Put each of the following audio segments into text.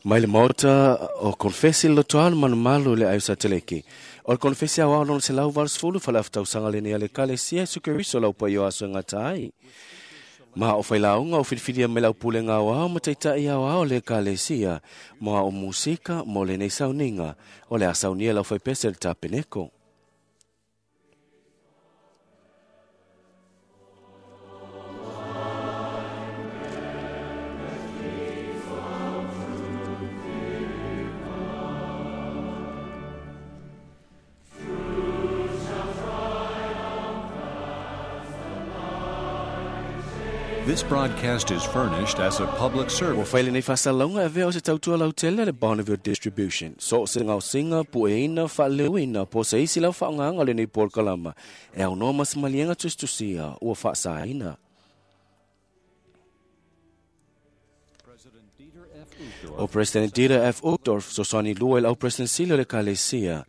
Mai le maota o konfesi le lotoa malumalu le aiusa teleki. O le konfesi aoao lona 180 fale-afa-tausaga lenei a le Ekalesia Iesu Keriso lau paia o aso e gata ai. Ma o failauga o filifilia mai le aupulega aoao ma taitai aoao o le Ekalesia mo ao musika mo lenei sauniga o le a saunia lau faipese le tapeneko. This broadcast is furnished as a public Ua service. fai lenei faasalalauga e avea o se tautua lautele a le Bonneville Distribution. So o se gaosiga, pueina, faaleleuina, po o se isi lau faaaogaga o lenei polokalama e aunoa ma se maliega tusitusia ua faasaina. O President Dieter F. Uchtdorf fesoasoani lua i le au President sili o le Ekalesia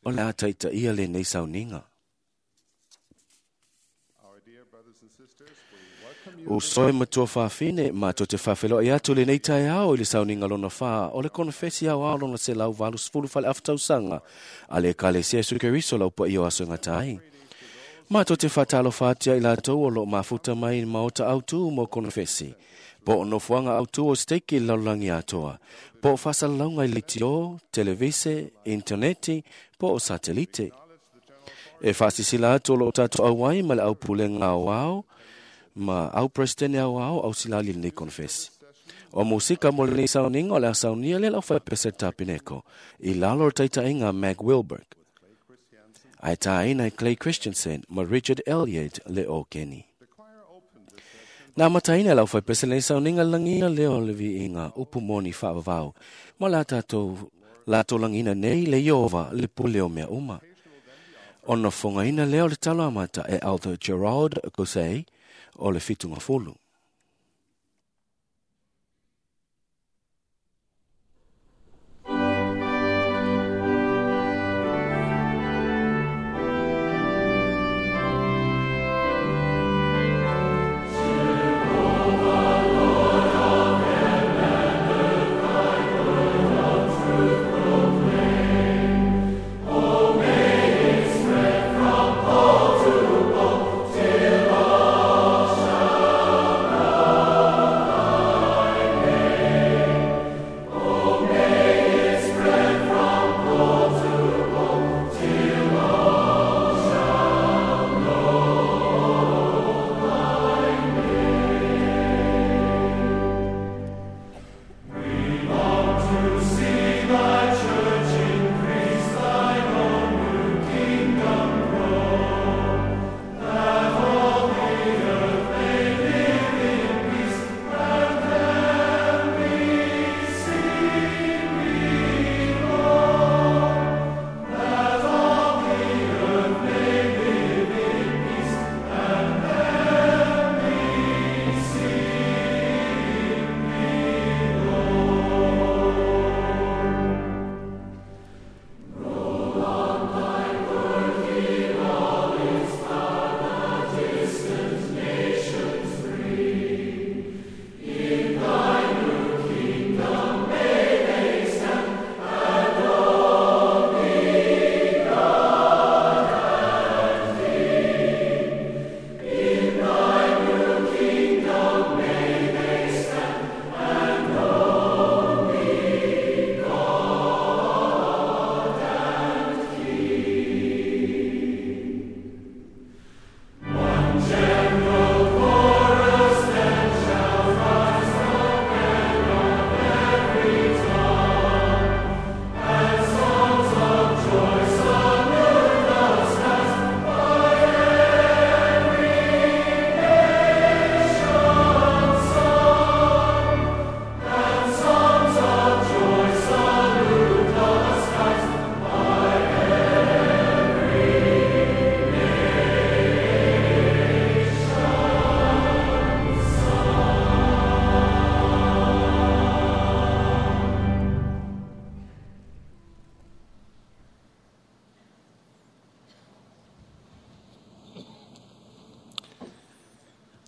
o le a taitaia lenei sauniga. Uso e matua fafine, matou te faafeiloai atu lenei taeao i le sauniga lona fa o le konofesi aoao lona 180 fale-afa-tausaga a le Ekalesia Iesu Keriso lau paia o aso e gata ai. Matou te faatalofa atu ia i latou o lo o mafuta mai i le maota autu mo konofesi, po o nofoaga autu o steiki i le lalolagi atoa, po o faasalalauga i leitio, televise, initaneti, po o satelite. E faasisila atu o lo o tatou auai ma le aupulega aoao ma au presidente aoao au silali lenei konofesi. O musika mo lenei sauniga o le a saunia le lau faipese tapeneko i lalo o le taitaiga Mag Wilberg. Ae tāina e Clay Christensen ma Richard Elliott le o Kenny. Na amataina e lau faipese lenei sauniga le lagiina lea o le viiga upu moni faavavau ma la tatou latou lagiina nei le Ieova le pule o mea uma. Ona fofogaina lea o le talo amata e Elder Gerald Gosei o le Fitugafulu.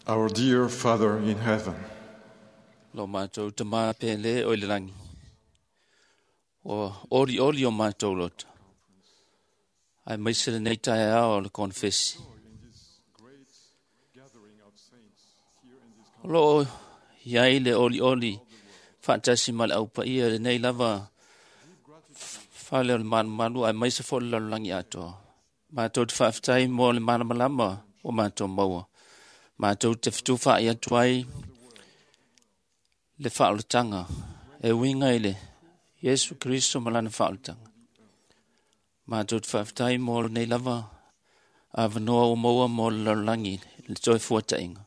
Our dear Father in heaven, Lo mātou tamā pele o i le langi. O ori ori o mātou loto. Ai maise lenei taeao o le konfesi. O loo iai le oli oli faatasi ma le aupaia lenei lava fale o le malumalu ai maise foi le lalolagi atoa. Mātou te faafetai mo le malamalama o mātou maua. Mātou te fetufaai atu ai le faaolataga e uiga i le Iesu Keriso ma lana faaolataga. Mātou te faafetai mo lenei lava avanoa ua maua mo le lalolagi le toe fuataiga.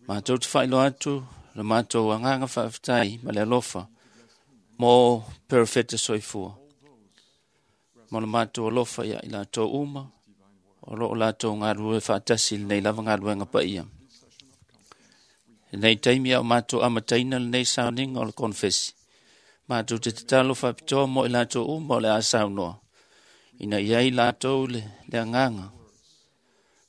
Mātou te faailoa atu le mātou agaga faafetai ma le alofa mo perofeta soifua. Ma le mātou alofa ia i latou uma o loo latou galulue faatasi lenei lava galuega paia. Lenei taimi a o mātou amataina lenei sauniga o le konfesi. Mātou te tatalo faapitoa mo i latou uma o le a saunoa. Ina ia i latou le agaga.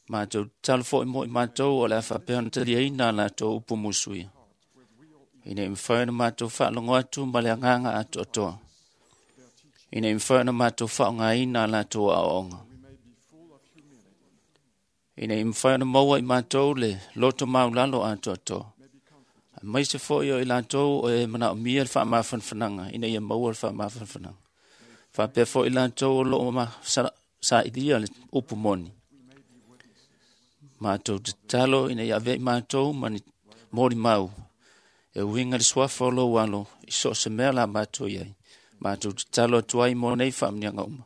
Mātou tatalo foi mo i mātou o le a faapea ona taliaina a latou upu musuia. Ina ia mafai ona mātou faalogo atu ma le agaga atoatoa. Ina ia mafai ona mātou faaaogaina a latou aoaoga. Ina ia mafai ona maua i mātou le loto maulalo atoatoa. Aemaise foi o i latou o e manaomia le faamafanafanaga, ina ia maua le faamafanafanaga. Faapea foi i latou o loo sailia le upu moni. Mātou tatalo ina ia avea i mātou ma ni molimau e uiga le suafa o lou alo i so o se mea la mātou i ai. Mātou tatalo atu ai mo nei faamanuiaga uma.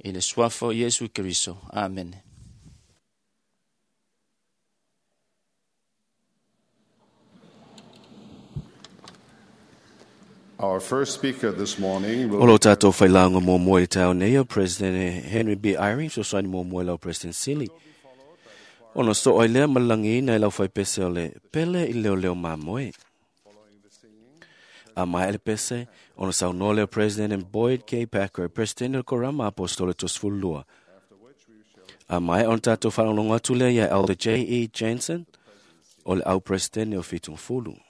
I le suafa o Iesu Keriso. Amene. Our first speaker this morning will O lo tātou whailauga muamua i le taeao nei o President Henry B. Eyring, fesoasoani muamua i lau President Sili. Ona soo ai lea ma le lagiina i lau faipese o le pele i leoleo mamoe. A maea le pese, ona saunoa lea o President Boyd K. Packer, President o le Korama Apostolo 32. A maea ona tātou faalogologo atu lea ia Elder J. E. Jensen, o le au President o 70.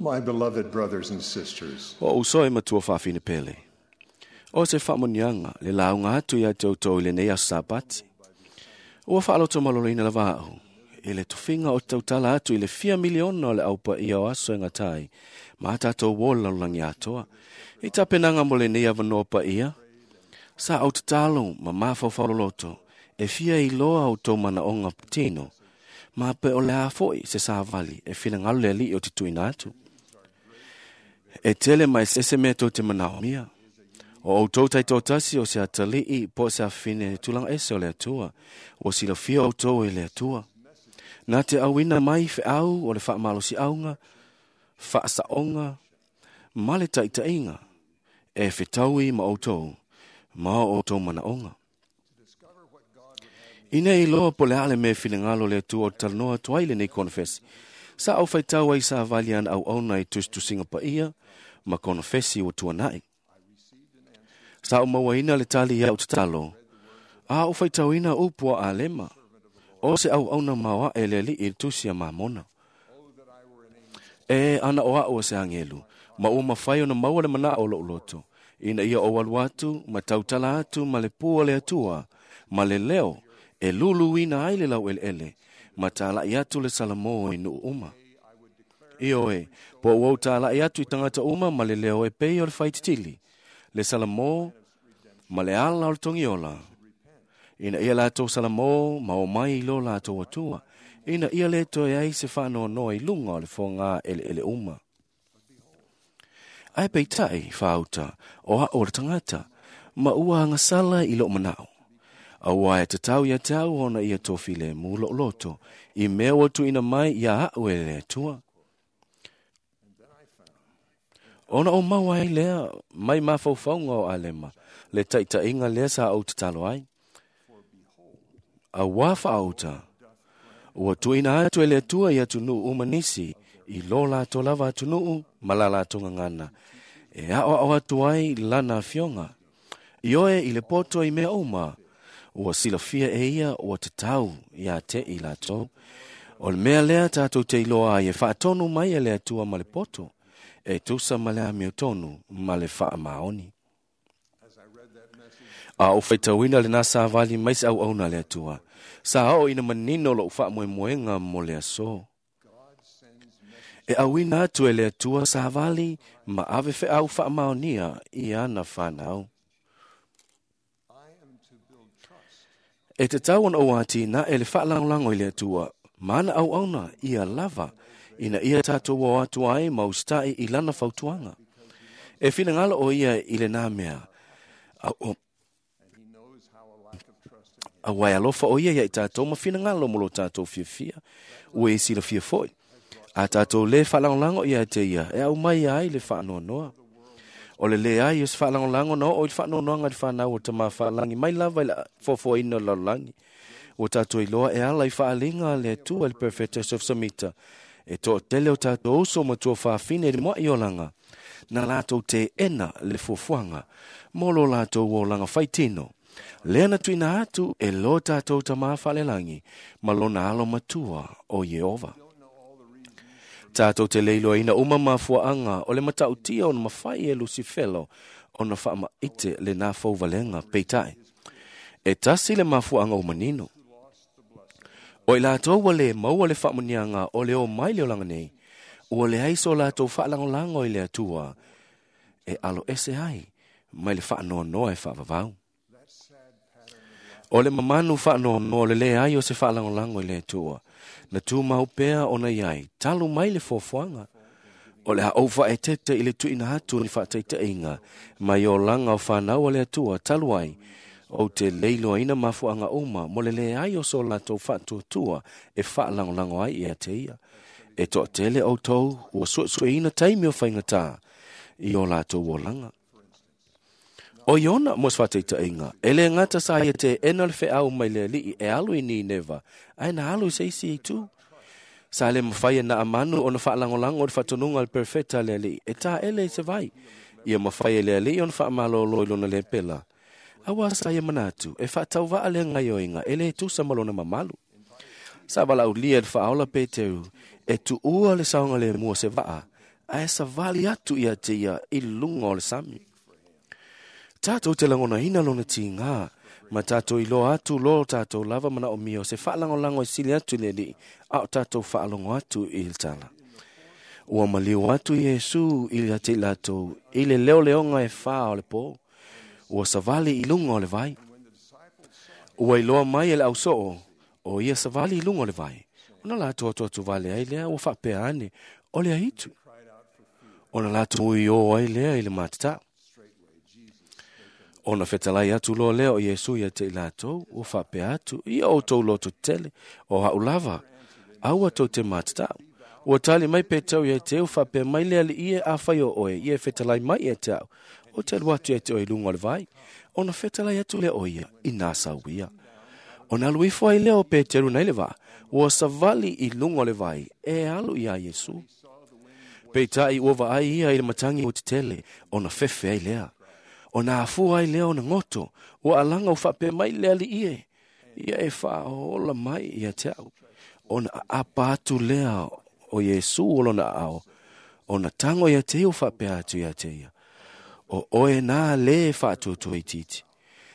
My beloved brothers and sisters, O uso e matua faafine pele. O se faamuniaga le lauga atu ia te outou i lenei aso Sapati. Ua faaloto maloloina lava a'u i le tofiga o te tautala atu i le fia miliona o le aupaia o aso e gatai ma tatou uo le lalolagi atoa. I tapenaga mo lenei avanoa paia, sa ou tatalo ma mafaufau e fia iloa outou manaoga tino, ma pe o le a foi se savali e finagalo le alii o te tuuina atu. E tele mai se mea tou te manaomia. O outou taitoatasi o se atalii po o se afafine tulaga ese o le Atua. Ua silafia outou e le Atua. Na te auina mai feau o le faamalosiauga, faasaoga, ma le taitaiga e fetaui ma outou, ma o outou manaoga. Ina iloa po le a le mea finagalo o le Atua o te talanoa atu ai lenei konofesi. Sa ou faitau ai savali ana auauna i tusitusiga paia ma konofesi ua tuanai. Sa ou mauaina le tali ia au tatalo, a ou faitauina upu a Alema, o se auauna maoae le alii i le tusi a Mamona. E ana o a'u o se agelu, ma ua mafai ona maua le manao o lou loto, ina ia ou alu atu ma tautala atu ma le pua o le Atua, ma le leo e luluina ai le laueleele, ma talai atu le Salamo i nuu uma. Ioe, po ua ou talai atu i tagata uma ma le leo e pei o le faititili, le Salamo ma le ala o le togiola. Ina ia latou Salamo ma o mai i lo latou Atua, ina ia le toe ai se faanoanoa i luga o le foga eleele uma. Ae peitai faauta o a'u o le tagata, ma ua agasala i lou manao. Auā e tatau ia te au ona ia tofilemu lou loto, i mea ua tuuina mai ia a'u e le Atua. Ona o maua ai lea mai mafaufauga o Alema, le taitaiga lea sa ou tatalo ai. Auā faauta, ua tuuina atu e le Atua i atunuu uma nisi, i lo latou lava atunuu ma la latou gagana, E ao ao atu ai lana afioga. Ioe i le poto i mea uma, ua silafia e ia ua tatau ia te i latou. O le mea lea tātou te iloa ai e faatonu mai e le Atua ma le poto, e tusa ma le amiotonu ma le faamaoni. A o faitauina lena savali mai se auauna a le Atua, sa oo ina manino lou faamoemoega mo le aso. E auina atu e le Atua savali ma ave feau faamaonia i ana fanau. E tatau ona ou atinae le faalagolago i le Atua, ma ana auauna ia lava, ina ia tatou o atu ai ma usitai i lana fautuaga. E finagalo o ia i lena mea, auā e alofa o ia ia i tatou ma finagalo mo lo tatou fiafia, ua e silafia foi. A tatou lē faalagolago ia te ia, e aumai ai le faanoanoa. O le leai o se faalagolago na oo i le faanoanoaga i le fanau o Tamā Faalagi mai lava i le foafoaina o le lalolagi. Ua tatou iloa e ala i faaaliga a le Atua i le Perofeta Joseph Samita, e toatele o tatou uso ma tuafafine i le mua'i olaga, na latou teena le fuafuaga mo lo latou olaga faitino. Lea na tuuina atu e lo tatou Tamā Faalelagi ma lona alo matua o Ieova. Tātou te le iloaina uma mafuaaga o le matautia ona mafai e Lusifelo ona faamaite lena fauvalega peitai. E tasi le mafuaaga ua manino. O i latou ua le maua le faamuniaga o le o mai le olaga nei, ua leai so latou faalagolago i le Atua e alo ese ai mai le faanoanoa e faavavau. O le mamanu faanoanoa o le leai o se faalagolago i le Atua, na tumau pea ona i ai, talu mai le fuafuaga. O le a ou faaeteete i le tuuina atu ni faataitaiga mai olaga o fanau a le Atua talu ai, ou te le iloaina mafuaaga uma mo le leai o so latou faatuatua e faalagolago ai ia te ia. E toatele outou ua suesueina taimi o faigata i o latou olaga. O Iona mo se faataitaiga, e le gata sa ia teena le feau mai le alii e alu i Nineva, ae na alu i se isi itu. Sa le mafai e Naamanu ona faalagolago i le faatonuga a le perofeta a le alii, e taele i se vai, ia mafai e le alii ona faamalolo i lona lepela. Auā sa ia manatu, e faatauvaa le gaioiga e le tusa ma lona mamalu. Sa valaaulia e le faaola Peteru, e tuua le saogalemu o se vaa, ae savali atu ia te ia i luga o le sami. Tātou te lagonaina lona tigā, ma tātou iloa atu lo tātou lava manaomia o se faalagolago e sili atu i le alii, a o tātou faalogo atu i le tala. Ua maliu atu Iesu ia te i latou i le leoleoga e fā o le pō, ua savali i luga o le vai. Ua iloa mai e le ausoo, o ia savali i luga o le vai. Ona latou atuatuvale ai lea ua faapea ane, o le aitu. Ona latou ui o ai lea i le matatau. Ona fetalai atu loa lea o Iesu ia te i latou, ua faapea atu, ia outou loto tetele, o a'u lava, aua tou te matatau. Ua tali mai Peteru ia te ua faapea mai le alii e afai o oe, ia e fetalai mai ia te au. O te alu atu ia te oe i luga o le vai. Ona fetalai atu lea o ia, i nā sauia. Ona alu ifo ai lea o Peteru nai le vaa, ua savali i luga o le vai, e alu iā Iesu. Peitai ua vaai ia i le matagi ua tetele, ona fefe ai lea. Ona afua ai lea ona goto, ua alaga ua faapea mai le alii e, ia e faaola mai ia te au. Ona aapa atu lea o Iesu o lona aao, ona tago ia te ia ua faapea atu ia te ia, o oe nā lē faatuatua itiiti,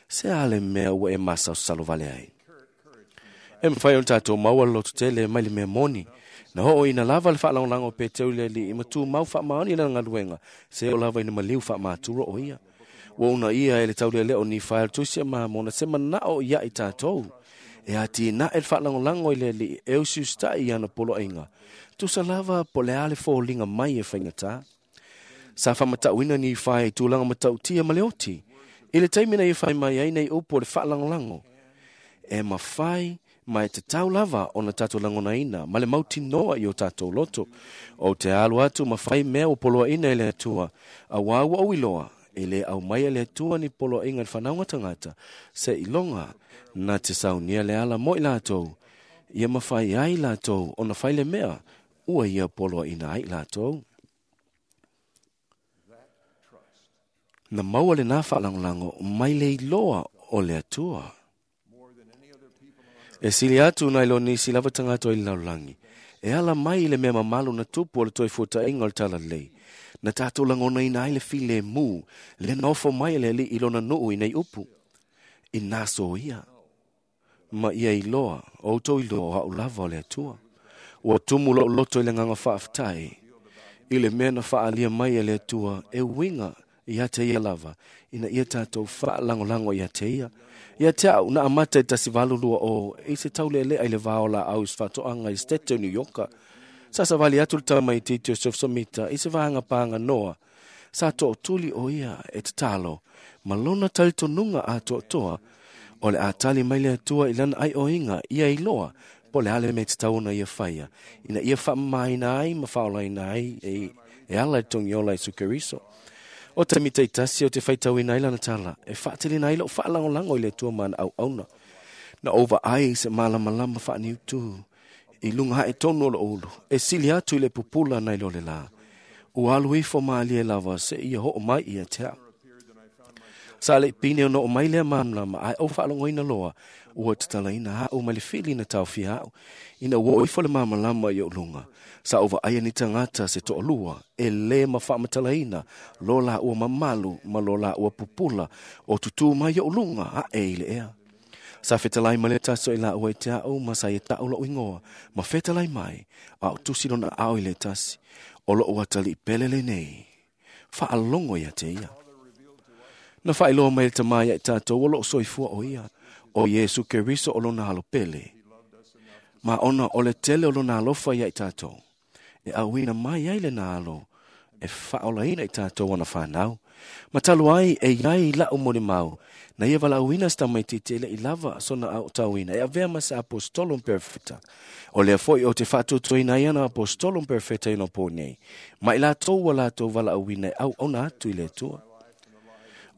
se a le mea ua e masalosalo vale ai. E mafai ona tatou maua le lototele mai le mea moni, na oo ina lava le faalagolago o Peteru i le alii ma tumau faamaoni i lana galuega, se oo lava ina maliu faamatura o ia. Ua uunaia e le taulealea o Nifae o le Tusi a Mamona se manao ia i tatou, e atinae le faalagolago i le alii e usiusitai i ana poloaiga, tusa lava po o le a le foliga mai e faigata. Sa faamatauina Nifae i tulaga matautia ma le oti, i le taimi na ia fai mai ai nei upu o le faalagolago, e mafai ma e tatau lava ona tatou lagonaina ma le mautinoa i o tatou loto. Ou te alu atu ma fai mea ua poloaiina e le Atua, auā ua ou iloa, e le aumaia le Atua ni poloaiga i le fanauga tagata, seiloga na te saunia le ala mo i latou, ia mafai ai latou ona fai le mea ua ia poloaiina ai latou. Na maua le nā whaalangolago mai le iloa o le Atua. E sili atu nai lo nisi lava tagata i le lalolagi. E ala mai i le mea mamalu na tupu o le toefuataiga o le talalelei. Na tatou lagonaina ai le filemu, le nofo mai e le Alii i lona nuu i nei upu. I nā soia. Ma ia iloa, o outou iloa o au lava o le Atua. Ua tumu lou loto i le agaga faafetai. I le mea na faaalia mai e le Atua e uiga ia te ia lava, ina ia tatou faalagolago ia te ia. Ia te au na amata i 1820 i se taulelea i le vao laau i se faatoaga i State o New York. Sa savali atu le tamaitiiti o Joseph Smith i se vaega paganoa. Sa tootuli o ia e tatalo, ma lona talitonuga atoatoa, o le a tali mai le Atua i lana aioiga ia iloa, po le ale me tatau ona ia faia, ina ia faamamaina ai ma faolaina ai e ala i togiola Iesu Keriso. O taimi taitasi o te faitauina ai lana tala, e faatelina ai lou faalagolago i le Atua ma ana auauna. Na ou vaai i se malamalama faaniutu, i luga hae tonu o lou ulu, e sili atu i le pupula nai lo le la. Ua alu ifo malie lava se ia hoo mai ia te au. Sa le pine o noo mai lea malamalama, ae ou faalogoina loa, ua tatalaina au mai le fili na taofia au, ina ua oo ifo le malamalama i ou luga. Sa ou vaaia ni tagata se toalua, e lē mafaamatalaina, lo la ua mamalu ma lo la ua pupula, o tutū mai ou luga ae i le ea. Sa fetalai mai le tasi o i la ua i te au ma sa ia tau lou ingoa, ma fetalai mai, a o tusi lona ao i le tasi, o lou atalii pele lenei. Faalogo ia te ia. Na faailoa mai le tamā ia i tatou o loo soifua o ia, o Iesu Keriso o lona alo pele. Ma ona o le tele o lona alofa ia i tatou, e auina mai ai lena alo, e faaolaina i tatou ona whanau. Ma talu ai e iai lau molimau, na ia valaauina se tamaitiiti e le'i lava sona aotauina, e avea ma se apostolo ma perofeta. O lea foi o te faatuatuaina ai ana apostolo ma perofeta i ona po nei, ma i latou ua latou valaauina e auauna atu i le Atua.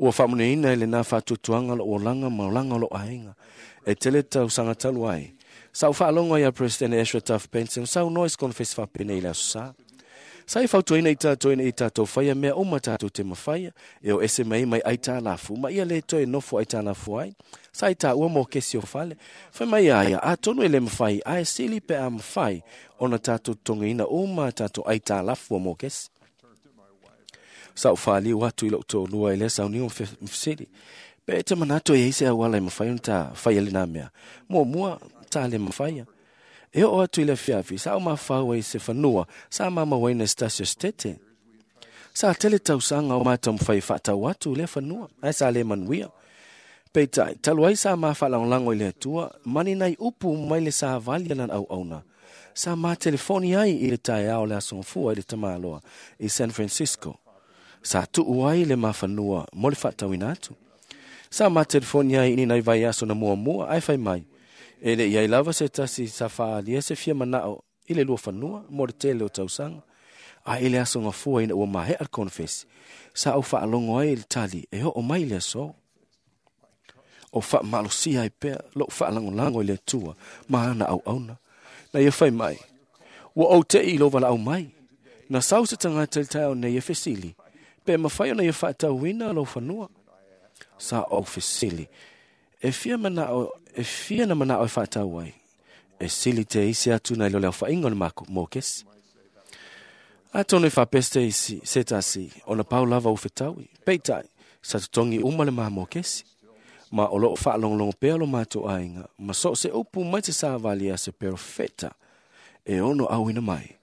Ua faamanuiaina i lena faatuatuaga lou olaga ma olaga o lou aiga. E tele tausaga talu ai. Sa ou faalogo ai ia President Ezra Taft Benson saunoa i se konofesi faapenei i le aso Sa. Sa e fautuaina i tatou ina ia tatou faia mea uma tatou te mafaia, e o ese mai mai aitalafu, ma ia le toe nofo aitalafu ai. Sa i taua mokesi o fale. Fai mai ia ia, atonu e le mafai, ae sili pe a mafai, ona tatou totogiina uma tatou aitalafu o mokesi. Sa ou faaliu atu i lou toalua i lea sauniga ma fesili. Pe e te manatu e iai se auala e mafai ona ta faia lena mea. Muamua, ta le mafaia. E oo atu i le afiafi, sa ou mafau ai se fanua, sa mamauaina e se tasi o se tete. Sa tele tausaga o ma taumafai e faatau atu i lea fanua, ae sa le manuia. Peitai, talu ai sa ma faalagolago i le Atua, ma ni nai upu mai le savali a lana auauna. Sa ma telefoni ai i le taeao o le aso Gafua i le tamaloa i San Francisco. Sa tuu ai le mafanua mo le faatauina atu. Sa ma telefoni ai i ni nai vaiaso na muamua, ae fai mai, e le i ai lava se tasi sa faaalia se fia manao i le lua fanua mo le tele o tausaga. Ae i le aso Gafua ina ua maea le konofesi, sa ou faalogo ai i le tali e oo mai i le aso. O faamalosia ai pea lou faalagolago i le Atua ma ana auauna. Na ia fai mai, ua ou te'i i lou valaau mai. Na sau se tagata i le taeao nei e fesili, pe mafai ona ia faatauina lou fanua. Sa ou fesili, e fia manao, e fia na manao e faatau ai. E sili te isi atu nai lo le aofaiga o le mokesi. Atonu e faapea se isi, se tasi, ona pau lava ua fetaui. Peitai, sa totogi uma le ma mokesi. Ma o loo faalogologo pea lo matou aiga, ma so o se upu mai se savali a se perofeta e ono auina mai.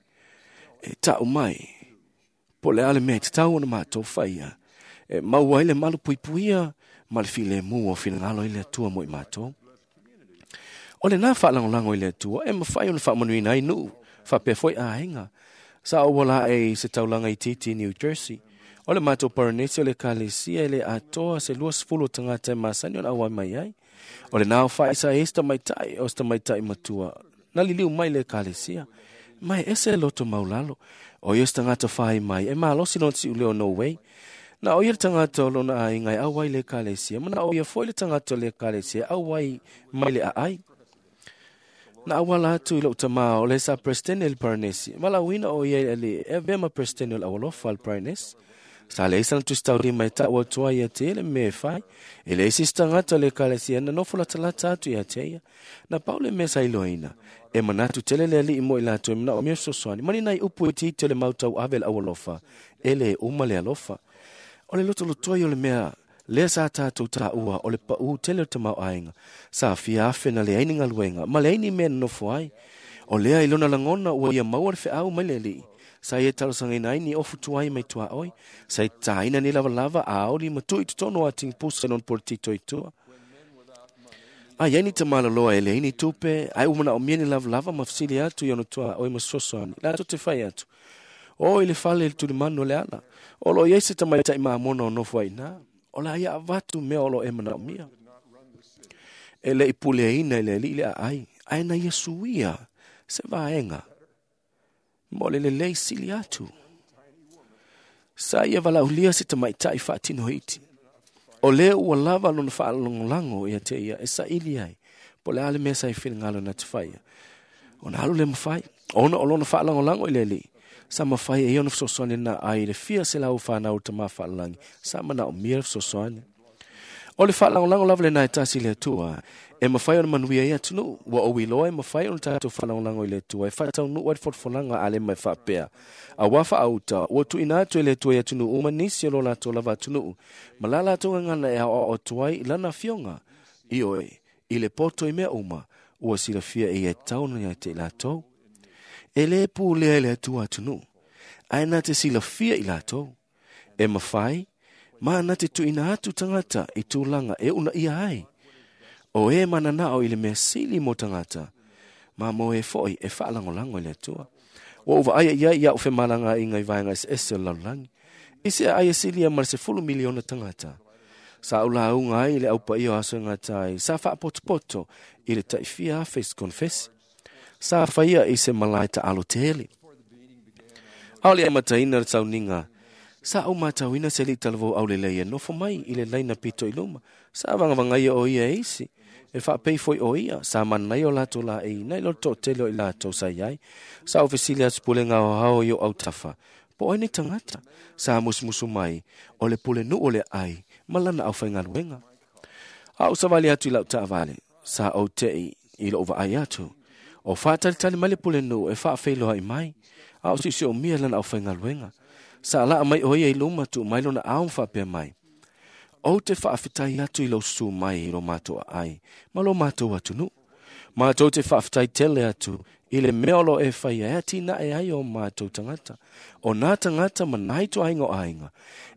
E tau mai, po o le a le mea e tatau ona matou faia, e maua ai le malupuipuia ma le filemu o finagalo i le Atua mo i matou. O lena faalagolago i le Atua e mafai ona faamanuiina ai nuu, faapea foi aiga. Sa ou ola ae i se taulaga itiiti i New Jersey. O le matou Paranesi o le Ekalesia e le atoa se 20 o tagata e masani ona auai mai ai. O lena aofai sa i ai se tamaitai o se tamaitai matua na liliu mai i le Ekalesia. Ma e ese le loto maulalo. O ia se tagata fai mai e malosi lona siuleo o Norway. Na o ia le tagata o lona aiga e auai i le Ekalesia, ma na o ia foi le tagata o le Ekalesia e auai mai le aai. Na auala atu i lou tamā o le sa Peresetene i le Paranesi, valaauina o ia i le Alii e avea ma Peresetene o le Aualofa a le Paranesi. Sa leai sana tusitaulima e taʻu atu ai ia te ia le mea e fai. E leai se isi tagata o le ekalesia na nofo latalata atu ia te ia. Na pau le mea sa iloaina, e manatu tele le Alii mo i latou e manaomia fesoasoani, ma ni nai upu itiiti o le mau tauave a le aualofa, e lē uma le alofa. O le lotolotoi o le mea lea sa tatou taua o le paʻū tele o le tamaoaiga, sa fia afe na leai ni galuega ma leai ni mea e nonofo ai. O lea i lona lagona ua ia maua le feau mai le Alii, sa ia talosagaina ai ni ofu tuai mai tuaoi, sa ia tataina ni lavalava a aoli ma tuu i totonu o atigi pusa i lona poletito i tua. A i ai ni tamaloloa e leai ni tupe, ae ua manaomia ni lavalava ma fesili atu i ona tuaoi ma fesoasoani, latou te fai atu, O i le fale i le tulimanu o le ala, o lo o i ai se tamaitai mamona o nofo ai i ina, o le a ia avatu mea o lo o e manaomia. E le i puleaina e le Alii le aai, ae na ia suia se vaega mo le lelei sili atu. Sa ia valaaulia se tamaitai faatino iti. O lea ua lava lona faalagolago ia te ia e saili ai, po o le a le mea sa i finagalo na te faia. Ona alu lea mafai, ona o lona faalagolago i le Alii, sa mafai e ia ona fesoasoani lena ai i le fia selau o fanau o le Tama Faalelagi, sa manaomia le fesoasoani. O le faalagolago lava lena e tasi i le Atua, e mafai ona manuia ai atunuu. Ua ou iloa e mafai ona tatou faalagolago i le Atua e faataunuu ai le folafolaga a le mai faapea, Auā faaauta, ua tuuina atu e le Atua i atunuu uma nisi o lo latou lava atunuu, ma la latou gagana e aoao atu ai i lana afioga, ioe, i le poto i mea uma, ua silafia e ia e tatau ona ia te i latou. E lē pulea e le Atua atunuu, ae na te silafia i latou. E mafai, ma na te tuuina atu tagata i tulaga e uunaia ai. O e mananao i le mea sili mo tagata, ma mo e foi e faalagolago i le Atua. Ua ou vaaia i ai i aʻu femalagaaiga i vaega eseese o le lalolagi, i se aai e silia ma le 10 miliona tagata. Sa ou lauga ai i le Au Paia o Aso e Gata ai, sa faapotopoto i le tai fia afe i se konefesi. Sa faia i se malae taalo tele. ʻAʻole i amataina le sauniga, sa ou matauina se alii talavou aulelei e nofo mai i le laina pito i luma. Sa vagavagaia ʻo ia e isi, e faapei foi ʻo ia, sa manaia o latou laei nai lo le toatele o i latou sa i ai. Sa ou fesili atu pulega aoao i ou autafa, po o ai nei tagata? Sa musumusu mai, o le pulenuu o le aai ma lana aufaigaluega. A ou savali atu i lau taavale, sa ou teʻi i loʻu vaai atu, o faatalitali mai le pulenuu e faafeiloai mai, a o siosiomia lana aufaigaluega. Sa laa mai ʻo ia i luma tuu mai lona ao ma faapea mai, Ou te faafetai atu i lou susu mai i lo matou aai ma lo matou atunuu. Matou te faafetai tele atu i le mea o lo o e faia e atinae ai o matou tagata, o nā tagata ma nā ituaiga o aiga,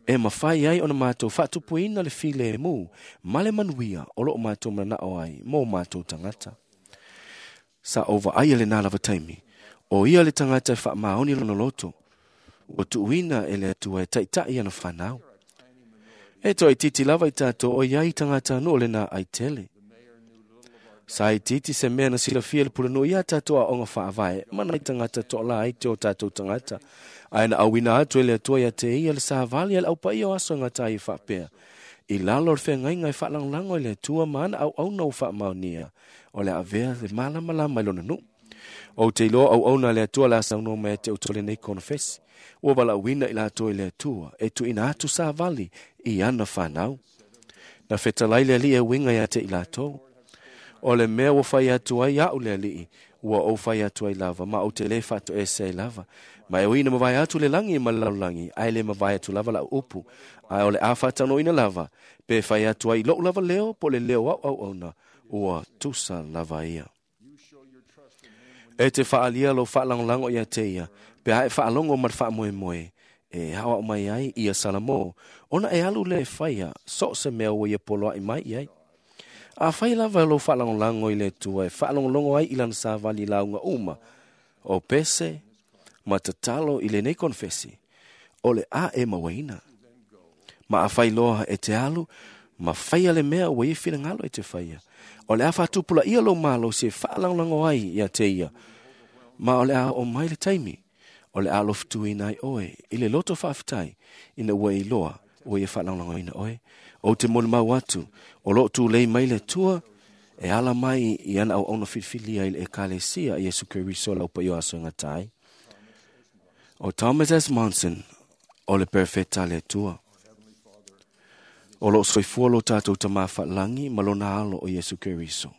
e mafai ai ona matou faatupuina le filemu ma le manuia o lo o matou mananao ai mo matou tagata. Sa ou vaaia lenā lava taimi, o ia le tagata e faamaoni lona loto, ua tuuina e le Atua e taitai ana fanau. E toaitiiti lava i tatou o iai tagatanuu o lenā ai tele. Sa itiiti se mea na silafia e le pulenuu iā tatou aoga faavae ma nai tagata toalā ai te o tatou tagata, ae na auina atu e le Atua ia te ia le savali a le Au Paia o Aso e Gata ai e faapea, I lalo o le feagaiga e faalagolago i le Atua ma ana auauna ua faamaonia, o le a avea le malamalama i lona nuu. Ou te iloa auauna a le Atua o le a saunoa mai ia te outou lenei konofesi, ua valaauina i latou e le Atua e tuuina atu savali i ana fanau. Na fetalai le Alii e uiga ia te i latou. O le mea ua fai atu ai aʻu le Alii, ua ou fai atu ai lava, ma ou te lē faatoese ai lava. Ma e ui ina mavae atu le lagi ma le lalolagi, ae le mavae atu lava laʻu upu, ae o le a faataunuuina lava, pe fai atu ai i loʻu lava leo po o le leo o aʻu auauna, ua tusa lava ia. E te faaalia lou faalagolago ia te ia, pe a e faalogo ma le faamoemoe, e aoao mai ai ia Salamo, ona e alu lea e faia so o se mea ua ia poloaʻi mai i ai. Afai lava lou faalagolago i le Atua e faalogologo ai i lana savali lauga uma, o pese ma tatalo i lenei konefesi, o le a e mauaina. Ma afai loa e te alu ma faia le mea ua ia finagalo e te faia, o le a faatupulaia lou malosi e faalagolago ai ia te ia, ma o le a oo mai le taimi o le a alofutuina ai oe i le loto faafetai ina ua e iloa ua ia faalagolagoina oe. Ou te molimau atu, o lo o tulei mai le Atua e ala mai i ana auauna filifilia i le Ekalesia a Iesu Keriso o le Aupaia o Aso e Gata ai. O Thomas S. Monson, O le perefeta a le Atua. O loo soifua lo tatou Tamā faalagi ma lona Alo o Iesu Keriso.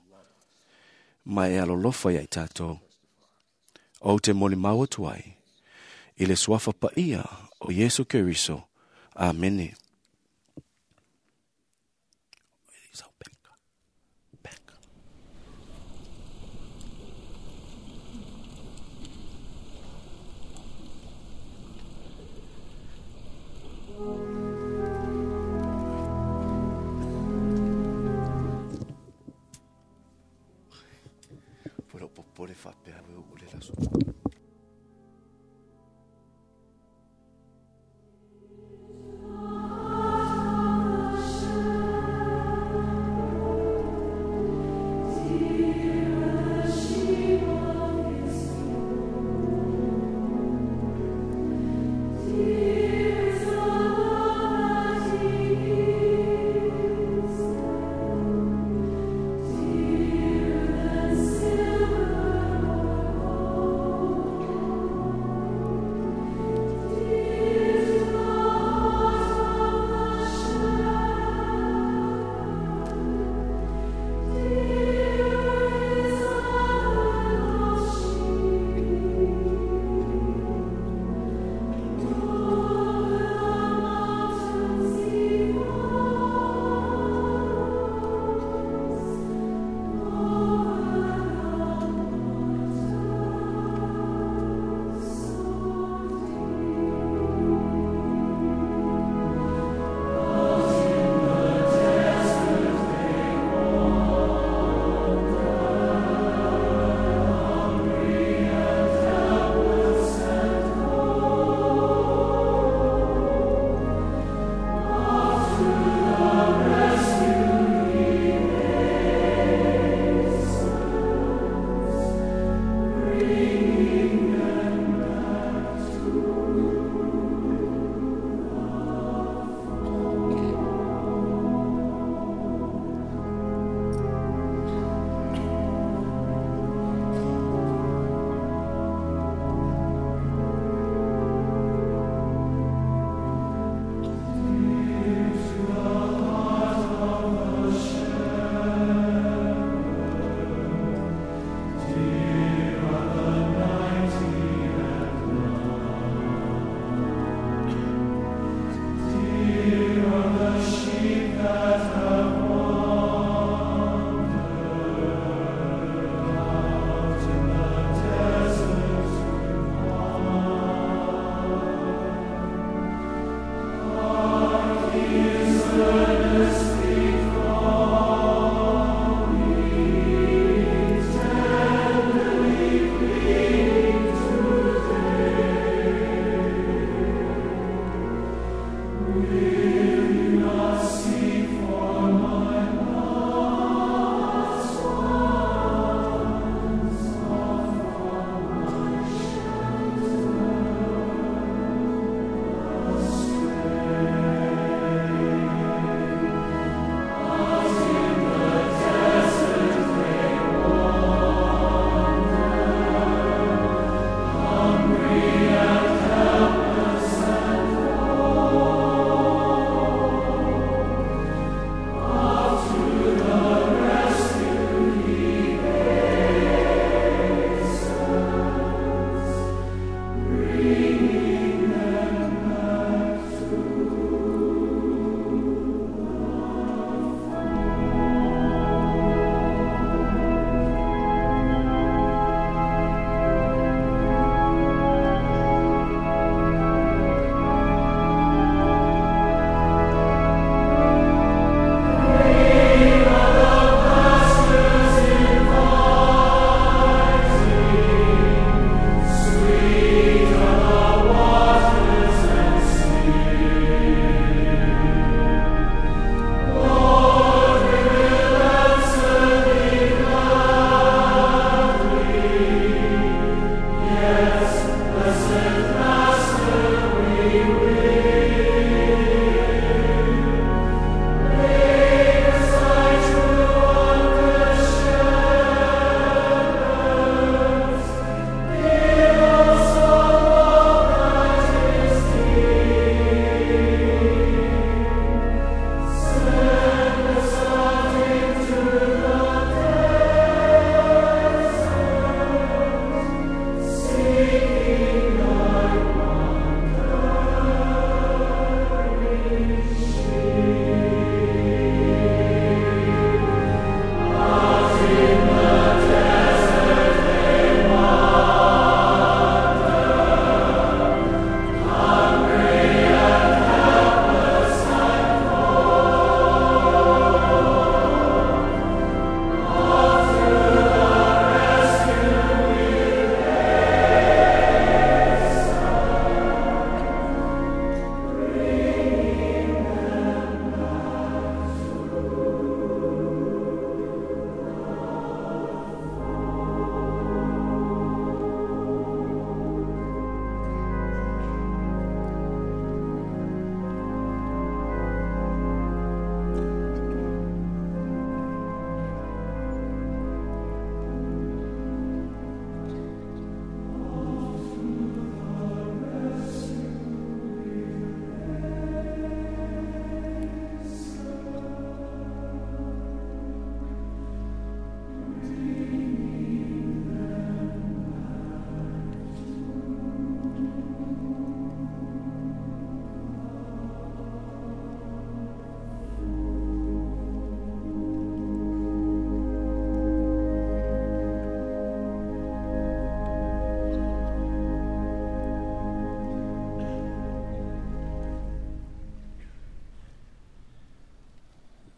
Ma e alolofa ia i tatou. Ou te molimau atu ai. I le suafa paia o Iesu Keriso. Amene. Popole faapea o le laso.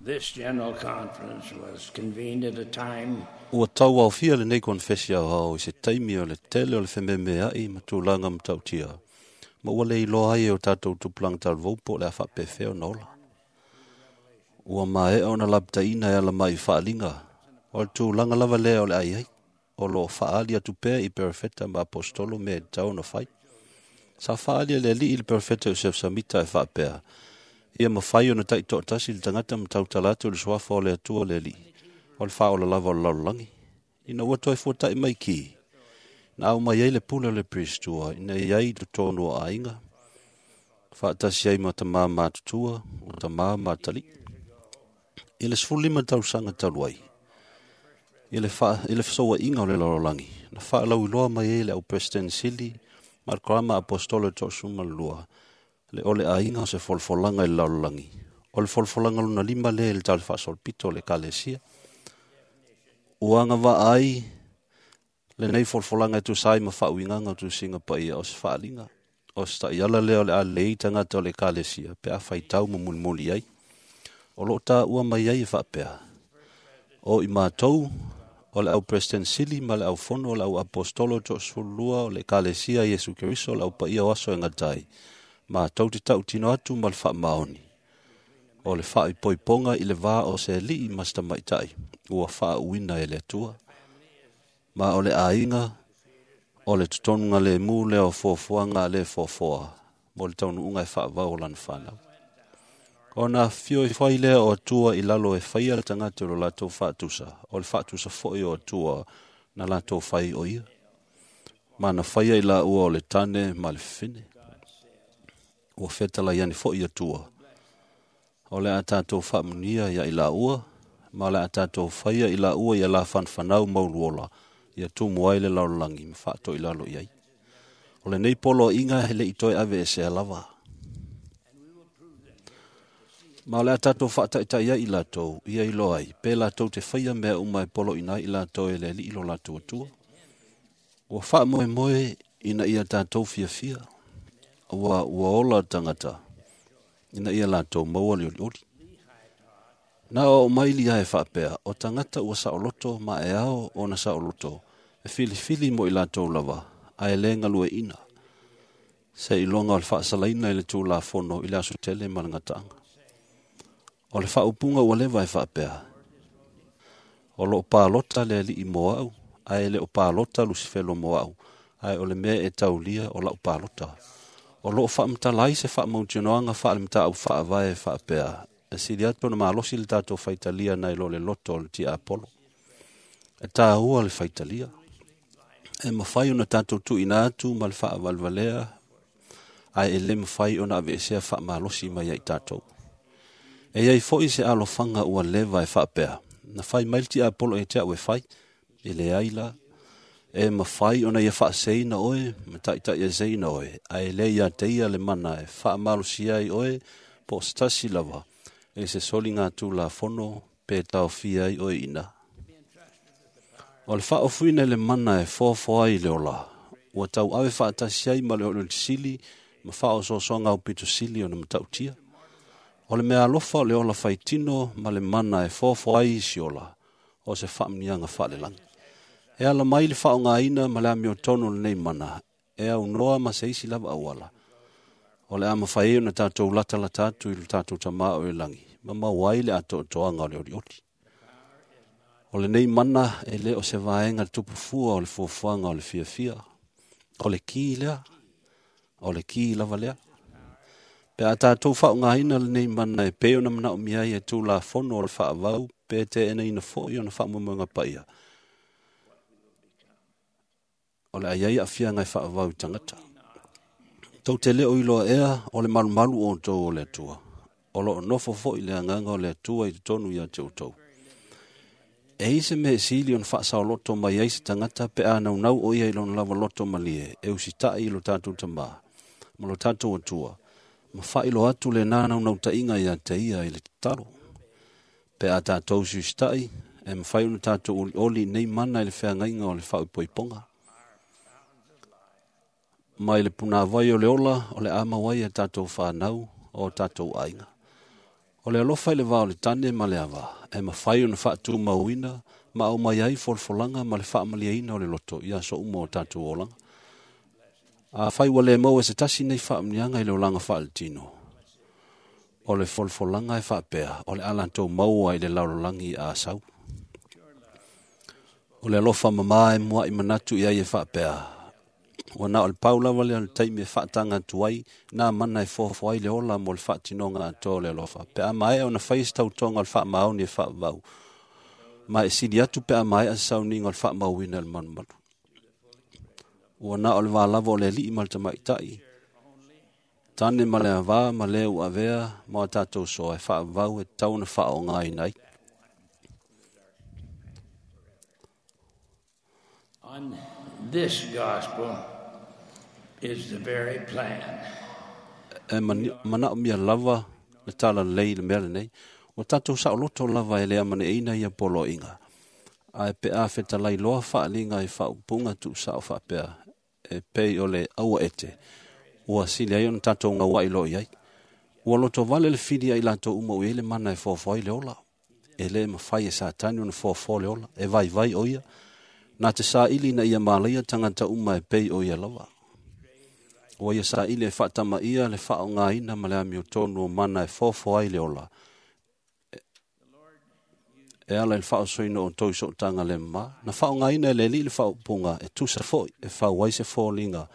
This General Conference was convened at a time Ua tauaofia lenei konefesi aoao i se taimi o le tele o le fememea'i ma tulaga matautia, ma ua le iloa ai e o tatou tupulaga talavou po o le a faapefea ona ola. Ua maea ona lapataiina e ala mai i faaaliga, o le tulaga lava lea o le a i ai, o loo faaali atu pea i perofeta ma aposetolo mea e tatau ona fai. Sa faaali e le Alii i le perofeta Iosef Samita e faapea, ia mafai ona taitoatasi le tagata ma tautala atu i le suafa o le Atua le Alii, o le faaola lava o le lalolagi. Ina ua toe fuata'i mai ki, na au mai ai le pule o le Piristua ina ia i totonu o aiga, faatasi ai ma tamā matutua, o tamā ma atalii. I le 15 tausaga talu ai, i le fesoua'iga o le lalolagi, na faalauiloa mai ai le au Peresetene Sili ma le Karama Aposetolo e 32, le ole aiga o se folafolaga i le lalolagi. O le folafolaga lona 5 lea i le tala faasolopito o le Ekalesia. Ua agavaa ai lenei folafolaga e tusa ai ma faauigaga o tusiga paia o se faaaliga, o se ta'iala lea o le a lelei tagata o le Ekalesia pe a faitau ma mulimuli ai. O loo taua mai ai e faapea, o i matou o le au Peresetene Sili ma le au fono o le au Aposetolo 32 o le Ekalesia Iesu Keriso o le au paia o aso e gata ai, matou te tautino atu ma le faamaoni, o le faaipoipoga i le vā o se alii ma se tamaita'i ua faauuina e le Atua. Ma o le aiga o le totonuga lemu lea o fuafuaga a le foafoa mo le taunuuga e faavau o lana fanau. Ona afifio ifo ai lea o Atua i lalo e faia le tagata o lo latou faatusa, o le faatusa foi o Atua na latou fai o ia. Ma na faia i laua o le tane ma le fefine. Ua fetalai ane foi Atua, o le a tatou faamunia ia i laua, ma o le a tatou faia i laua ia la whanwhanau mauluola, ia tumu ai le lalolagi ma faatoilalo i ai. O lenei poloaiga he le i toe ave e sea lava. Ma o le a tatou faataitai ai i latou, ia iloa ai, pe latou te faia mea uma e poloina ai i latou e le Alii lo latou Atua. Ua faamoemoe ina ia tatou fiafia, ua ola tagata, ina ia latou maua le olioli. Na o mai lia e faapea, o tagata ua saoloto ma e ao ona saoloto, e filifili mo i latou lava, ae le galueaiina. Se iloga o le faasalaina i le tulafono i le aso tele ma le gataaga. O le faaupuga ua leva e faapea, o loo palota le Alii mo au, ae le o palota Lusifelo mo au, ae o le mea e taulia o lau palota. O loo faamatala ai se faamautinoaga faalematau faavae e faapea, e sili atu ona malosi le tatou faitalia nai lo le loto o le tiapolo. E tāua le faitalia. E mafai ona tatou tuuina atu ma le faavalevalea, ae e le mafai ona aveesea faamalosi mai ai tatou. E iai foi se alofaga ua leva e faapea, na fai mai le tiapolo e te au e fai, e leai la. E mafai ona ia faaseina oe, ma taitaiaseina oe, ae le ia te ia le mana e faamalosia ai oe, po o se tasi lava, e se soliga tulafono pe taofia ai oe ina. O le faaofuina i le mana e foafoa ai le ola, ua tauave faatasi ai ma le olioli sili ma faaosoosoga aupito sili ona matautia. O le mea alofa o le ola faitino ma le mana e foafoa ai isi ola, o se faamuniaga faalelagi. E ala mai le faaogaina ma le amiotonu o lenei mana, e aunoa ma se isi lava auala. O le a mafai ai ona tatou latalata atu i lo tatou tamā o i lagi, ma maua ai le atoatoaga o le olioli. O lenei mana e le o se vaega tupufua o le fuafuaga o le fiafia. O le ki lea, o le ki lava lea. Pe a tatou faaaogaina lenei mana e pei ona manaomia ai e tulafono o le faavau pe teenaina foi ona faamoemoega paia. O le a iai aafiaga e faavau i tagata. Tou te le o iloa ea o le malumalu o outou o le Atua. O loo nofo foi le agaga o le Atua i totonu ia te outou. E i se mea e sili ona faasaoloto mai ai se tagata pe a naunau o ia i lona lava loto malie e usita'i i lo tatou tamā ma lo tatou Atua, ma faailoa atu lenā naunautaiga ia te ia i le tatalo. Pe a tatou siusita'i, e mafai ona tatou olioli i nei mana i le feagaiga o le faauipoipoga. Mai le punāvai o le ola o le a mau ai e tatou whanau o tatou aiga. O le alofa i le va o le tane ma le ava, e mafai ona faatumauina ma aumai ai folafolaga ma le faamalieina o le loto i aso uma o tatou olaga. Afai ua le maua e se tasi nei faamanuiaga i le olaga faaletino, o le folafolaga e faapea o le a latou maua i le lalolagi a sau. O le alofa mamā e mua'i manatu i ai e faapea, ua na o le pau lava lea o le taimi e faataga atu ai nā mana e foafoa ai le ola mo le faatinoga atoa o le alofa, pe a maea ona fai se tautoga o le faamaoni e faavavau, ma e sili atu pe a maea se sauniga o le faamauina e le malumalu. Ua na o le va lava o le alii ma le tamaitai, tane ma le avā ma le ua avea ma o tatou soa e faavavau e tatau ona faaaogaina ai. On this gospel is the very plan. E manaomia lava le talalelei i le mea lenei. Ua tatou saoloto lava e le amaneʻeina ia poloaiga. Ae pe a fetalai loa faaliga i faaupuga tuusao faapea, e pei o le aua ete, ua sili ai ona tatou gauai loa i ai. Ua lotovale le fili ai latou uma ua i ai le mana e foafoa ai le ola. E le mafai e Satani ona foafoa le ola, e vaivai o ia. Na te saili ina ia malaia tagata uma e pei o ia lava. Ua ia saili e faatamaia le faaaogaina ma le amiotonu o mana e foafoa ai le ola. E ala i le faaosoina o outou i sootaga le mamā. Na faaaogaina e le Alii le faaupuga e tusa foi e fau ai se foliga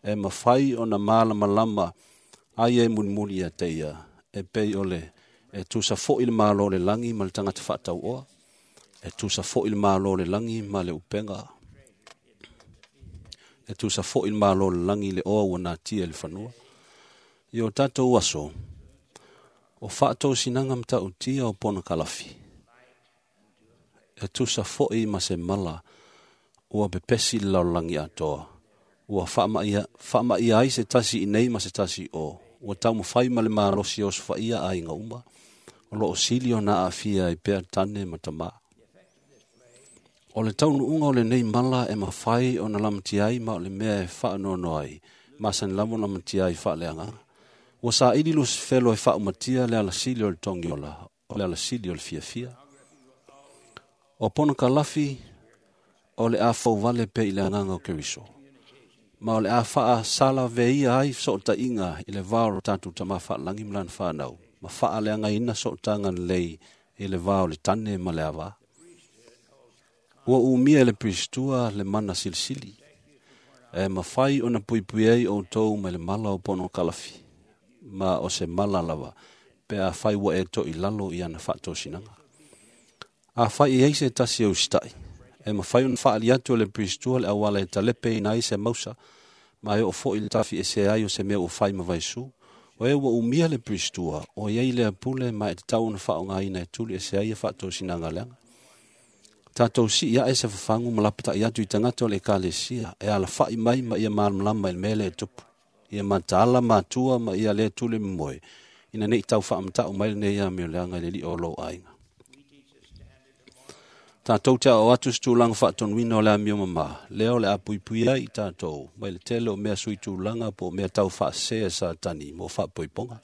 e mafai ona malamalama ai e mulimuli ia te ia, e pei o le e tusa foi le malo o le lagi ma le tagata faatauoa, e tusa foi le malo o le lagi ma le upega, e tusa foi le malo o le lagi i le oa ua natia i le fanua. I o tatou aso, o faatosinaga matautia o ponokalafi, e tusa foi ma se mala ua pepesi le lalolagi atoa, ua faamaia ai se tasi i nei ma se tasi o, ua taumafai ma le malosi e osofaia aiga uma, o loo sili ona aafia ai pea tane ma tamā. O le taunuuga o lenei mala e mafai ona lamatia ai ma o le mea e faanoanoa ai, masani lava ona lamatia ai faaleagaga. Ua saili Lusifelo e faaumatia le alasili o le togiola, o le alasili o le fiafia. O ponokalafi o le a fouvale pea i le agaga o Keriso, ma o le a faasalaveia ai sootaiga i le va o lo tatou Tamā faalagi ma lana fanau, ma faaleagaina sootaga lelei i le va o le tane ma le avā. Ua umia e le Piristua le mana silisili, e mafai ona puipui ai outou mai le mala o ponokalafi, ma o se mala lava, pe afai ua e toilalo i ana faatosinaga. Afai e ai se tasi e usitai, e mafai ona faali atu e le Piristua le auala e talepeina ai se mausa, ma e oo foi le tafiese ai o se mea ua fai ma vaisu. O e ua umia le Piristua, o iai lea pule ma e tatau ona faaaogaina e tuli ese ai ia faatosinaga leaga. Tatou sii ae se fafagu ma lapatai atu i tagata o le ekalesia, e alafai mai ma ia malamalama i le mea lea e tupu. Ia mataala matua ma ia le tuli momoe, ina nei tau faamatau mai lenei amioleaga i le alii o lou aiga. Tatou te ao atu se tulaga faatonuina o le amio mamā, lea o le a puipui ai i tatou, mai le tele o mea sui tulaga po o mea tau faasese e Satani mo faapoipoga.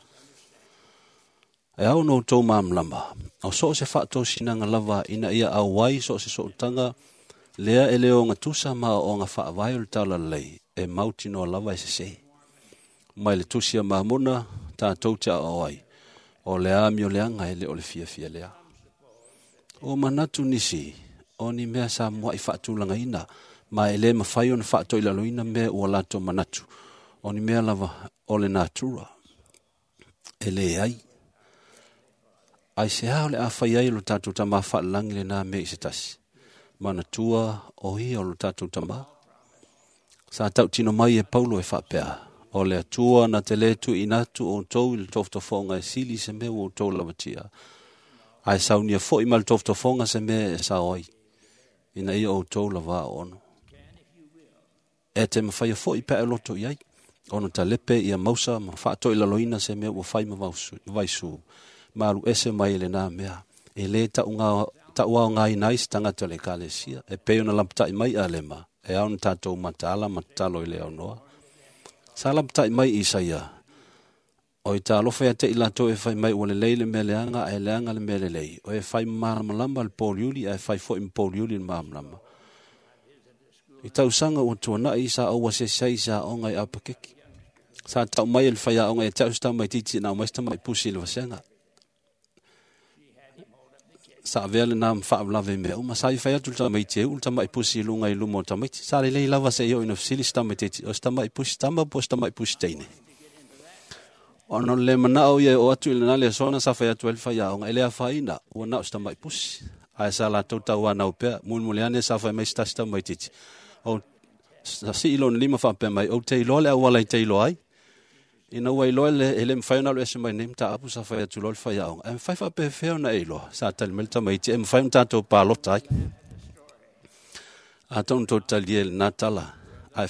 E ao ona outou malamalama, o so o se faatosinaga lava ina ia auai so o se sootaga lea e le ogatusa ma aoaoga faavae o le talalelei, e mautinoa lava e sese. Mai le tusi a Mamona, tatou te aoao ai, o le amioleaga e le o le fiafia lea. O manatu nisi, o ni mea sa mua'i faatulagaina, ma e le mafai ona faatoilaloina mea ua latou manatu, o ni mea lava o le natura. E leai. Ai se a o le a fai ai o lo tatou Tamā faalelagi lenā mea i se tasi. Manatua o ia o lo tatou Tamā. Sa tautino mai e Paulo e faapea, o le Atua na te lē tuuina atu outou i le tofotofoga e sili se mea ua outou lavatia, ae saunia foi ma le tofotofoga se mea e sao ai, ina ia outou lava ono. E te mafaia foi pe a e loto i ai, ona talepe ia mausa ma faatoilaloina se mea ua fai ma vaisu, ma alu ese mai e lenā mea, e lē tauaogaina ai se tagata o le ekalesia, e pei ona lapatai mai Alema, e ao ona tatou mataala ma tatalo i le aunoa. Sa lapatai mai Isaia, O i tālofa ia te i latou e fai mai ua lelei le mea leaga ae leaga le mea lelei. O e fai malamalama le pōliuli ae fai foi ma pōliuli le malamalama. I tausaga ua tuana'i sa ou asiasi ai i se aoga i Apakeki. Sa tau mai e le faiaoga ia te au se tamaitiiti na aumai se tama'i pusi i le vasega. Sa avea lenā ma faalavelave i mea uma. Sa i fai atu le tamaiti e uu le tama'i pusi i luga i luma o tamaiti. Sa lelei lava seia oo ina fesili se tamaitiiti, o se tama'i pusi tama po o se tama'i pusi teine. Ona o le le manao ia e oo atu i lena le aso sa fai atu ai le faiaoga, e le afaina, ua na o se tama'i pusi. Ae sa latou tauanau pea, mulimuli ane sa fai mai se tasi tamaitiiti. O sa sii lona lima faapea mai, ou te iloa le auala i te iloa ai. Ina ua iloa e le mafai ona alu ese mai nei mataupu sa fai atu loa le faiaoga. Ae mafai faapefea ona e iloa, sa tali mai le tamaiti, e mafai ona tatou palota ai. Atonu tou te talia i lena tala, ae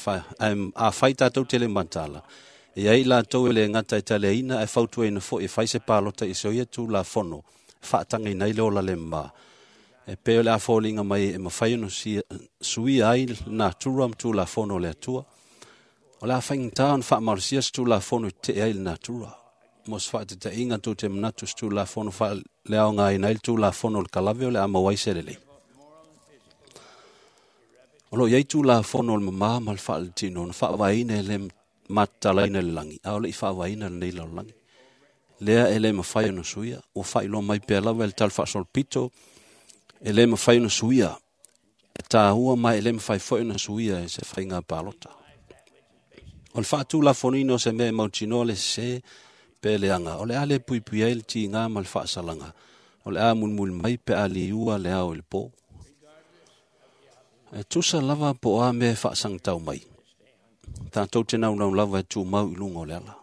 afai tatou te le mataala, e i ai latou e le gata e taliaina ae fautuaina foi e fai se palota i se o ia Tulafono e faatagaina ai le ola le mama. E pei o le a foliga mai e mafai ona suia ai le natura ma Tulafono o le Atua. O le a faigata ona faamalosia se Tulafono e tetee ai le natura. Mo se faataitaiga, tou te manatu se Tulafono faaleaogaina ai le Tulafono o le kalave o le a maua ai se lelei. O lo o i ai Tulafono o le mama ma le faaletino na faavaeina e le matatalaina i le lagi, a o le i faavaeina lenei lalolagi. Lea e le mafai ona suia, ua faailoa mai pea lava e le tala faasolopito, e le mafai ona suia, e taua ma e le mafai foi ona suia e se faiga palota. O le faatulafonoina o se mea e mautinoa le sese pe leaga, o le a le puipui ai le tiga ma le faasalaga, o le a mulimuli mai pe a liua le ao i le po. E tusa lava po o a mea e faasagatau mai, tatou te naunau lava e tumau i luga o le ala.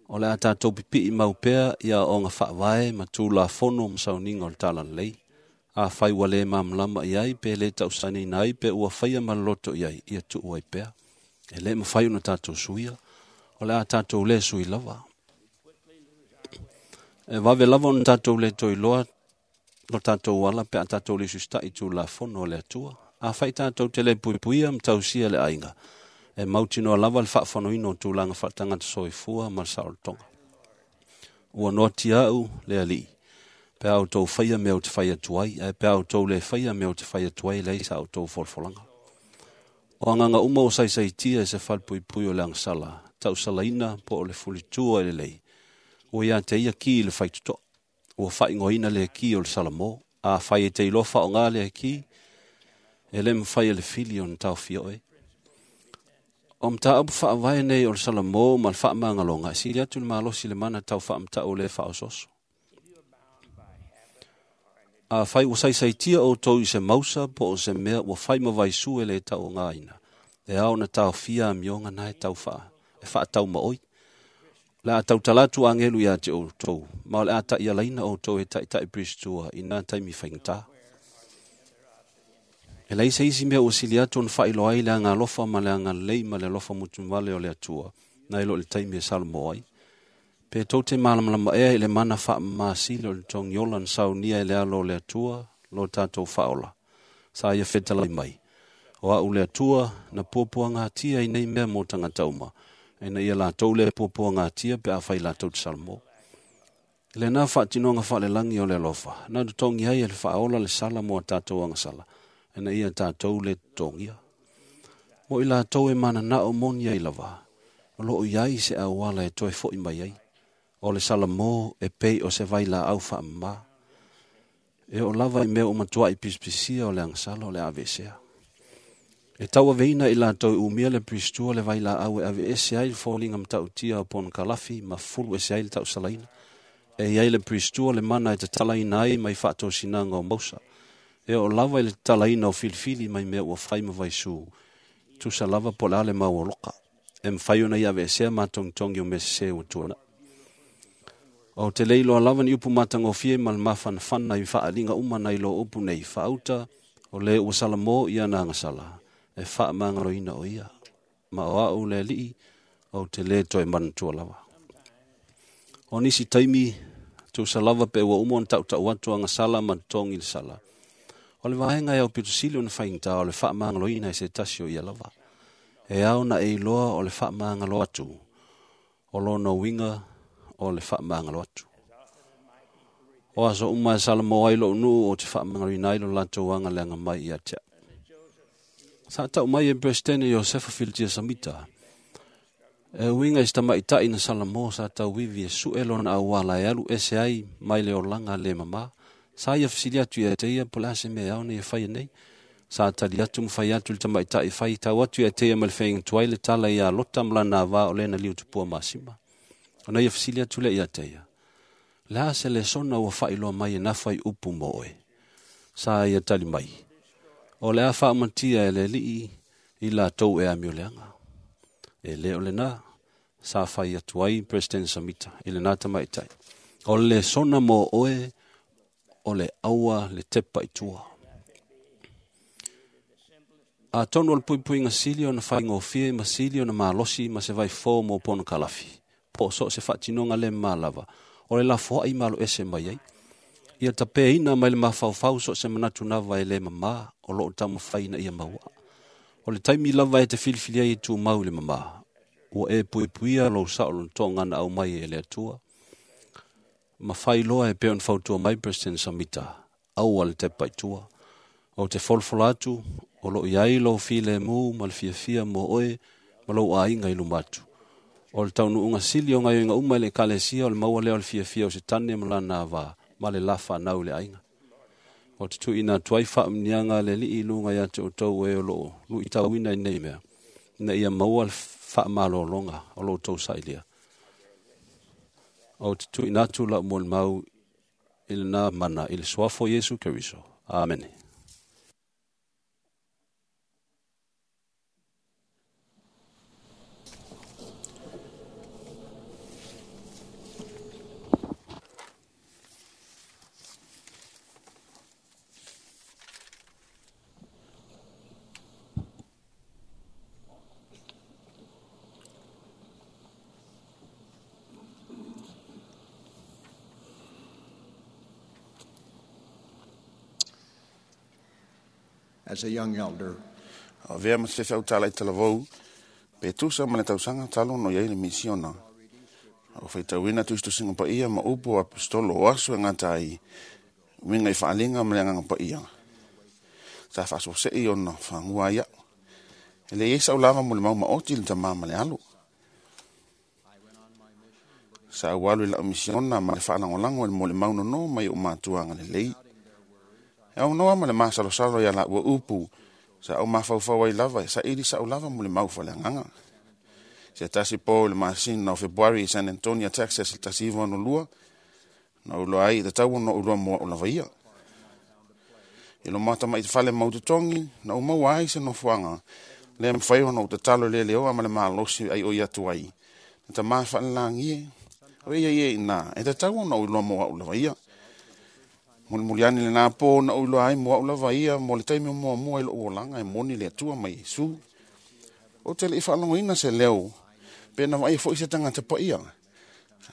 O le a tatou pipii mau pea i aoaoga faavae ma Tulafono ma sauniga o le Talalelei. Afai ua le malamalama i ai pe le tausaniina ai pe ua faia ma le loto i ai, ia tuu ai pea. E le mafai ona tatou suia, o le a tatou le sui lava. E vave lava ona tatou le toe iloa lo tatou ala pe a tatou le usiuta'i i Tulafono a le Atua. Afai tatou te le puipuia ma tausia le aiga, e mautinoa lava le faafonoina o tulaga faaletagata soifua ma le saolotoga. Ua noatia au le Alii, pe a outou faia mea ou te fai atu ai, ae pe a outou le faia mea ou te fai atu ai, e leai sa outou folafolaga. O agaga uma ua saisaitia e se falepuipui o le agasala, tausalaina po o le fulitua e lelei, ua ia te ia ki i le faitotoa. Ua faaigoaina lea ki o le Salamo. Afai e te iloa faaaoga lea ki, e le mafai e le fili ona taofia oe. O mataupu faavae nei o le Salamo ma le faamagaloga e sili atu le malosi i le mana tau faamatau o le faaosooso. Afai ua saisaitia outou i se mausa po o se mea ua fai ma vaisu e le tauogaina, e ao ona taofia amioga na e tau e faataumaoi. O le a tautala atu agelu ia te outou, ma o le a taialaina outou e taitai Piristua i nā taimi faigata. E leai se isi mea ua sili atu ona faailoa ai le agalofa ma le agalelei ma le alofa mutumale o le Atua, nai lo le taimi e Salamo ai. Pe tou te malamalama ea i le mana faamamasili o le togiola na saunia e le alo o le Atua, lo tatou faaola. Sa ia fetalai mai, O au le Atua, na puapuagatia i nei mea mo tagata uma, ina ia latou le puapuagatia pe afai latou te Salamo. I lena faatinoga faalelagi o le alofa, na totogi ai e le faaola le sala mo a tatou agasala, ina ia tatou le totogia. Mo i latou e mananao moni ai lava, o lo o i ai se auala e toe foi mai ai. O le Salamo e pei o se vailaau faamama. E oo lava i mea ua matuai pisipisia o le agasala o le a aveesea. E tauaveina i latou i umia le Piristua le vailaau e aveese ai le foliga matautia o ponokalafi ma fulu ese ai le tausalaina. E i ai le Piristua le mana e tatalaina ai mai faatosinaga o mausa. E oo lava i le tatalaina o filifili mai mea ua fai ma vaisu, tusa lava po o le a le mauoloka. E mafai ona ia aveesea matogitogi o mea sese ua tuanai. Ou te le iloa lava ni upu matagofie ma le mafanafana i faaaliga uma nai lo upu nei, faauta, o le ua salamo i ana agasala, e faamagaloina o ia. Ma o au le Alii, ou te le toe manatua lava. O nisi taimi, tusa lava pe ua uma ona tautau atu agasala ma totogi le sala. O le vaega e aupito sili ona faigata o le faamagaloina e se tasi o ia lava. E ao ona e iloa o le faamagalo atu o lona uiga o le faamagalo atu. O aso uma e salamo ai lo'u nuu o te faamagaloina ai lo latou agaleaga mai ia te a'u. Sa ta'u mai e Peresetene Iosefa Filitia Samita, e uiga i se tamaita'i na Salamo sa tauivi e su'e lona auala e alu ese ai mai le olaga lē mamā. Sa ia fesili atu ia te ia po le a se mea ao nei e faia nei. Sa tali atu ma fai atu le tamaita'i fai tau atu ia te ia ma le feaiga tuai le tala iā Lota ma lana avā o lena liutupua masima. Ona ia fesili atu lea ia te ia, le a se lesona ua faailoa mai e nafa i upu mo oe? Sa ia tali mai, o le a faamatia e le Alii i latou e amioleaga. E lē o lenā, sa fai atu ai Peresetene Samita i lenā tamaitai. O le lesona mo oe o le aua le tepa i tua. Atonu o le puipuiga sili ona faigofie ma sili ona malosi ma se vaifō mo ponokalafi, po o so o se faatinoga le mamā lava, o le lafoai ma aloese mai ai. Ia tapeina mai le mafaufau so o se manatu lava e lē mamā o loo taumafai ina ia mauaa. O le taimi lava e te filifili ai e tumau i le mamā, ua e puipuia lou saolotoga na aumai e le Atua. Ma fai loa e pei ona fautua mai President Samita, aua le tepa i tua. Ou te folafola atu, o loo i ai lou filemu ma le fiafia mo oe ma lou aiga i luma atu. O le taunuuga sili o gaoioiga uma i le Ekalesia o le maua lea o le fiafia o Setane ma lana avā ma le la fanau i le aiga. O te tuuina atu ai faamuniaga a le Alii i luga ia te outou e o loo luitauina i nei mea, ina ia maua le faamalologa o lo outou sailia. Ou te tuuina atu lau molimau i lena mana i le suafa o Iesu Keriso. Amene. As a young elder, Avea ma se feau tala i talavou, pe tusa ma le tausaga talu no iai le misiona. O faitauina tusitusiga paia ma upu o apostolo o aso e gata ai, uiga i faaliga ma le agaga paia. Sa faasoase'i ona fagua ai a'u. E le iai sa'u lava mo le mau maoti le tamā ma le alu. Sa ou alu i la'u misiona ma le faalagolago i le molimau nonō mai o'u matua agalelei. E aunoa ma le masalosalo ia la'ua upu, sa ou mafaufau ai lava e saili sa'u lava mo le mau faaleagaga. Se tasi po i le masina o Fepuari i San Antonio, Texas, i le 1962, na ou iloa ai i tatau ona ou iloa mo a'u lava ia. I loma tamaiti fale mau totogi, na ou maua ai se nofoaga, lea mafai ona ou tatalo i le leoa ma le malosi ai o i atu ai. Na tamā faalelagi e, o ia ia ina, e tatau ona ou iloa mo a'u lava ia. Mulimuli ane lenā pō na ou iloa ai mo a'u lava ia mo le taimi o muamua i lo'u olaga e moni le Atua ma Iesu. Ou te le'i faalogoina se leo, pe na vaaia fo'i se tagata paia.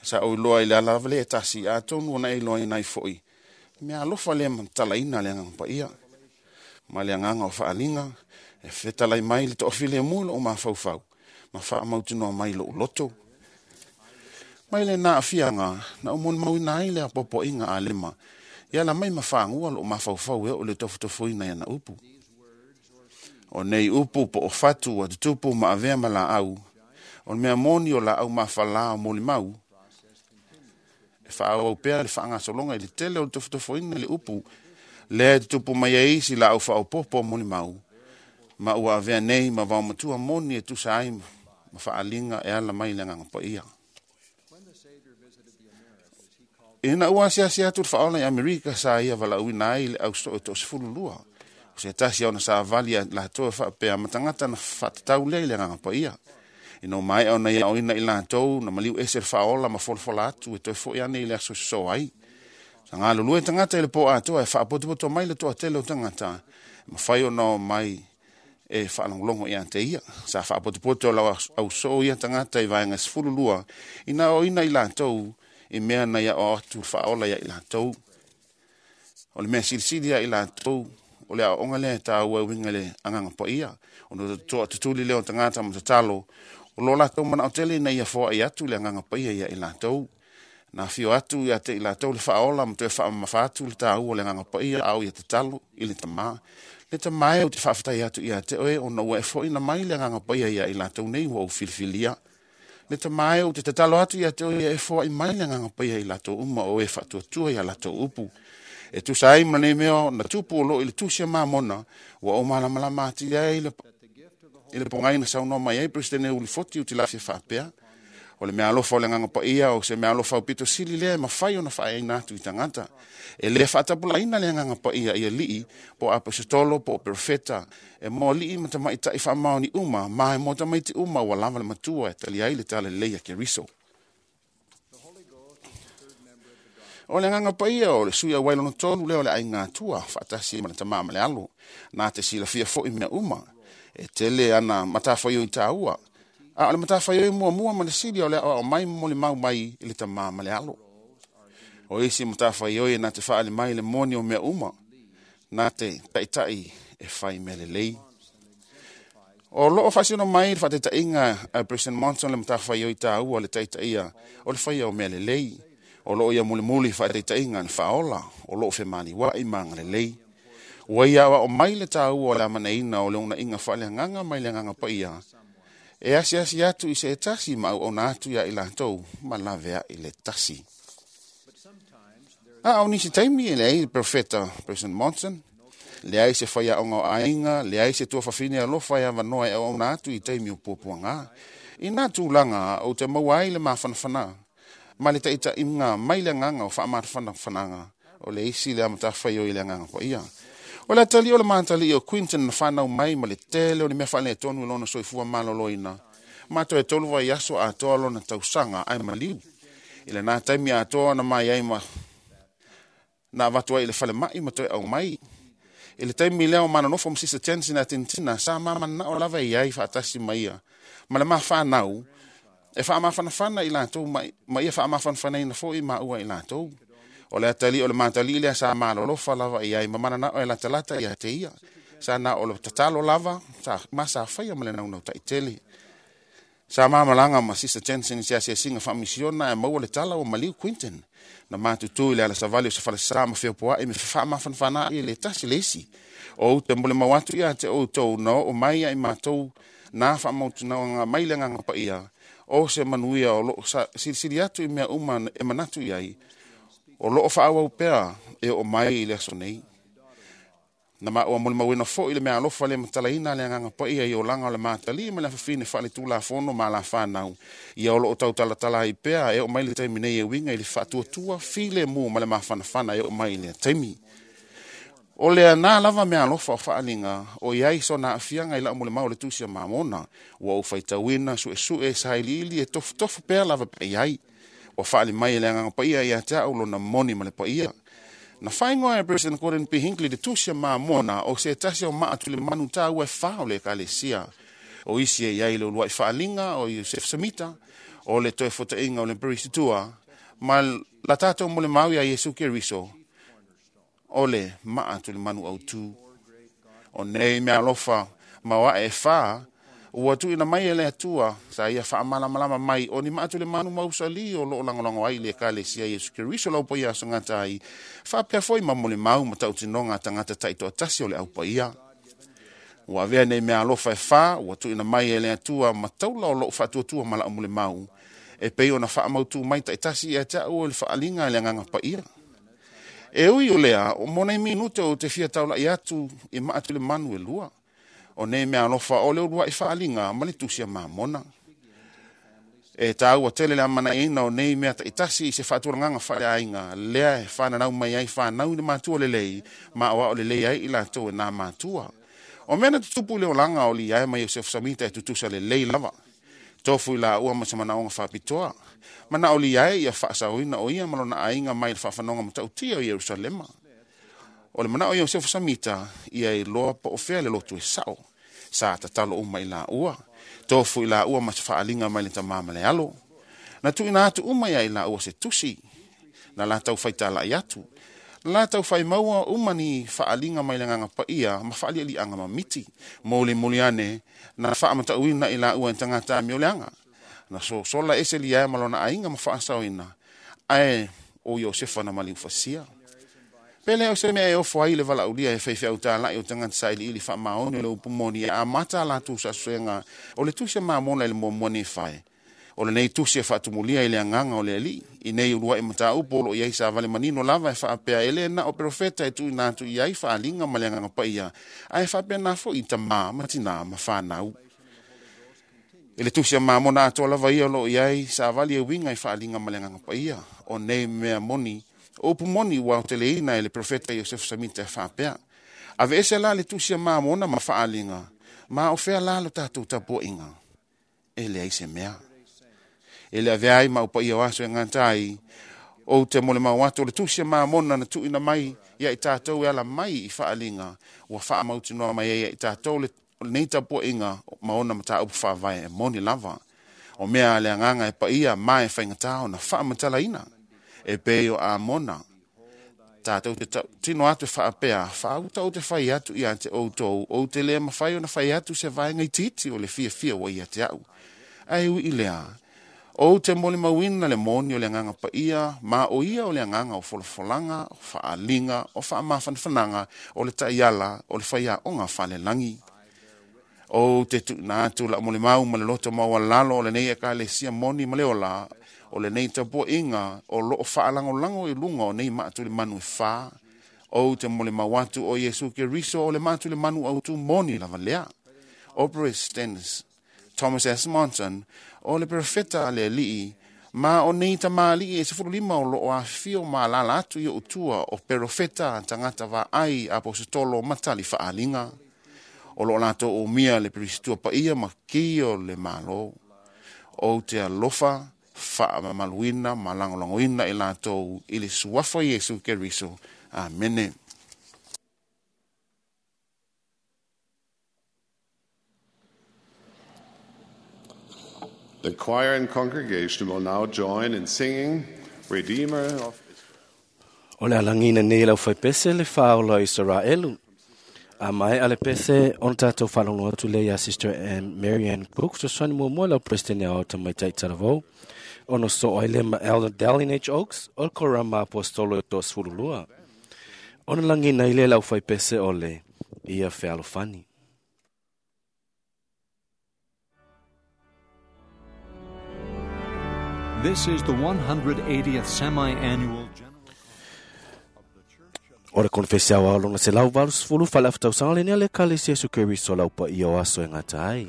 Sa ou iloa i le ala lava lea e tasi, atonu ona e iloaina ai fo'i, mea alofa lea ma tatalaina le agaga paia. Ma le agaga o faaliga, e fetalai mai le toafilemu i lo'u mafaufau, ma faamautinoa mai lo'u loto. Mai lenā aafiaga, na ou molimauina ai le apoapoaiga a lema, e ala mai ma fagua lo'u mafaufau e oo i le tofotofoina i ana upu. O nei upu po o fatu ua tutupu ma avea ma laau, o le mea moni o laau mafalā o molimau, e faaauau pea le faagasologa i le tele o le tofotofoina i le upu, lea e tutupu mai ai isi laau faaopoopo o molimau, ma ua avea nei ma vaomatua moni e tusa ai ma faaliga e ala mai i le agaga paia. Ina ua asiasi atu le faaola i Amerika sa ia valaauina ai le ausoo e 12. O se tasi ona savali a latou e faapea ma tagata na faatatau lea i le agaga paia. Ina ua maea ona ia aoina i latou na maliu ese le faaola ma folafola atu e toe fo'i ane i le aso e sosoo ai. Sa galulue tagata i le pō atoa e faapotopoto mai le toatele o tagata, e mafai ona o mai e faalogologo ia te ia. Sa faapotopoto lau ausoo ia tagata i vaega e 12, ina aoina i latou i mea na ia aoao atu le faaola ia i latou. O le mea silisili ia i latou, o le aoaoga lea e taua e uiga i le agaga paia, ona toatutuli lea o tagata ma tatalo, o lo latou manao tele ina ia foai atu le agaga paia ia i latou. Na fio atu ia te i latou le faaola ma toe faamamafa atu le tāua o le Agaga Paia a o ia tatalo i le Tamā. Le Tamā e ou te faafetai atu ia te oe ona ua e foʻina mai le Agaga Paia ia i latou nei ua ou filifilia. Le Tamā e ou te tatalo atu ia te oe ia e foai mai le Agaga Paia i latou uma o e faatuatua ia latou upu. E tusa ai ma nei mea na tupu o loo i le tusi a Mamona, ua ou malamalama atili ai i le pogai na saunoa mai ai Peresetene Ulifoti Utilafia faapea, o le meaalofa o le Agaga Paia o se meaalofa aupito sili lea e mafai ona faaeaina atu i tagata. E le faatapulaaina le Agaga Paia i alii po o aposetolo po o perofeta, e mo alii ma tamaitai faamaoni uma, ma e mo tamaiti uma ua lava le matua e tali ai le talalelei a Keriso. O le Agaga Paia o le sui auai lona tolu lea o le aiga Atua, faatasi ma le Tamā ma le Alo, na te silafia foi mea uma. E tele ana matafaioi taua, a o le matafaioi muamua ma le sili o le aoao mai ma molimau mai i le Tamā ma le Alo. O isi matafaioi na te faali mai le moni o mea uma, na te taitai e fai mea lelei. O loo faasino mai le faataitaiga a President Monson le matafaioi taua le taitaia o le faia o mea lelei. O loo ia mulimuli faataitaiga le faaola, o loo femaliuai ma agalelei. Ua ia aoao mai le taua o le amanaina o le ounaiga faaleagaga mai le Agaga Paia, e asiasi atu i se tasi ma auauna atu ia i latou ma laveai le tasi. A o nisi taimi e leai le profeta President Monson, leai se faiaoga o aiga, leai se tuafafine alofa e avanoa e auauna atu i taimi o puapuaga. I nā tulaga ou te maua ai le mafanafana ma le taitaiga mai le agaga o faamafanafanaga o le isi le matafaioi i le Agaga Paia. O le atalii o le matalii o Quinton na whanau mai ma le tele o ni mea faaletonu i lona soifua maloloina. Ma toe 3 vaiaso atoa lona tausaga ae maliu. I lena taimi atoa na mai ai ma na avatu ai i le falemai ma toe aumai. I le taimi lea o manonofo ma Sister Jensen a Tintina, sa mamanao lava i ai faatasi ma ia. Ma le mafanau, e faamafanafana i latou ma ia faamafanafanaina foi maua i latou. O le atalii o le matalii lea sa malolofa lava i ai ma mananao e latalata ia te ia. Sa na o le tatalo lava, sa ma sa faia ma le naunau taitele. Sa mamalaga ma Sister Jensen i se asiasiga faamisiona e maua le tala ua maliu Quinton. Na matutu i le alasavali o se falesa ma feopoai me faamafanafana i le tasi le isi. O ou te molimau atu ia te outou na oo mai ai matou na faamautinauga mai le Agaga Paia, o se manuia o loo silisili atu i mea uma e manatu i ai, o loo faaauau pea e oo mai i le aso nei. Na maua molimauina foi le meaalofa le matalaina le Agaga Paia i olaga o le matalii ma le afafine faaletulafono ma alafanau, ia o loo tautalatala ai pea e oo mai le taimi nei e uiga i le faatuatua filemu ma le mafanafana e oo mai i lea taimi. O le ana lava meaalofa o faaliga o iai sona aafiaga i lau molimau o le tusi a Mamona, ua ou faitauina suesue sailiili e tofutofu pea lava pea i ai. Ua faali mai e le Agaga Paia ia te au lona moni ma le paia. Na faaigoa e President Gordon P. Hinckley le tusi a Mamona o se tasi o maa tulimanu taua e fa o le ekalesia. O isi e iai le uluai faaliga o Iosef Samita, o le toe fotaiga o le Perisitua, ma la tatou molimau ia Iesu Keriso, o le maa tulimanu autu. O nei meaalofa ma o ae e fa, ua tuuina mai e le Atua, sa ia faamalamalama mai o ni maa tulimanu mausali o loo lagolago ai le ekalesia Iesu Keriso lau paia asogata ai, faapea foi ma molimau ma tautinoga a tagata taitoatasi o le aupaia. Ua avea nei meaalofa e fa, ua tuuina mai e le Atua ma taula o loo faatuatua ma lau molimau, e pei ona faamautu mai taitasi ia te au o le faaliga e le Agaga Paia. E ui o lea, o mo nei minute o te fia taulai atu i maa tulimanu e lua. O nei meaalofa o le uluai faaliga ma le tusi a Mamona. E tāua tele le amanaina o nei mea taitasi i se faatulagaga faaleaiga, lea e whananau mai ai whanau i le matua lelei, ma o ao lelei ai i latou e nā matua. O mea na tutupu i le olaga o Liae ma Iosefo Samita e tutusa lelei lava. Tofu i laua ma se manaoga faapitoa. Manao Liae ia faasaoina o ia ma lona aiga mai le faafanoga matautia o Ierusalema. O le manao Iosefo Samita ia iloa po o fea le lotu e sao. Sa tatalo uma i laua. Tofu i laua ma se faaliga mai le tamā ma le alo. Na tuuina atu uma ia i laua se tusi. Na latou faitalai atu. Na latou faimaua uma ni faaliga mai le Agaga Paia ma faalialiaga mamiti. Molimoli ane na faamatauina i laua e tagata amioleaga. Na sosola ese Liae ma lona aiga ma faasaoina. Ae o Iosefa na maliufasia. Pele o se mea e ofo ai le valaaulia e faifeau tala'i o tagata sailiili faamaoni o le upu moni e amata a latou suesuega o le tusi a Mamona i le muamua Nifae. O lenei tusi e faatumulia i le agaga o le Alii i nei uluai mataupu o loo i ai savale manino lava e faapea e lē na o perofeta e tuuina atu i ai faaliga ma le agaga paia, ae faapena fo'i tamā ma tinā ma fanau. I le tusi a Mamona atoa lava ia o loo i ai savali e uiga i faaliga ma le agaga paia. O nei mea moni, o upu moni ua aoteleina e le profeta Iosefu Samita e faapea: Aveese la le tusi a Mamona ma faaliga, ma o fea la lo tatou tapuaiga? E leai se mea. E le avea ai ma upaia o aso e gata ai, ou te molimau atu o le tusi a Mamona na tuuina mai ia i tatou e ala mai i faaliga ua faamautinoa mai ai ia i tatou le lenei tapuaiga ma ona mataupu faavae e moni lava. O mea a le agaga e paia ma e faigata ona faamatalaina e pei o Amona. Tatou te tino atu e faapea, faauta ou te fai atu ia te outou, ou te le mafai ona fai atu se vaega itiiti o le fiafia ua ia te au. Ae ui i lea, ou te molimauina le moni o le agaga paia, ma o ia o le agaga o folafolaga, o faaliga, o faamafanafanaga, o le taiala, o le faiaoga falelagi. Ou te tuuina atu lau molimau ma le loto maualalo o lenei ekalesia moni ma le ola, o lenei tapuaiga o loo faalagolago i luga o nei maatulemanu e fa. Ou te molimau atu o Iesu Keriso o le maatulemanu autu moni lava lea. O President Thomas S. Monson o le profeta a le Alii, ma o nei tamalii e 15 o loo afifio ma alala atu i o'u tua o perofeta tagata vaai aposetolo ma tali faaliga. O loo latou umia le perisitua paia ma ki o le Malo. Ou te alofa faamamaluina ma lagolagoina i latou i le suafa Iesu Keriso. Amene. The choir and congregation will now join in singing Redeemer of O le alagina nei lau faipese le whaola o Israelu. A mai ale pese on tātou whalongo atu le ia Sister Ann Marianne Cook, so swani mua lau president ia o tamaitai taravou. Ono so ai le ma Elder Dallin H. Oaks, o le korama apostolo e tō sfululua. Ona langina i le lau faipese o le ia fealofani. This is the 180th semi-annual General O le konfesi au ao longa se lau 80 fale aftausaga le nea le kalesia Iesu Keriso lau pa ia o aso e ngata ai.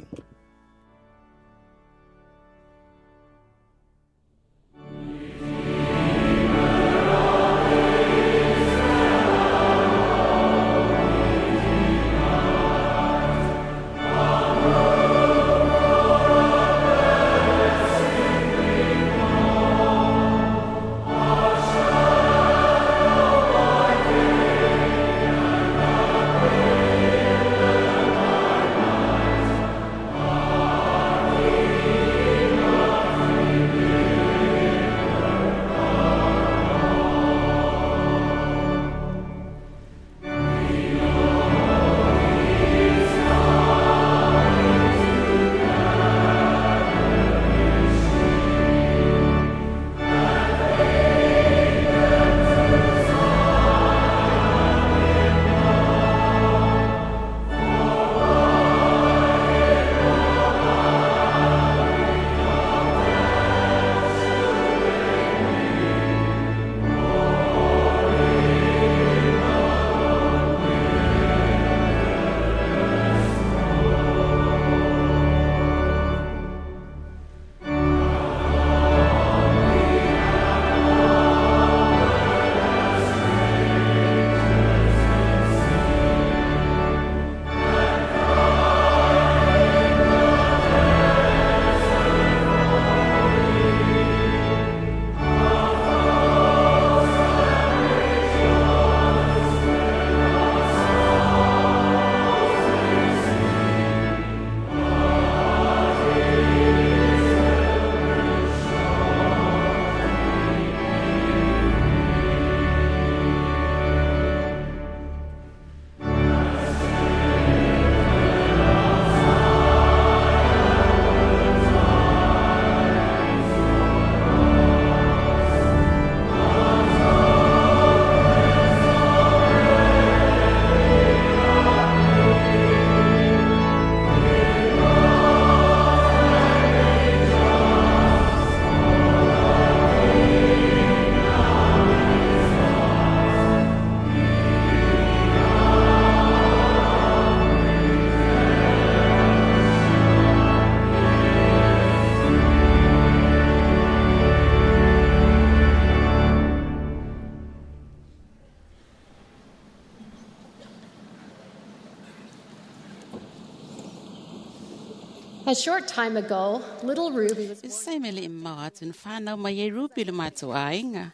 A short time ago, little Ruby was born. Se me le mau atu na whanau mai e Ruby le mātou āinga.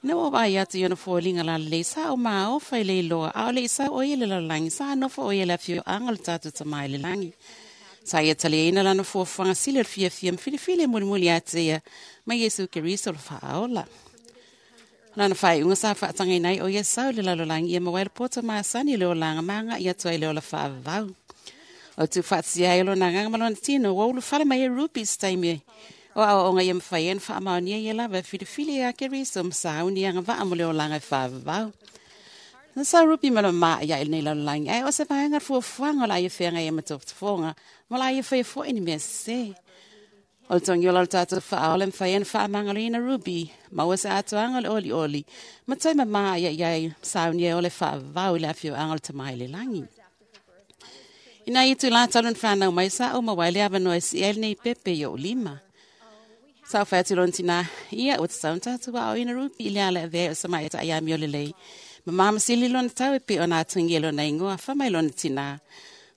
Ina ua vai atu i ona fōlinga la le sa o maa o whai le loa, a o le isa o ia le lalangi, sa anofo o ia le awhio anga le tātou tamai le langi. Sa ia tali eina lana fuafuaga sili o le fiafia ma filifili e mulimuli atu ia mai Iesu Keriso le faaola. Lana faaiuga sa faatagaina ai o ia sau i le lalolagi ia maua ai le poto masani i le olaga ma agaʻi atu ai le ola faavavau. O tuufaatasia ai o lona agaga ma lona tino ua ulufale mai e Ruby i se taimi o aoaoga ia mafai ai ona faamaonia ia lava e filifili ia Keriso ma sauni agavaa mo le olaga e faavavau. Na sau Ruby ma lona maʻi i lenei lalolagi, ae o se vaega o le fuafuaga o le a ia feagai ai ma tofotofoga ma o le a ia faia foʻi ni mea sesē. O le togiola o le tatou faaola e mafai ai ona faamagaloina Ruby, maua se atoaga o le olioli, ma toe mamā ia i ai sauni ai o le faavavau i le afioaga o le Tama i le lagi. Ina ia itulā talu ona fanau mai, sa ou maua ai le avanoa e sii ai lenei pepe i ou lima. Sa ou fai atu i lona tinā, ia, ua tatau ona tatou aoaoina Ruby i le ala e avea ai o se tamaitai amio lelei. Mamā ma sili lona tau e pei ona atugia i lona igoa, fai mai lona tinā,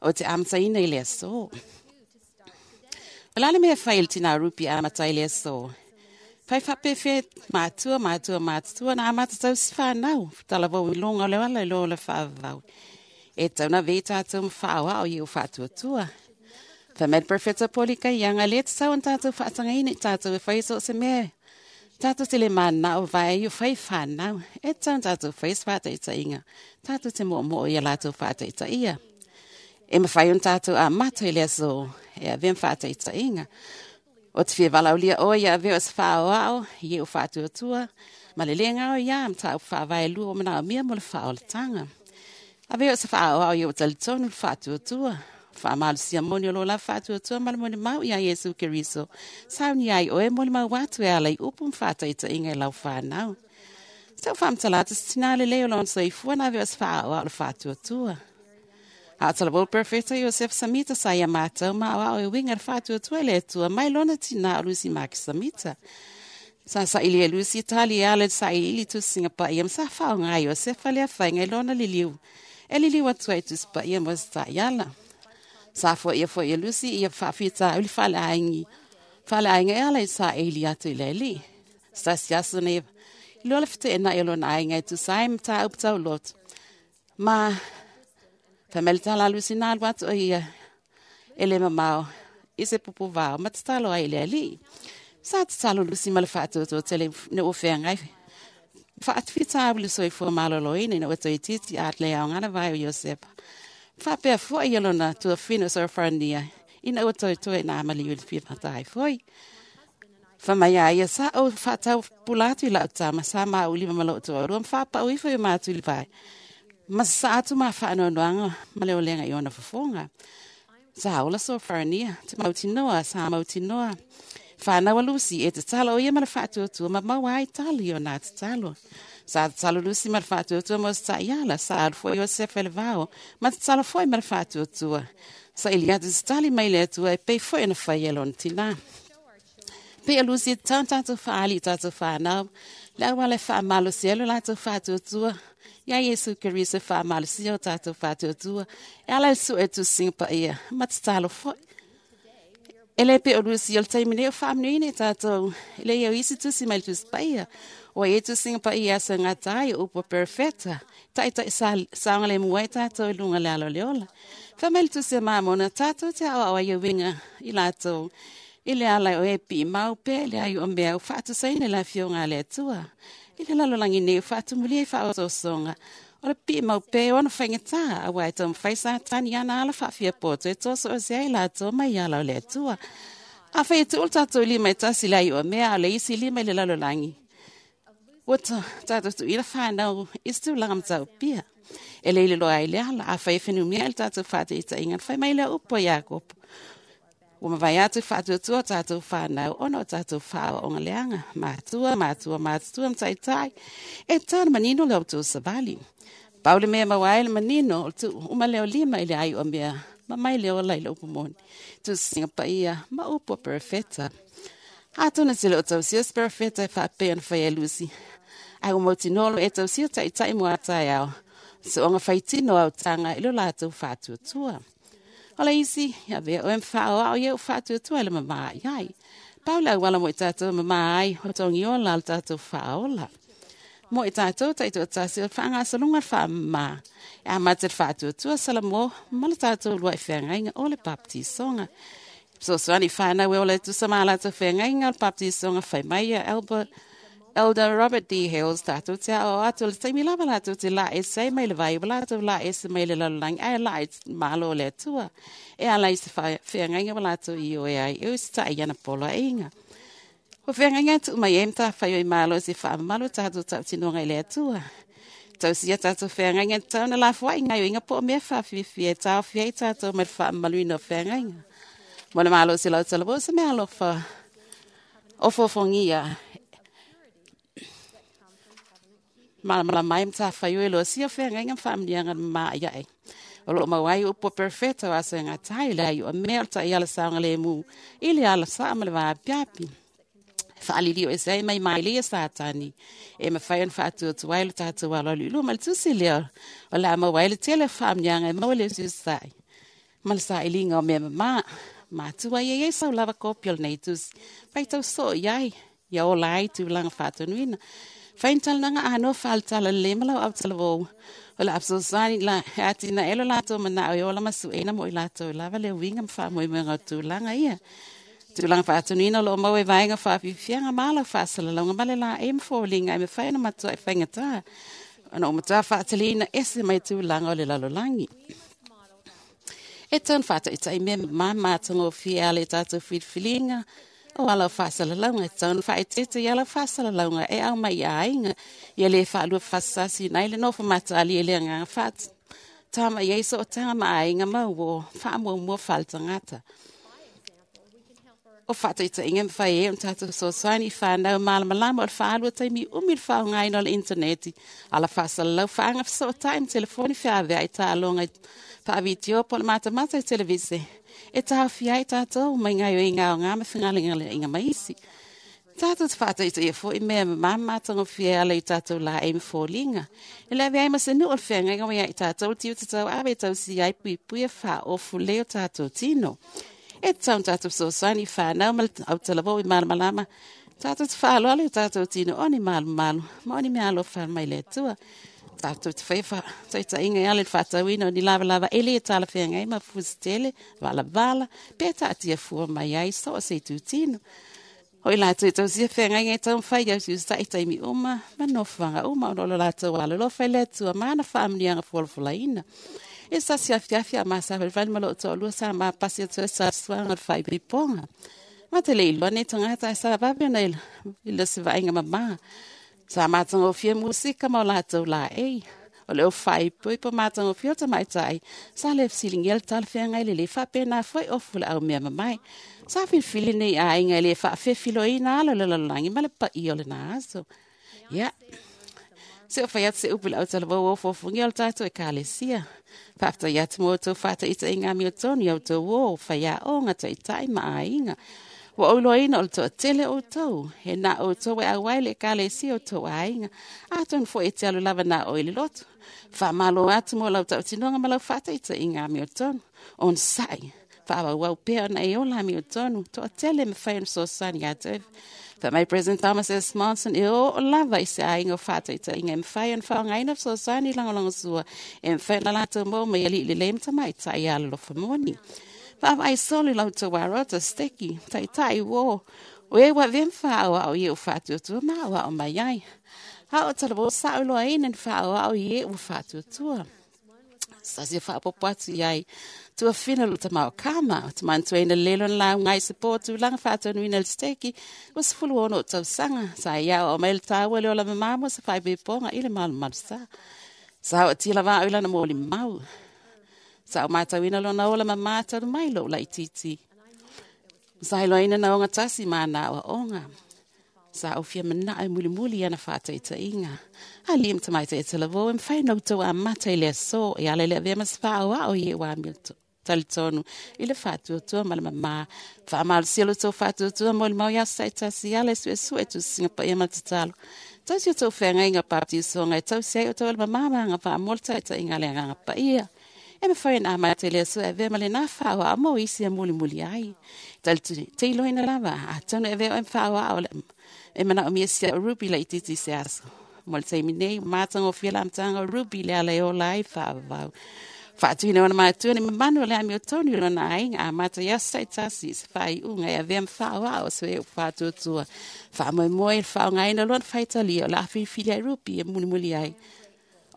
o te amataina i le aso. O le a le mea e fai e le tinā Ruby e amata ai le aso? Fai faapefea matua, matua, matutua na amata tausi whanau, talavou i luga o le ala i lo le faavavau. E tau na vei tātou ma whaoao i o whaatuatua. Fai mai le Perfeta Poli kai ianga le te tau an tātou whaatangaina i tātou e whai so se mea. Tātou te le mana o vai i o whai whanau. E tau an tātou whai whaataitainga. Tātou te mo mo i a lātou whaataitaia. E mawhai on tātou a mato i le aso e a vem whaataitainga. O te fia valaulia o ia avea o se whaoao i o whaatuatua. Ma le lenga o ia am tāu whaavae lua o mana o mea mo le whaolatanga. Avea o se whaoao i o talitonu le whaatuatua. Whaamalusia moni o lo la whaatuatua ma le moni mau ia Iesu Keriso. Sauni ai oe mo le mau atu e ala i upu mwhataita inga i lau whanau. Sau whaamtalata se tina le leo lona soifua na avea o se whaoao le whaatuatua. A o talavou perfecta Iosef Samita sa ia mātou ma o ao e winga le whaatuatua le atua mai lona tina o Lucy Maki Samita. Sa sa ili e Lucy tali e ala sa i ili tusinga pa ia sa whaonga Iosef le awhainga i lona liliu. E liliu atua i tusi pa ia mo sa iala. Sa fo ia fo ia Lucy ia whaafita uli whale aingi. Whale ainga e ala i sa e ili atu i le li. Sa siasa nei i lola fite e na i lona ainga i tusai mta uptau lot. Ma Fameli tala Lucy nā alu atu o ia e le mamao i se pupu vao ma tatalo ai le alii. Sa tatalo Lucy ma le faatuatua tele ne ua feagai. Faatufita au le soifua maloloina ina ua toeitiiti a le aogana vai o Iosepa. Faapea foʻi ia lona tuafine o Sorofarania ina ua toetoe na amaliu i le fia ai foi. Fai mai a ia sa ou faatau pula atu i lau tama sa mauli ma maloo toalua ma faapau ifo i o mātu i le vai. Ma sa atu ma whaanoanoanga ma le olenga i ona fofoga. Sa ola Sorofarania, te mautinoa, sa mautinoa. Whanau a Lucy e tatalo o ia ma le whaatuatua ma maua ai tali o nā tatalo. Sa tatalo Lucy ma le whaatuatua mo sa iala, sa alu foi Iosef e le vao, ma tatalo foi ma le whaatuatua. Sa ili atu se tali mai le atua e pei foi ona whai e lona tina. Pei a Lucy e tatau tātou whaali i tātou whanau, le auala e whaamalosi ai lo latou whaatuatua. Ia Iesu Keriso e whaamalosia o tātou whaatuatua, e ala e sue tusinga pa ia, ma tatalo foi. E le pe o Lucy o le taimi nei o whaamanuina i tātou, e le ia o isi tusi mai le tusi pa ia. O e tusinga pa ia asa ngā tai o upo perfecta, tai tai sa, saonga le mua i tātou i lunga le alo le ola. Wha mai le tusi a māmona, tātou te awa awa i winga i lātou. I le ala o e pi mau pe le ai o mea o whaatusaina le afioga a le Atua. I le lalolagi nei o whaatumulia i whaososoga. O le pi mau pe o ona whaingatā, a wai tō mwhai sātani ana ala whaafia poto e tōso o se ai lātou mai ala o le Atua. A whai e te ulu tātou lima e tasi le ai o mea a le isi lima i le lalolagi. Ua tātou tu ila whanau i se tūlanga matau pia. E le ile loa ai le ala, a whai e whenumia i le tātou whaate i tainga, whai mai le upo i Iakopo. Ua mavae atu whaatuatua o tātou whanau, ona o tātou whaoaonga leaga, matua, matua, matutua ma taitai, e tau na manino le outou savali. Pau le mea maua ai le manino o le tuu uma leo lima i le ai o mea, ma mai le ola i le upu moni. Tusinga paia ma upu a perfeta. Atonu e te le o tausia se perfeta e faapea ona fai e Lucy. Ai ua mautinoa lo e tausia taitai mo a taeao. Soonga faitino au tanga i lo latou whaatuatua. O le isi, ia avea oe ma faaoao ia ua faatuatua i le mamā i ai. Pau le auala mo i tatou mamā ai, o togiola le tatou faaola. Mo i tatou taitoatasi o le faagasologa le faamamā. E amata i le faatuatua Salamo ma le tatou lua'i feagaiga o le baptisoga. Fesoasoani i fanau e ola e tusa ma a latou feagaiga o le baptisoga fai mai ia Albert Elder Robert D. Hales tatou te aoao atu o le taimi lava latou te laa ese ai mai le vai ua latou laa ese mai le lalolagi ae laa i malo o le Atua e ala i se feagaiga ua latou ioe ai e usitai i ana poloaiga. O feagaiga e tuu mai ai matafaioi malo i se faamamalu o tatou tautinoga i le Atua. Tausia tatou feagaiga e tatau ona lafoai gaoioiga po o mea faafiafia e taofi ai tatou mai le faamamaluina o feagaiga. Mo le malo o se lautalavou se mea alofa ofoofogia malamalama ai matafaioi e losia o feagaiga ma faamanuiaga mamaa'ia'i o loo maua ai upu a perofeta o aso e gata ai le ai o mea o le taʻiala saogalemu i le ala saʻa ma le vaapiapi faalili o ese ai mai maili e Satani e mafai ona faatuatua ai lo tatou aloalo i luma. Le tusi lea o le a maua ai le tele o faamanuiaga e maua le usiusisa'i ma le sailiga o mea mamā. Matua ia i ai sau lava kopi o lenei tusi faitau soo i ai ia ola ai tulaga faatonuina. Fai ni talanoaga anoa faaletala lelei ma lau autalavou o le a fesoasoani la e atinae lo latou manao e ola ma sueina mo i latou lava le uiga ma faamoemoega o tulaga ia. Tulaga faatonuina o loo maua i vaega faafiafiaga ma ala o faasalalauga ma le laei ma foliga e mafai ona matuai faigata ona o matua faataliina ese mai tulaga o le lalolagi. E tatau ona faataitai mea mamā ma matagofie ala i tatou filifiliga o ala o faasalalauga. E tatau ona faaeteete i ala o faasalalauga e aumai i aiga ia le faalua fasasasina ai le nofo mataalia i le agaga faatama i ai sootaga ma aiga ma uō faamuamua faaletagata. O faataitaiga e mafai ai ona tatou fesoasoani i fanau malamalama o le faalu o taimi umi le faaaogaina o le initaneti, ala faasalalau faagafesootai ma telefoni feaveai taaloga faavitio po o le matamata i televise e taofia ai tatou mai gaoioiga aoga ma fegalegaleaiga ma isi. Tatou te faataitaia foi mea mamā ma matagofie e ala i tatou laei ma foliga. E le avea ai ma se nuu o le feagaiga ua ia i tatou le tiute tauave e tausia ai puipuia faaofu lelei o tatou tino. E tatau ona tatou fesoasoani i fanau ma le autalavou i malamalama. Tatou te faaaloalo i o tatou tino o ni malumalu ma o ni mea alofa mai le Atua. Tatou te faia faataitaiga e ala i le faatauina o ni lavalava e le talafeagai ma fusi tele, valavala, pe taatia fua mai ai so o se itutino. O i latou e tausia feagaiga e taumafai i ausiusitai taimi uma ma nofoaga uma ona o lo latou alolofa i le Atua ma ana faamanuiaga folafolaina. E sasi afiafi a masavalivali ma lou toalua sa mapasi atu ai sa suaga o le faaipoipoga. Ma te le iloa nei tagata ae sa vave ona i le se vaaiga mamā. Sa matagofie musika ma o latou laei. O le faaipoipo matagofie o tamaitai sa le fesiligia le talafeagai lelei faapena foi ofu le au mea mamae. Sa filifili nei aiga e le faafefiloina ala o le lalolagi ma le paia o lena aso. Ia, se o fai atu se upu i le autalavou o ofofogia o le tatou ekalesia. Faafetai atu mo outou faataitaiga amiotonu i a outou uō, faiaoga, taitai ma aiga. Ua ou iloaina o le toatele o outou, he na outou e auai le ekalesia o outou aiga, atonu foi e te alu lava na oe i le lotu. Faamalo atu mo lau tautinoga ma lau faataitaiga amiotonu. Onosai, faaauau pea ona e ola amiotonu, toatele e mafai ona fesoasoani ia te oe. Fai mai President Thomas S. Monson, e oo lava i se aiga o faataitaiga e mafai ona faaaogaina fesoasoani lagolagosua e mafai ona latou maua mai alii lelei ma tamaitai alolofa moni. Vaavaai solo i la outou arota, steki, taitai, uō, o e ua avea ma faaauau i e ua faatuatua ma aoao mai ai. A o talavou sa iloaina ni faaauau i e ua faatuatua. Sa se faapopo atu i ai. Tuafina lo tamao kama, o te manatuaina lelo na lauga ai se pō tulaga faatonuina le steki, ua 16 o tausaga, sa ia o mai le tāua le ola mamamo sa faaipoipoga i le malumalu sa. Sa o tila vao i lana moli mau. Sa o matauina lona ola mamā talu mai lou laitiiti. Sa iloaina na ogatasi ma ana aoaoga. Sa ou fia manao e mulimuli i ana faataitaiga. Alii ma tamaitai e talavou e mafai ona outou amata i le aso e ala i le avea ma se faaoao i e ua talitonu i le faatuatua ma le mamā. Faamalosia lo outou faatuatua mo le mau i aso taitasi ala e suesue tusiga paia ma le tatalo. Tausi outou feagaiga o baptisoga e tausi ai outou e le mamā ma agavaa mo le taitaiga a le Agaga Paia. E mafai ona amata e le Atua e avea ma lenā faaoao mo isi e mulimuli ai. Teiloina lava, atonu e avea oe ma faaoao e manaomia si a'u Ruby laitiiti i se aso. Mo le taimi nei, ua matagofie le amataga o Ruby i le ala e ola ai faavavau. Faatuina ona matua ni mamanu o le amiotonu i lona aiga amata i aso taitasi i se faaiuga e avea ma faaoao o se upu faatuatua. Faamoemoe i le faaaogaina o lona faitalia o le a filifili ai Ruby e mulimuli ai.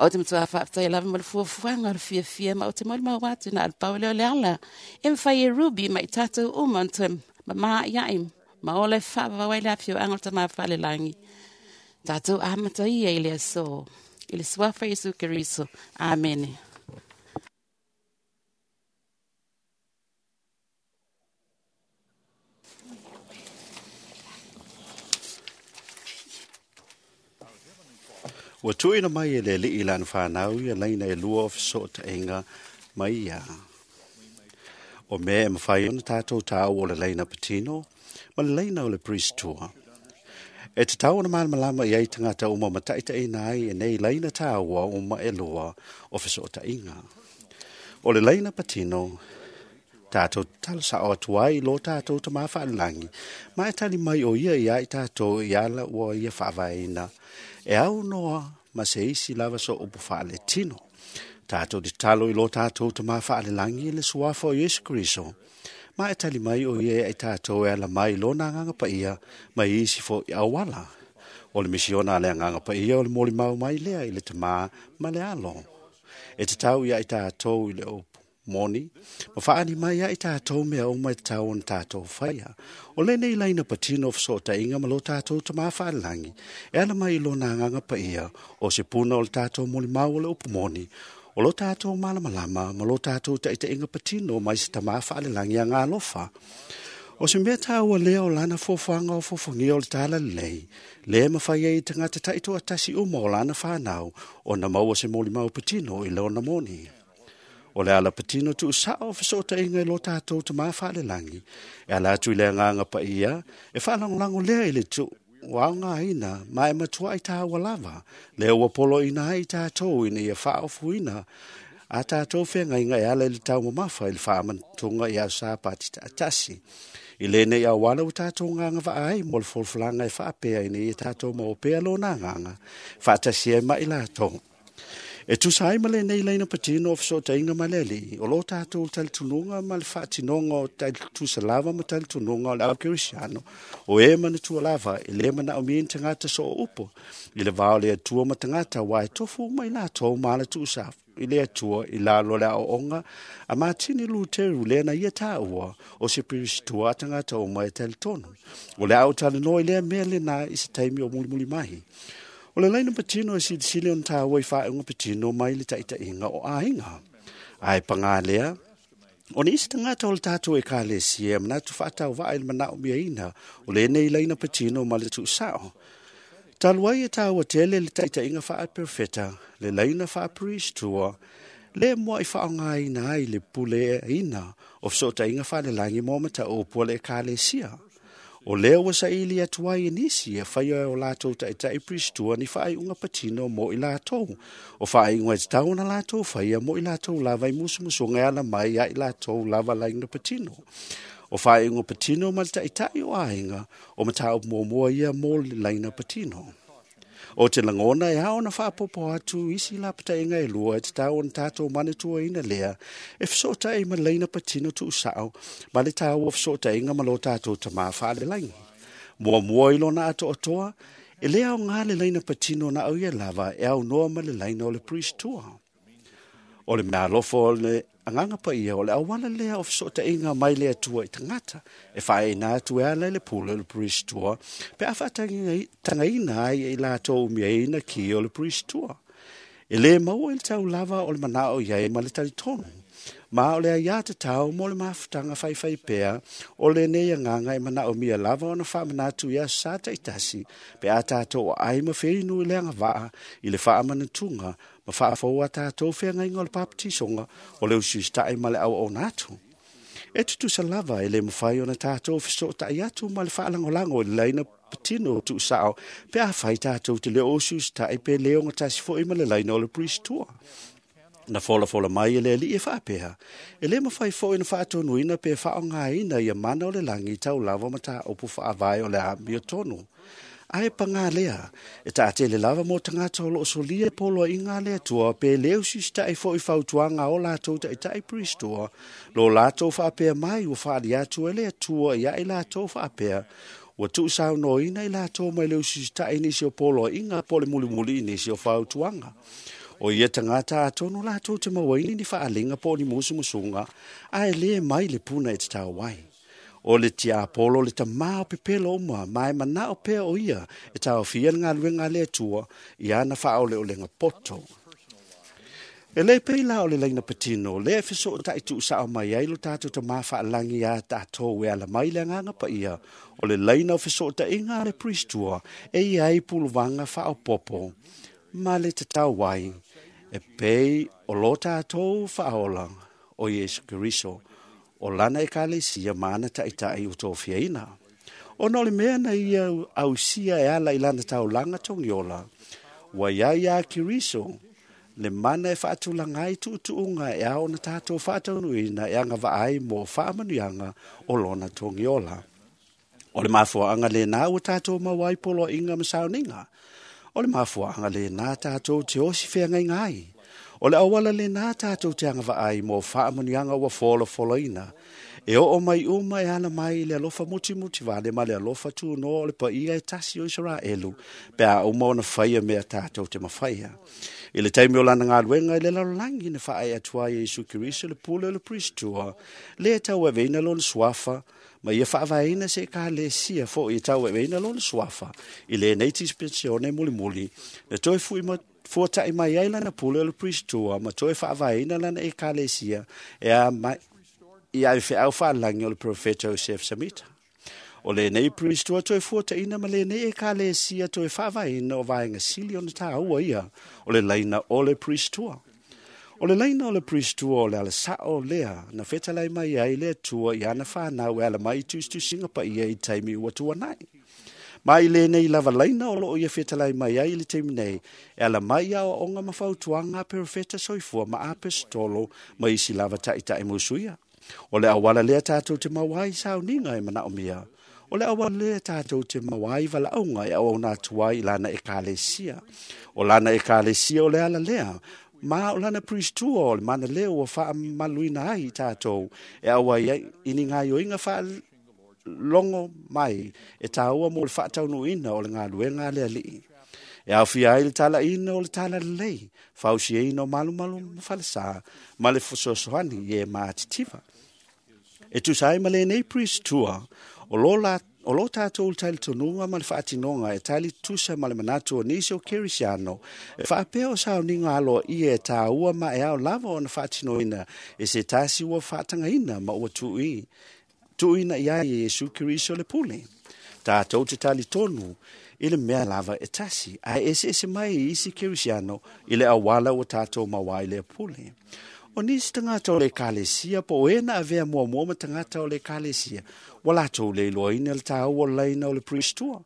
O te matua faafetai lava mo le fuafuaga o le fiafia ma o te molimau atu na o le pau lea o le ala e mafai e Ruby ma i tatou uma ona toe mamāia'i ma ola e faavavau ai le afioaga o le Tamā Falelagi. Tatou amata ia i le aso. I le suafa Iesu Keriso. Amene. Ua tuuina mai e le Alii lana fanau ia laina e lua o fesootaiga mai ia. O mea e mafai ona tatou tāua o le laina patino ma le laina o le priest-tua. E tatau ona malamalama i ai tagata uma ma taitaiina ai e nei laina tāua uma e lua o fesootaiga. O le laina patino, tatou tatalo sa'o atu ai i lo tatou Tamā faalelagi, ma e tali mai o ia iā i tatou i ala ua ia faavaeina e aunoa ma se isi lava so upu faaletino. Tatou tatalo i lo tatou Tamā faalelagi i le suafa o Iesu Keriso, ma e tali mai o ia i tatou e ala mai i lona Agaga Paia ma isi fo'i auala. O le misiona a le Agaga Paia o le molimau mai lea i le Tamā ma le Alo. E tatau ia i tatou i le upu moni, ma faali mai ia i tatou mea uma e tatau ona tatou faia. O lenei laina patino o fesootaiga ma lo tatou Tamā faalelagi, e ala mai i lona Agaga Paia, o se puna o le tatou molimau o le upu moni, o lo tatou malamalama ma lo tatou taitaiga patino mai se Tamā faalelagi agalofa. O se mea tāua lea o lana fuafuaga o fuafuagia o le talalelei, le mafai ai i tagata taitoatasi uma o lana fanau ona maua se molimau patino i lona moni. O le ala patino tuusa'o o fesootaiga i lo tatou Tamā faalelagi, e ala atu i le Agaga Paia, e faalagolago lea i le tuuaogaina ma e matuai tāua lava, lea ua poloina ai i tatou ina ia faaofuina a tatou feagaiga e ala i le taumamafa i le faamanatuga i aso Sapati taatasi. I lenei auala ua tatou gagavaa ai mo le folafolaga e faapea ina ia tatou maua pea lona agaga, faatasi ai ma i latou. E tusa ai ma lenei laina patino o fesootaiga ma le Alii, o lo tatou talitonuga ma le faatinoga o tusa lava ma talitonuga o le au kerisiano, o e manatua lava e le manaomia ni tagata soo upu i le va o le Atua ma tagata aua e tofu uma i latou ma ala tuusa i le Atua i lalo o le aoaoga a Matini Luteru lea na ia tāua o se pirisitua a tagata uma e talitonu. O le a ou talanoa i lea mea lenā i se taimi o mulimuli mai. O le laina patino e silisili ona tāua i faaiuga patino mai le taitaiga o aiga. Ae pagā lea, o nisi tagata o le tatou ekalesia e manatu faatauvaa i le manaomiaina o lenei laina patino ma le tuusao. Talu ai e tāua tele le taitaiga faaperofeta, le laina faapriestua, le mua'i faaaogaina ai le puleaina o fesootaiga faalelagi mo mataupu a le ekalesia. O lea ua saili atu ai e nisi e faia e o latou taitai priestua ni faaiuga patino mo i latou. O faaiuga e tatau ona latou faia mo i latou lava i musumusuga e ala mai ia i latou lava laina patino. O faaiuga patino ma le taitai o aiga o mataupu muamua ia mo le laina patino. O te lagona e ao ona faapopo atu isi lapataiga e lua e tatau ona tatou manatuaina lea e fesootai ma laina patino tuusao ma le taua o fesootaiga ma lo tatou Tamā faalelagi. Muamua i lona atoatoa, e le aoga le laina patino na au ia lava e aunoa ma le laina o le priestua. O le meaalofa o le Agaga Paia o le auala lea o fesootaiga mai le Atua i tagata e faaeina atu e ala i le pule o le priestua pe a faatagaina ai e i latou umiaina ki o le priestua. E le maua i le tau lava o le manao i ai ma le talitonu. Ma o le aiā tatau mo le mafutaga faifai pea o lenei agaga e manaomia lava ona faamanatu i aso sa taitasi pe a tatou aai ma feinu i le agavaa i le faamanatuga ma faafou a tatou feagaiga o le papatisoga o le usiusita'i ma le auauna atu. E tutusa lava e le mafai ona tatou fesootai atu ma le faalagolago i le laina patino tuusao pe a fai tatou te le o usiusita'i pe le ogatasi fo'i ma le laina o le priestua. Na folafola mai e le Alii e faapea, e lē mafai foʻi ona faatonuina pe faaaogāina ia mana o le lagi tau lava mataupu faavae o le amiotonu. Ae pagā lea, e taatele lava mo tagata o loo solia poloaiga a le Atua pe lē usisitaʻi foʻi fautuaga o latou taʻitaʻi Pristoa, lo latou faapea mai ua faali atu e le Atua ia i latou faapea, ua tuusaunoaina i latou mai le usisitaʻi nisi o poloaiga po o le mulimuli i nisi o fautuaga. O ia tagata atonu latou te mauaina ni faaliga po o ni musumusuga, ae lē mai le puna e tatau ai. O le tiapolo le tamā o pepelo uma, ma e manao pea o ia e taofia le galuega a le Atua i ana faaoleolega poto. E lē pei la o le laina patino, lea e fesootaʻi tuusaʻo mai ai lo tatou tamā faalagi iā tatou e ala mai le agaga paia, o le laina o fesootaʻiga a le Pristoa e ia ai puluvaga faaopopo ma le tatau ai, e pei o lo tatou faaola o Iesu Keriso, o lana ekalesia ma ana taʻitaʻi ua tofiaina. Ona o le mea na ia ausia e ala i lana taulaga togiola, ua iai iā Keriso le mana e faatulaga ai tuutuuga e ao ona tatou faataunuuina e agavaa ai mo faamanuiaga o lona togiola. O le mafuaaga lenā ua tatou maua ai poloaiga ma sauniga. O le mafuaaga lenā tatou te osi feagaiga ai. O le auala lenā tatou te agavaa ai mo faamanuiaga ua folafolaina. E oo mai uma e ala mai i le alofa mutimuti vale ma le alofa tunoa o le paia e tasi o Isaraelu, pe a uma ona faia mea tatou te mafaia. I le taimi o lana galuega i le lalolagi na faaee atu ai e Iesu Keriso le pule o le Pristoa, lea e tauaveina lona suafa, ma ia faavaeina se ekalesia foʻi e tauaveina lona suafa i lenei dispensione mulimuli, na toe fuataʻi mai ai lana pule o le Pristoa ma toe faavaeina lana ekalesia e a mai i ai feau faalagi o le profeta Joseph Samita. O lenei Pristoa toe fuataʻina ma lenei ekalesia toe faavaeina o vaega sili ona tāua ia o le laina o le Pristoa. O le laina o le Pristoa o le alasaʻo lea na fetalai mai ai le Atua i ana fanau e ala mai i tusitusiga paia i taimi ua tuanai. Ma i lenei lava laina o loo ia fetalai mai ai i le taimi nei, e ala mai i aoaoga ma fautuaga a perofeta soifua ma apesitolo ma isi lava taʻitaʻi musuia. O le auala lea tatou te maua ai sauniga e manaomia. O le auala lea tatou te maua ai valaauga e auauna atu ai i lana ekalesia. O lana ekalesia o le ala lea, ma o lana Pristoa o le mana lea ua faamaluina ai i tatou e auai ai i ni gaioiga faalogo mai e tāua mo le faataunuuina o le galuega a le Alii. E aofia ai le talaina o le talalelei, fausiaina o malumalu ma falesā, ma le fesoasoani i e matitiva. E tusa ai ma lenei Pristoa, o lo tatou le talitonuga ma le faatinoga e tali tusa ma le manatu o nisi o Kerisiano, e faapea o sauniga aloaia e tāua ma e ao lava ona faatinoina e se tasi ua faatagaina ma ua tuuina i ai e Iesu Keriso le pule. Tatou te talitonu i le mea lava e tasi, ae eseese mai i isi Kerisiano i le auala ua tatou maua ai lea pule. O nisi tagata o le ekalesia po o e na avea muamua ma tagata o le ekalesia, ua latou le iloaina le tāua o le laina o le Pristoa.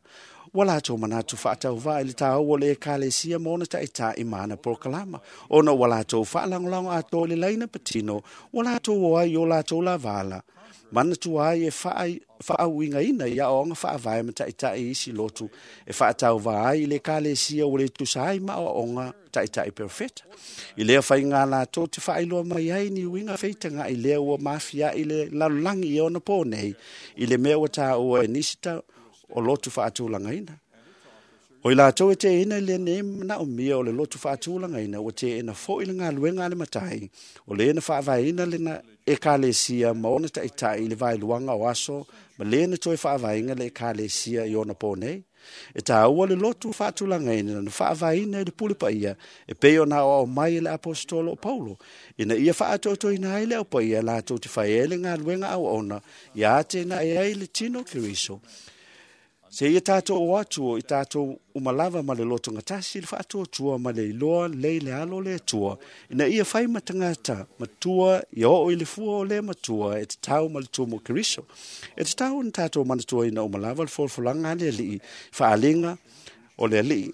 Ua latou manatu faatauvaa i le tāua o le ekalesia ma ona taʻitaʻi ma ana polokalama, ona ua latou faalagolago atoa i le laina patino, ua latou o ai i o latou lavala, manatua ai e faauigaina i aoaoga faavae ma taʻitaʻi isi lotu e faatauvā ai i le ekalesia ua le tusa ai ma aoaoga taʻitaʻi perofeta. I lea faiga latou te faailoa mai ai ni uiga feitagaʻi lea ua mafiaʻi le lalolagi i ona pō nei, i le mea ua tāua e nisi o lotu faatulagaina. O i latou e teena i lenei manaomia o le lotu faatulagaina, ua teena foʻi le galuega a le matai, o le na faavaeina lena ekalesia ma ona taʻitaʻi i le vaeluaga o aso ma le na toe faavaeina le ekalesia i ona pō nei. E tāua le lotu faatulagaina na faavaeina i le pule paia e pei ona aoao mai e le apostolo o Paulo, ina ia faatoatoina ai le au paia latou te fai ai le galuega auauna ia atenae ai le tino Keriso. Se ia tātou o atu o i tātou umalava ma le loto gatasi le faatuatua ma le iloa lei le alo le Atua, ina ia fai ma tagata matua ia oo i le fua o le matua e tatau ma le tumu o Keriso. E tatau ona tatou manatuaina umalava le folafolaga a le Alii, faaliga o le Alii.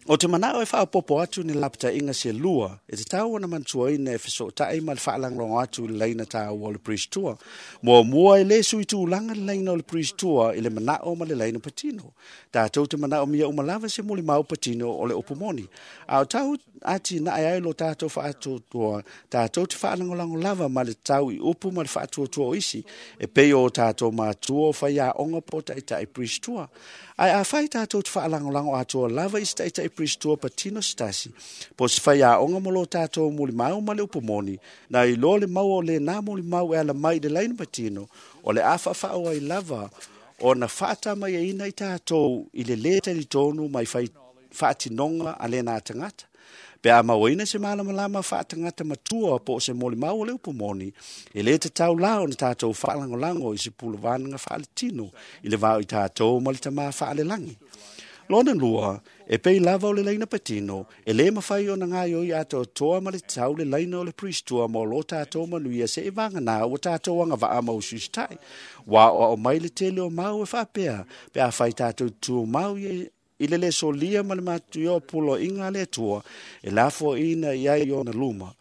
O te manao e whaapopo atu ni lapata inga se lua, e te tau ona mantuaina e fesotai ma le whaalanglongo atu i leina tāua o le Priest Tour. Mua mua e le sui tūlanga le leina o le Priest Tour i le manao ma le leina patino. Tātou te manao mia umalava se muli mau patino o le upumoni. A o tau ati na ai lo tātou whaatuatua, tātou te whaalangolango lava ma le tau i upu ma le whaatuatua o isi, e pei o tātou mātua o whai a onga po taitai Priest Tour. Ai a whai tātou te whaalangolango atua lava i taitai Priest Tour patino stasi. Po se whai a onga mo lo tātou muli mau ma le upumoni, na i lo le mau o le nā muli mau e ala mai le laina patino, o le awha whaoa i lava, o na whaata mai e ina i tātou i le le tali tonu mai whai whaatinonga a le nā tangata. Pe a mauina se malamalama whaatangata matua po o se moli mau o le upumoni, e le te tau lao na tātou whaalangolango i se pulawananga whaaletino i le vao i tātou ma le tamā whaalelangi. Lona lua, e pei lava o le laina patino, e le mawhai o na ngai oi ato toa ma le tau le laina o le Priest Tour mo lo tātou manuia se e vanga nā o tātou anga waa mau susitai. Wā o au mai le tele o mau e whapea, pe a whai tātou tū mau i i le le solia ma le matu o pulo inga le tua, e lafo ina i ai ona luma.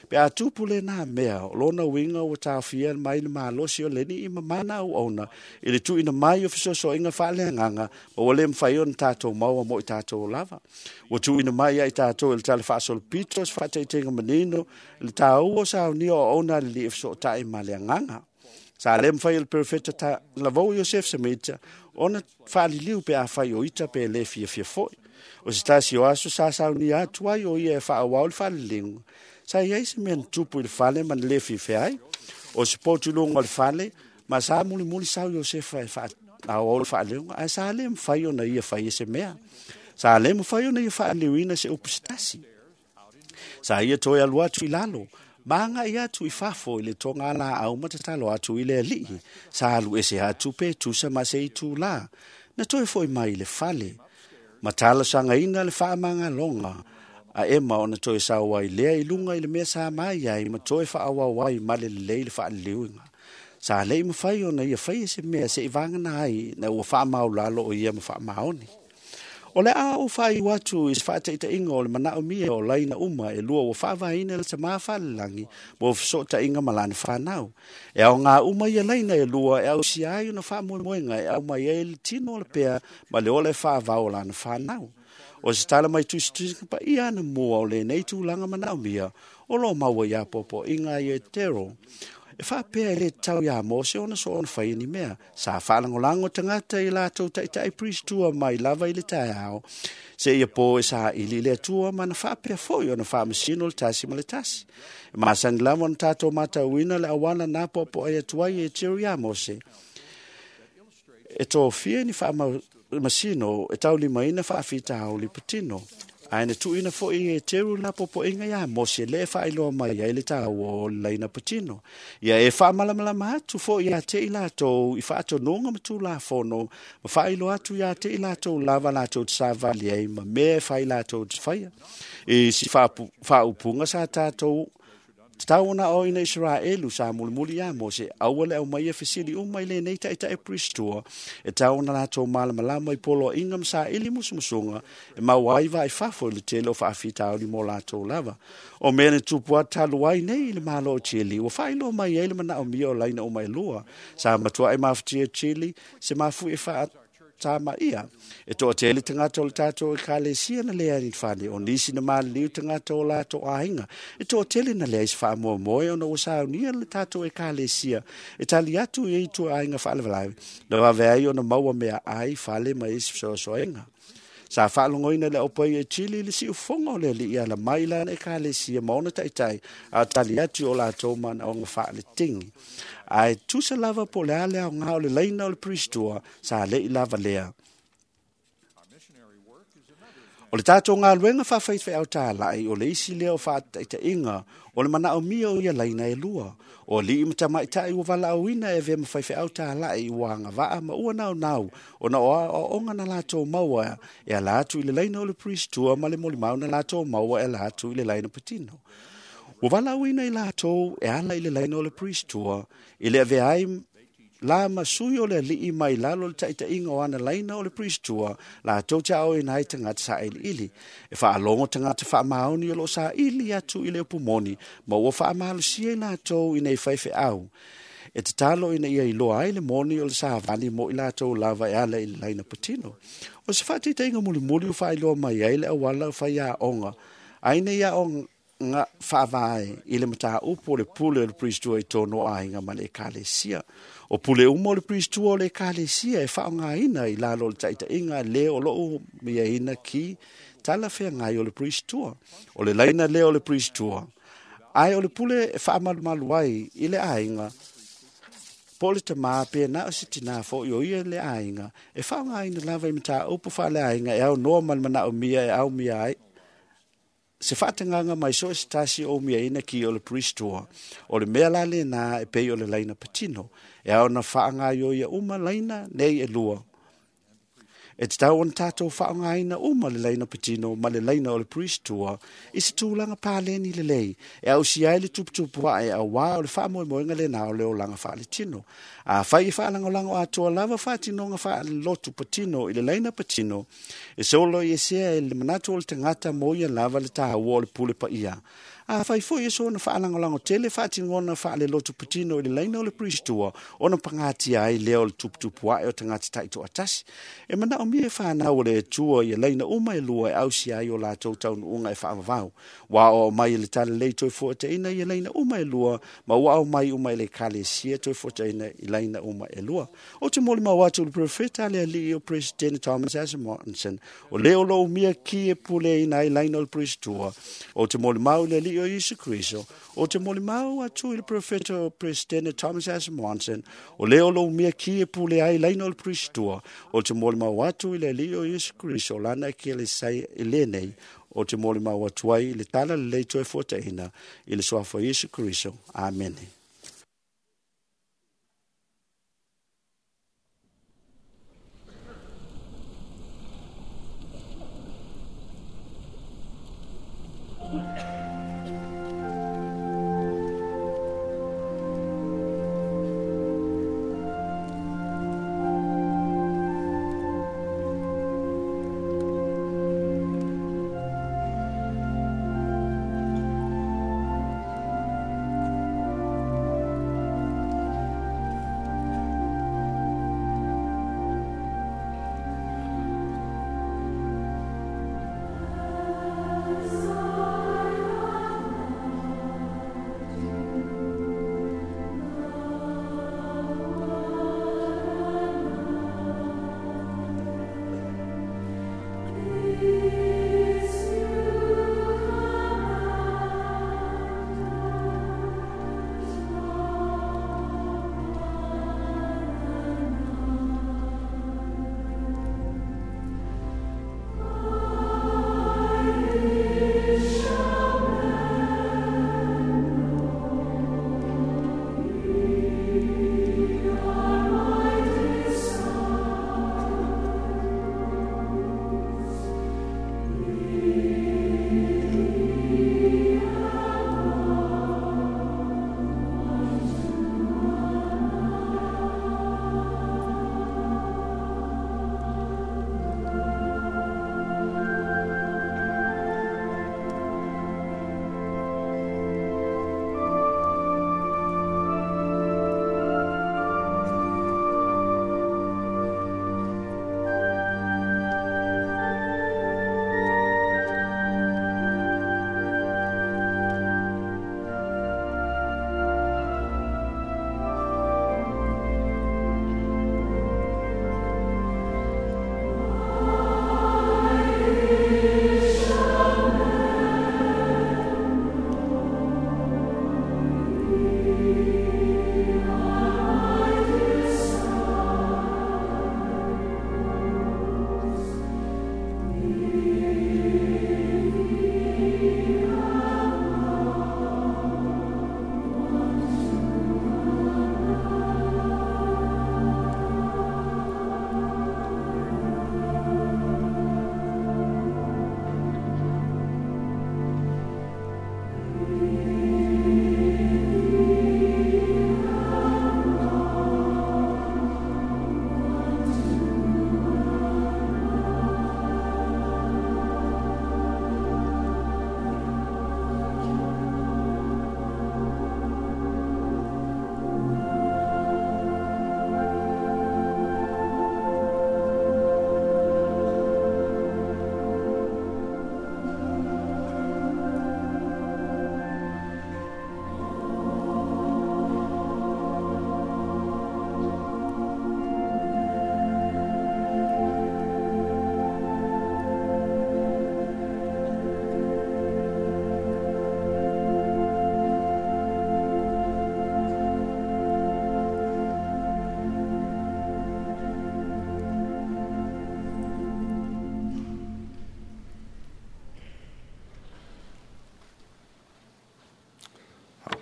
Pe a tupu le nā mea, o lona winga o tāwhia mai le malosi o leni i mamana au ona, i le tuina mai o fisoso inga whaaleanganga, ma ua le mwhai ona tātou maua mo i tātou lava. Ua tuina mai ai tātou i le tale whaasolo pito, se whaataitenga manino, i le tāua sa au nia o ona le li e fiso tai ma le anganga. Sa le mwhai le perfecta ta lavau Yosef Samita, ona whaaliliu pe a whai o ita pe le fia fia foi. O se tasi o aso sa sau ni atu ai o ia e whaawau le whaalilinga. Sa iai se mea tupu i le fale ma le fia fia ai. O se pōtu lunga o le fale, ma sa muli muli sau Yosefa e whaawau le whaalilinga, ai sa le mwhai ona ia whai e se mea. Sa le mwhai ona ia whaaliliuina se upusitasi. Sa ia toi alu atu i lalo. Maanga i atu i fafo i le tonga la au matatalo atu i le alii. Sa alu ese atu pe tusa ma se itu la. Na toi foi mai le fale. Matala sangaina le whaamanga longa. A ema ona toi sawa i lea i lunga i le mea sa mai ai ma toi whaawawai ma le lei le whaaliliuinga. Sa lei mawhai ona ia whai e se mea se i wangana ai na ua whaamau lalo o ia ma whaamaoni. O le a o whai watu i whaataita inga o le manao mia o laina uma e lua o whaavaina le tamā whalelangi mo whasota inga malani whanau. E au ngā uma ia laina e lua e au si ai ona whaamoemoenga e au mai e le tino o le pea ma le ole whaavao o lana whanau. O se tala mai tusitusinga pa ia ana mua o le nei tūlanga manao mia o lo maua ia popo inga i e tero. E whapea e le tau ia Mose ona so ona whai ni mea. Sa whaalangolango tangata i lātou taitai Priest Tour mai lava i le taeao. Se ia pō e sa ili le atua mana whapea foi ona whaamasino le tasi ma le tasi. E masani lava ona tātou mātauina le awana nā popo ai atuai e tiro ia Mose. E tō fia ni whaamasino e taulimaina whaawhita hauli patino. Ai na tuina foi e teru na popo inga ia Mose le whaeloa mai ai le tāua o le laina patino. Ia e whaamalamalama atu foi ia te i lātou i whaatononga ma tūlafono, ma whaeloa atu ia te i lātou lava lātou te sāvali ai ma mea whai lātou te whaia. E si whaupunga sa tātou Tau ona o ina Israelu sa mulimuli ia Mose, aua le au mai e fesili uma i le nei taitai Priest Tour, e tau ona lātou malamalama i polo inga ma sa ili musumusunga, e mau ai vai fafo i le tele o whaafitauli mo lātou lava. O mea ne tupu atalu ai nei i le malo o Chile, ua whailo mai ai le manao mia o laina o mai lua, sa matua e mafutia Chile, se mafu e wha tā ia. E toa tele tangata o le tātou e kalesia na lea ni whane, o nisi na māliliu tangata o lātou āinga. E toa tele na lea i se whaamoemoe ona ua saunia le tātou e kalesia. E tali atu i e tua āinga whaalewalawe. Na wawe ai ona maua mea ai whale ma isi whasoasoainga. Sa whaalongoina le opai e Chile le si ufonga o le li ia la mai lana e kalesia ma ona taitai a tali atu o lātou mana o ngā whaale tingi. Ai tusa lava po le ale au ngā o le laina o le Priest Tour sa le i lava lea. O le tātou ngā luenga whawhaiwhai au tālai o le isi lea o whaataitainga o le manao mia o ia laina e lua. O li i matamaitai ua walaauina e vea mawhaiwhai au tālai i wanga waa ma ua nau nau o na o onga na lātou maua e ala atu i le laina o le Priest Tour ma le molimau na lātou maua e ala atu i le laina patino. Ua walaauina i lātou e ala i le laina o le Priest Tour i le avea ai la ma sui o le ali'i mai lalo le ta'ita'iga o ana laina o le pristua latou te aoaoina ai tagata sa'aili'ili. E fa'alogo tagata fa'amaoni o lo'o sa'ili atu i le upu moni ma ua fa'amalosia i latou ina i faife'au. E tatalo ina ia iloa ai le moni o le savali mo i latou lava e ala i le laina patino. O se fa'ataitaiga mulimuli ua fa'ailoa mai ai le auala faiaoga aina ia aoga fa'avae i le matāupu o le pule o le pristua i tonu o aiga ma le ekalesia. O pule uma o le pristua o le ekalesia e fa'aaogāina i lalo o le ta'ita'iga lē o lo'o miaina ki tala feagai o le pristua. O le laina lea o le pristua, ae o le pule e fa'amalumalu ai i le aiga po o le tamā pe na o se tinā fo'i o ia le aiga e fa'aaogāina lava i matāupu fa'aleaiga e aunoa ma le mana'omia e aumia ai se fa'atagaga mai so e se tasi o umiaina ki o le pristua. O le mea la lenā e pei o le laina patino e ao na fa'agaioia uma laina nei e lua. E tatau ona tatou fa'aaogāina uma le laina patino ma le laina o le pristua i se tulaga paleni lelei e ausia ai le tuputupu a'e auā o le fa'amoemoega lenā o le olaga fa'aletino. Afai e fa'alagolago atoa lava fa'atinoga fa'alelotu patino i le laina patino, e solo i esea e le manatu o le tagata mo ia lava le tāua o le pule pa'ia. Afai fo'i e soona fa'alagolago tele fa'atinona fa'alelotu patino i le laina o le pristua, ona pagatia ai lea o le tuputupu a'e o tagata ta'ito'atasi. E mana'omia e fanau o le Atua ia laina uma e lua e ausia ai o latou taunu'uga e fa'avavau. Ua aoao mai e le talalelei toe fo'ataʻina ia laina uma e lua, ma ua aumai uma e le ekalesia toe fo'ataʻina i laina uma e lua. O te molimau atu le profeta a le ali'i o Presidente Thomas S. Monson, o lē o lo'o umia ki e puleaina ai laina o le pristua. O te molimau i le ali'i o Iesu Keriso. O te molimau atu i le profeta o Presidente Thomas S. Monson, o lē o lo'o umia ki e pule ai laina o le pristua. O te molimau atu i le ali'i o Iesu Keriso o lana ekelesia i lenei. O te molimau atu ai i le tala lelei toe fuataʻina i le suafa o Iesu Keriso. Amene.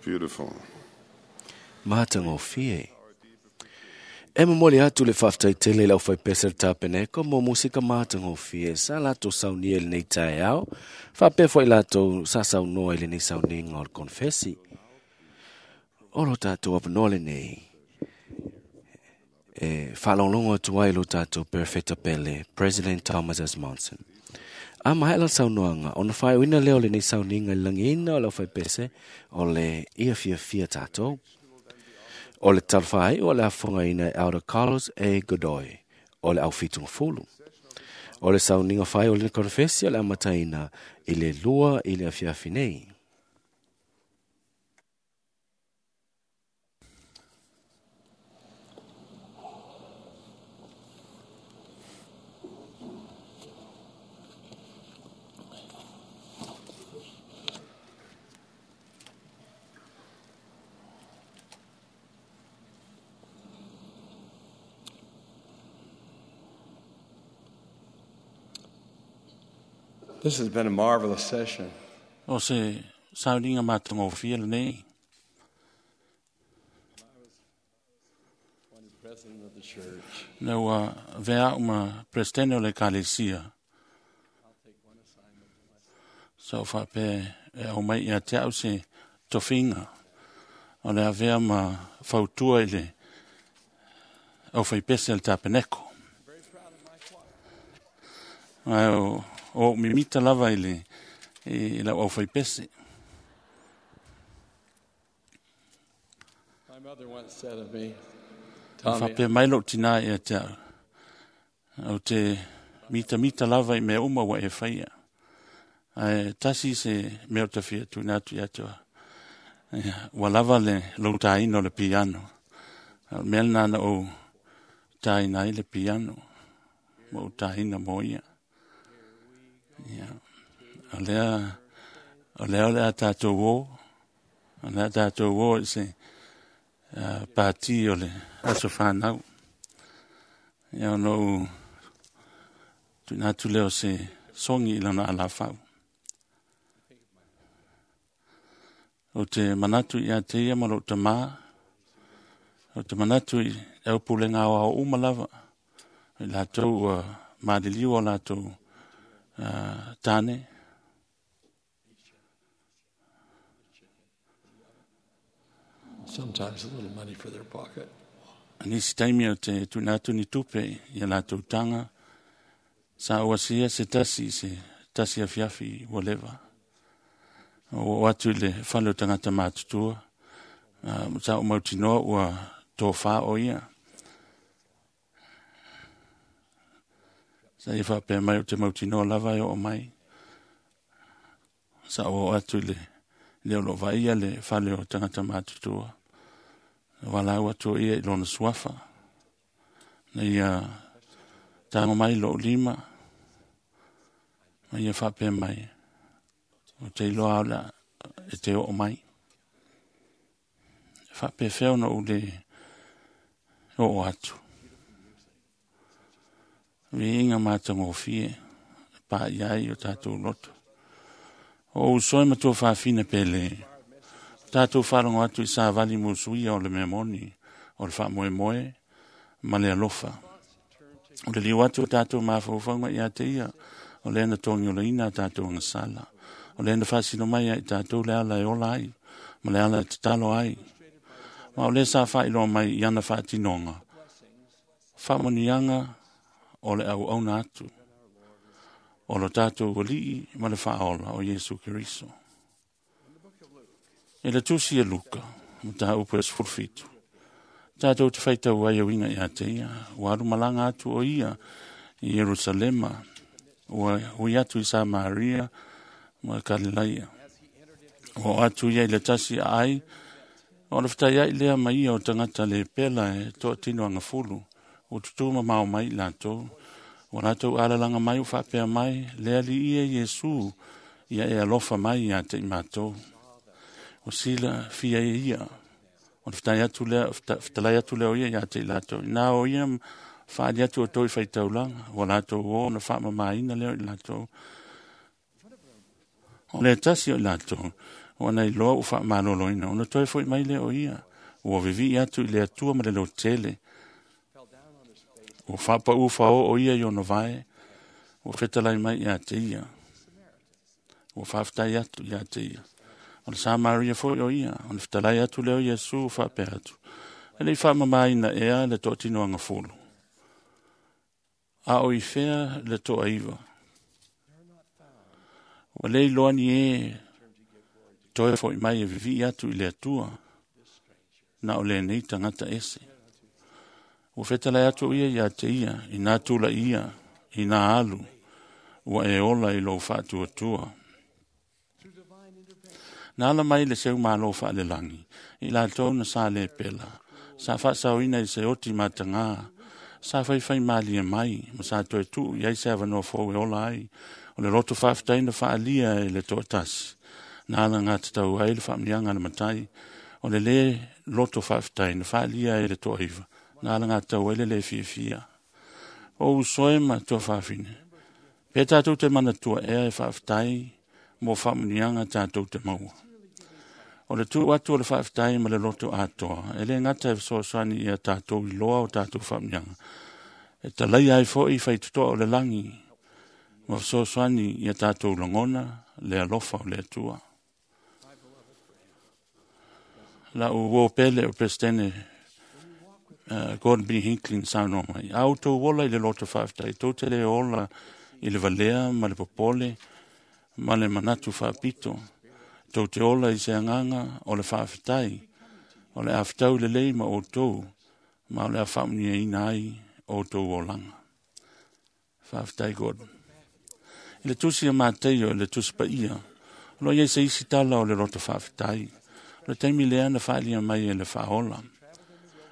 Beautiful. Matagofie. E momoli atu le faafetaitele i le aufaipese le tapeneko mo musika matagofie sa latou saunia i lenei taeao, faapea fo'i latou sa saunoa i lenei sauniga o le konefesi. O lo tatou avanoa lenei e faalogologo atu ai lo tatou perofeta pele, President Thomas S. Monson. A maea la saunoaga, ona faaiuina lea o lenei sauniga i le lagiina o le aufaipese o le ia fiafia tatou. O le talofa o le afogaina e Elder Carlos A. Godoy, o le aufitugafulu. O le sauniga fai o le konefesi o le amataina i le 2 i le afiafi nei. This has been a marvelous session. O se sauniga matagofie lenei. Na ua vea uma presidente o le ekalesia. Sa o faapea e au mai ia te au se tofiga o le avea ma fautua i le aufaipese a le tapeneko. Ae o o mimita lava i le i lau aufaipese. My mother once said of me, Tommy, Faapea mai lou tinā ia te au. Au te mitamita lava i mea uma ua e faia. Ae tasi se mea o tafia tuina atu ia te oa. Ia, ua lava le lou tāina o le piano. O le mea lena na ou tāina ai le piano. Ma ou tāina mo ia. Ia. O lea o le a tātou o. O le a tātou o i se pāti o le aso whanau. Ia ono u tuina atu leo se songi i lana alafau. O te manatu i a te ia ma lou tamā. O te manatu i au pulenga o ao uma lava. I latou ua maliliu o latou tāne. Sometimes a little money for their pocket. Nisi taimi o te tuina atu ni tupe i a latou tanga. Sa o asia se tasi se tasi afiafi ua leva. O atu i le fale o tagata matutua. Sa o mautinoa ua tōfā o ia. Sa ia faapea mai o te mautinoa lava e oo mai. Sa o atu i le leo lo vaia le fale o tagata matutua. Walau atu ia i lona suafa. Na ia tago mai lou lima. Ma ia faapea mai. O te iloa au la e te oo mai. Faapea feo na ou le oo atu. Viiga matagofie pa i ai o tātou loto. O usoe ma tua faafina pele. Tātou wharongo atu i sāvali musuia o le mea moni, o le whaamoemoe, ma le alofa. O le liu atu o tātou mafaufauga ia te ia, o le ana tongi o le ina a tātou angasala. O le ana whaasino mai ai tātou le ala e ola ai, ma le ala e tatalo ai. Ma o le sa whailoa mai i ana whaatinonga. Whaamonianga o le au auna atu. O lo tātou walii ma le whaaola o Yesu Keriso. E le tusi e Luka, ma tā upu e 17. Tātou te whaitau ai o inga ia te ia, ua aru malanga atu o ia i Yerusalema, ua hui atu i Samaria ma Kalilaia. Ua atu ia i le tasi a ai, o le whatai ai lea mai ia o tangata le pela e toa tino angafulu, o tutuma mao mai lātou, o lātou alalanga mai o whaapea mai, lea li ia Yesu, ia e alofa mai ia te i mātou. O sila fia e ia. O le whatai atu lea, whatalai atu lea o ia ia te i lātou. Nā o ia whaali atu o toi whaitaulanga. O lātou o na whaamamaina leo i lātou. O le tasi o i lātou. Ona iloa ua faamaloloina, ona toe fo'i mai lea o ia, ua vivi'i atu i le Atua ma le lotele. Ua faapaʻu faaoo ia i ona vae, ua fetalai mai ia te ia. Ua faafetai atu ia te ia. O le Samaria foi o ia, ona fetalai atu lea o Iesu faapea atu, e le i faamamaina ea le toatinoaga fulu, a o i fea le toaiva. Ua le iloa ni e toe fo'i mai e vivi'i atu i le Atua, na o lenei tagata ese. Ua fetalai atu ia ia te ia, ina tula'i ia, ina alu, ua e ola i lou faatuatua. Na ala mai le seu malo faalelagi, i latou na sa le pela, sa faasaoina i se oti matagā, sa faifai malie mai, ma sa toe tuu i ai se avanoa fou e ola ai, o le loto faafetai na faalia e le toatasi. Na ala gatatau ai le faamanuiaga a le matai, o le lē loto faafetai na faalia e le toaiva, na ala gatau ai le lē fiafia. O usoe ma tuafafine, pe tatou te manatua ea e faafetai mo faamanuiaga tatou te maua. O le tuu atu o le faafetai ma le loto atoa, e le gata e fesoasoani ia tatou iloa o tatou faamanuiaga, e talaia ai foi faitotoa o le lagi, ma fesoasoani ia tatou lagona le alofa o le Atua. Lau uo pele o Peresetene Gordon B. Hinckley na saunoa mai, a outou ola i le loto faafetai, tou te le ola i le valea ma le popole ma le manatu faapito. Tou te ola i se agaga o le faafetai, o le afetau lelei ma outou, ma o le a faamanuiaina ai outou olaga. Faafetai Gordon. I le tusi a Mateio i le tusi paia, o lo o i ai se isi tala o le loto faafetai. O le taimi lea na faalia mai e le faaola.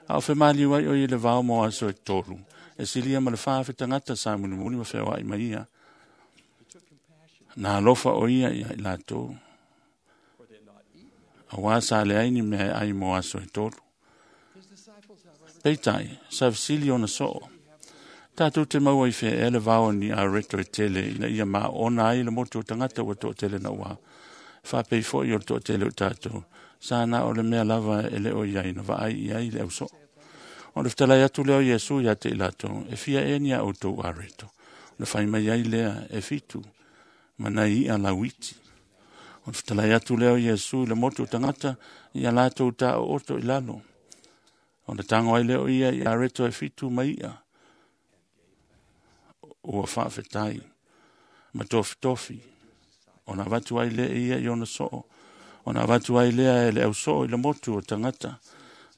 A o femaliu ai o ia i le vao mo aso e 3, e silia ma le 4,000 tagata sa mulimuli ma feoai mai ia. Na alofa o ia ia i latou, auā sa leai ni mea e ai mo aso e 3. Peitai, sa fesili ona soo, tatou te maua i fea ea le vao ni areto e tele ina ia maona ai le motu o tagata ua toatele na ua. Faapei foi o le toatele o tatou, sa na o le mea lava e le o iai na vaai i ai le ausoo. O le fetalai atu lea o Iesu ia te i latou, e fia ea ni a outou areto. O le fai mai ai lea e 7, ma nai i'a lauiti. O le fetalai atu lea o Iesu i le motu o tagata, ia latou taooto i lalo. O le tago ai lea o ia i areto e 7 ma i'a, ua faafetai, ma tofitofi. Ona avatu ai lea ia i ona soo, ona avatu ai lea e le ausoo i le motu o tagata.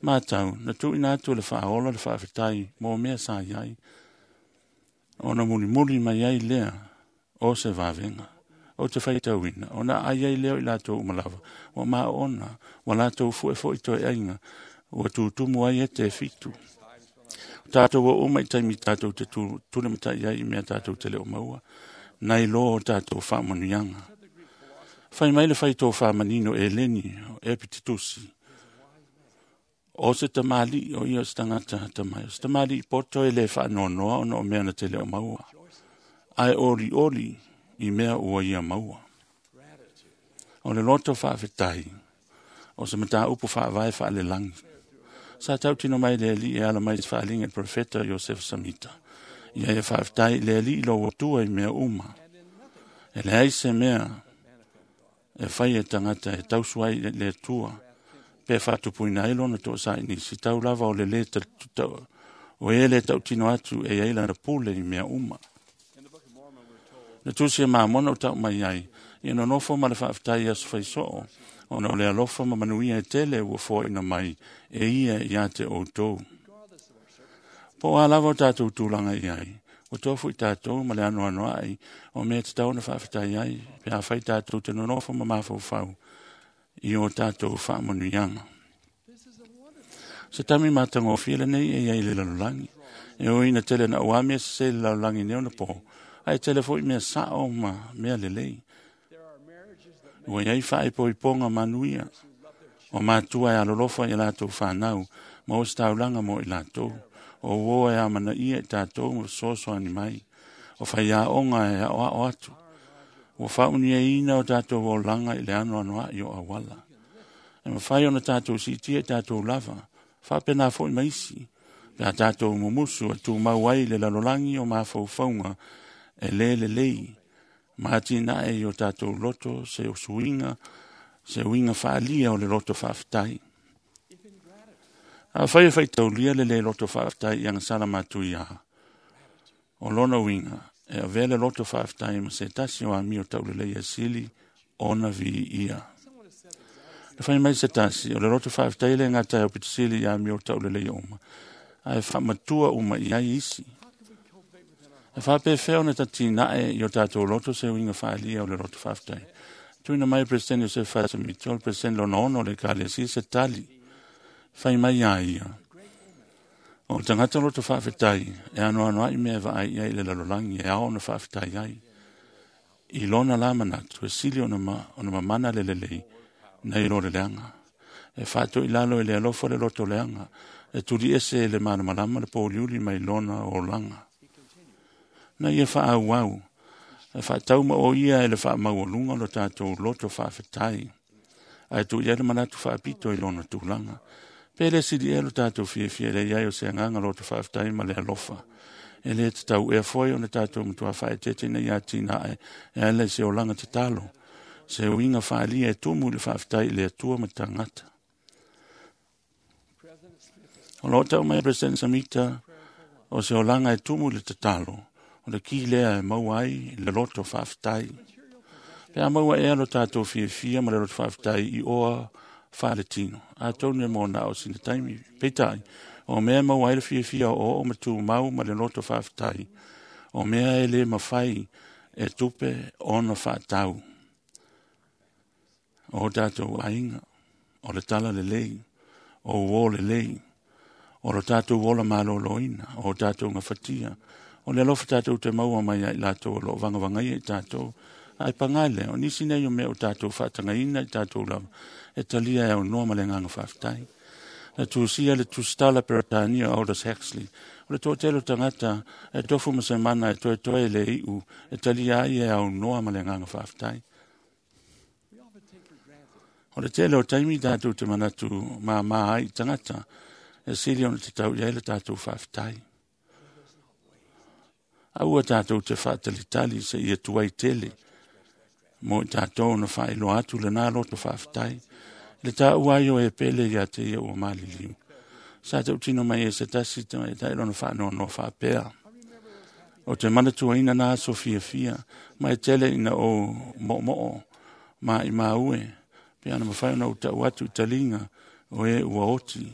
Matau, na tuuina atu le faaola le faafetai mo mea sa i ai. Ona mulimuli mai ai lea o se vavega, o te faitauina, ona ai ai lea o i latou uma lava, ua maona, ua latou fue foi toe aiga, ua tutumu ai e te 7. O tatou o uma i taimi tatou te tulematai ai i mea tatou te leo maua, nai loa o tatou faamanuiaga. Fai mai le faitofā manino e leni o Epititusi, o se tamali'i o ia o se tagata tamai, o se tamali'i poto e le faanoanoa ona o mea na te leo maua, ae olioli i mea ua ia maua. O le loto faafetai, o se mataupu faavae faalelagi. Sa tautino mai le Alii e ala mai se faaaliga i le profeta Iosefa Samita. Ia ia faafetai i le Alii lou Atua i mea uma. E leai se mea e fai e tagata e tausu ai i le Atua, pe faatupuina ai lona toasa'i nisi, tau lava o le lē o e le tautino atu e i ai lana pule i mea uma. Le tusi e Mamona o tau mai ai, ia nonofo ma le faafetai i aso faisoo, ona o le alofa ma manuia e tele ua foaina mai e ia ia te outou. Po o a lava o tatou tulaga i ai, ua tofu i tatou ma le anoanoai o mea tatau ona faafetai ai, pe afai tatou te nonofo ma mafaufau i o tatou faamanuiaga. Se taimi matagofie lenei e i ai i le lalolagi. E ui ina tele na ua mea sese i le lalolagi nei ona po, ae tele foi mea sao ma mea lelei. Ua i ai faaipoipoga manuia, o matua e alolofa i latou whanau, ma o se taulaga mo i latou. O uo e amanaia i tatou ma fesoasoani mai. O faiaoga e aoao atu. Ua faauniaina o tatou olaga i le anoanoa'i o auala. E mafai ona tatou siitia i tatou lava, faapena foi ma isi, pe a tatou mumusu e tumau ai le lalolagi o mafaufauga e lē lelei, ma atinae i o tatou loto se usuiga, se uiga faaalia o le loto faafetai. Afai e faitaulia le lē loto faafetai i agasala matuiā, o lona uiga e avea le loto faafetai ma se tasi o amio taulelei e sili ona viia. Le fai mai se tasi, o le loto faafetai le gata e aupitisili i amio taulelei uma, ae faamatua uma i ai isi. E faapefea ona tatinae i o tatou loto se uiga faaalia o le loto faafetai. Tuuina mai e Peresetene Iosefa Faasemita, o le Peresetene lona 6 o le Ekalesia se tali. Fai mai ia ia, o le tagata loto faafetai e anoanoa'i mea e vaai i ai i le lalolagi e ao ona faafetai ai. I lona la manatu e sili ona mamana le lelei nai lo le leaga. E faatoilalo i le alofa le loto leaga, e tuliese e le malamalama le pōliuli mai lona olaga. Na ia faaauau, e faatauma o ia e le faamaualuga lo tatou loto faafetai, ae tuu i ai le manatu faapito i lona tulaga. Pe le sili ea lo tatou fiafia i le i ai o se agaga loto faafetai ma le alofa. E lē tatau ea foi ona tatou matuā faaeteete ina ia atinae e ala i se olaga tatalo, se uiga faaalia e tumu i le faafetai i le Atua ma tagata. O lo o tau mai President Samita, o se olaga e tumu i le tatalo, o le ki lea e maua ai le loto faafetai. Pe a maua ea lo tatou fiafia ma le loto faafetai i oa faaletino, atonu e mo na o sina taimi. Peitai, o mea e maua ai le fiafia o oo ma tumau ma le loto faafetai, o mea e lē mafai e tupe ona faatau. O tatou aiga, o le tala lelei, o uō lelei, o lo tatou ola malōlōina, o tatou gafatia, o le alofa tatou te maua mai ai latou o loo vagavagaia i tatou. Ae pagā lea, o nisi nei o mea o tatou faatagaina i tatou lava, e talia e aunoa ma le agaga faafetai. Na tusia le tusitala Peretania Aldous Huxley, o le toatele o tagata e tofu ma se mana e toetoe le iu, e talia ai e aunoa ma le agaga faafetai. O le tele o taimi tatou te manatu māmā ai i tagata, e sili ona tatau i ai le tatou faafetai. Aua tatou te faatalitali se ia tuai tele, mo i tatou na faailoa atu lena loto faafetai. Le taua ai o e pele ia te ia ua maliliu. Sa tautino mai e se tasi tamaitai lona faanoanoa faapea. O te manatuaina na aso fiafia, ma e tele ina o moomoo ma i maue, pe ana mafai ona ou tau atu i taliga o e ua oti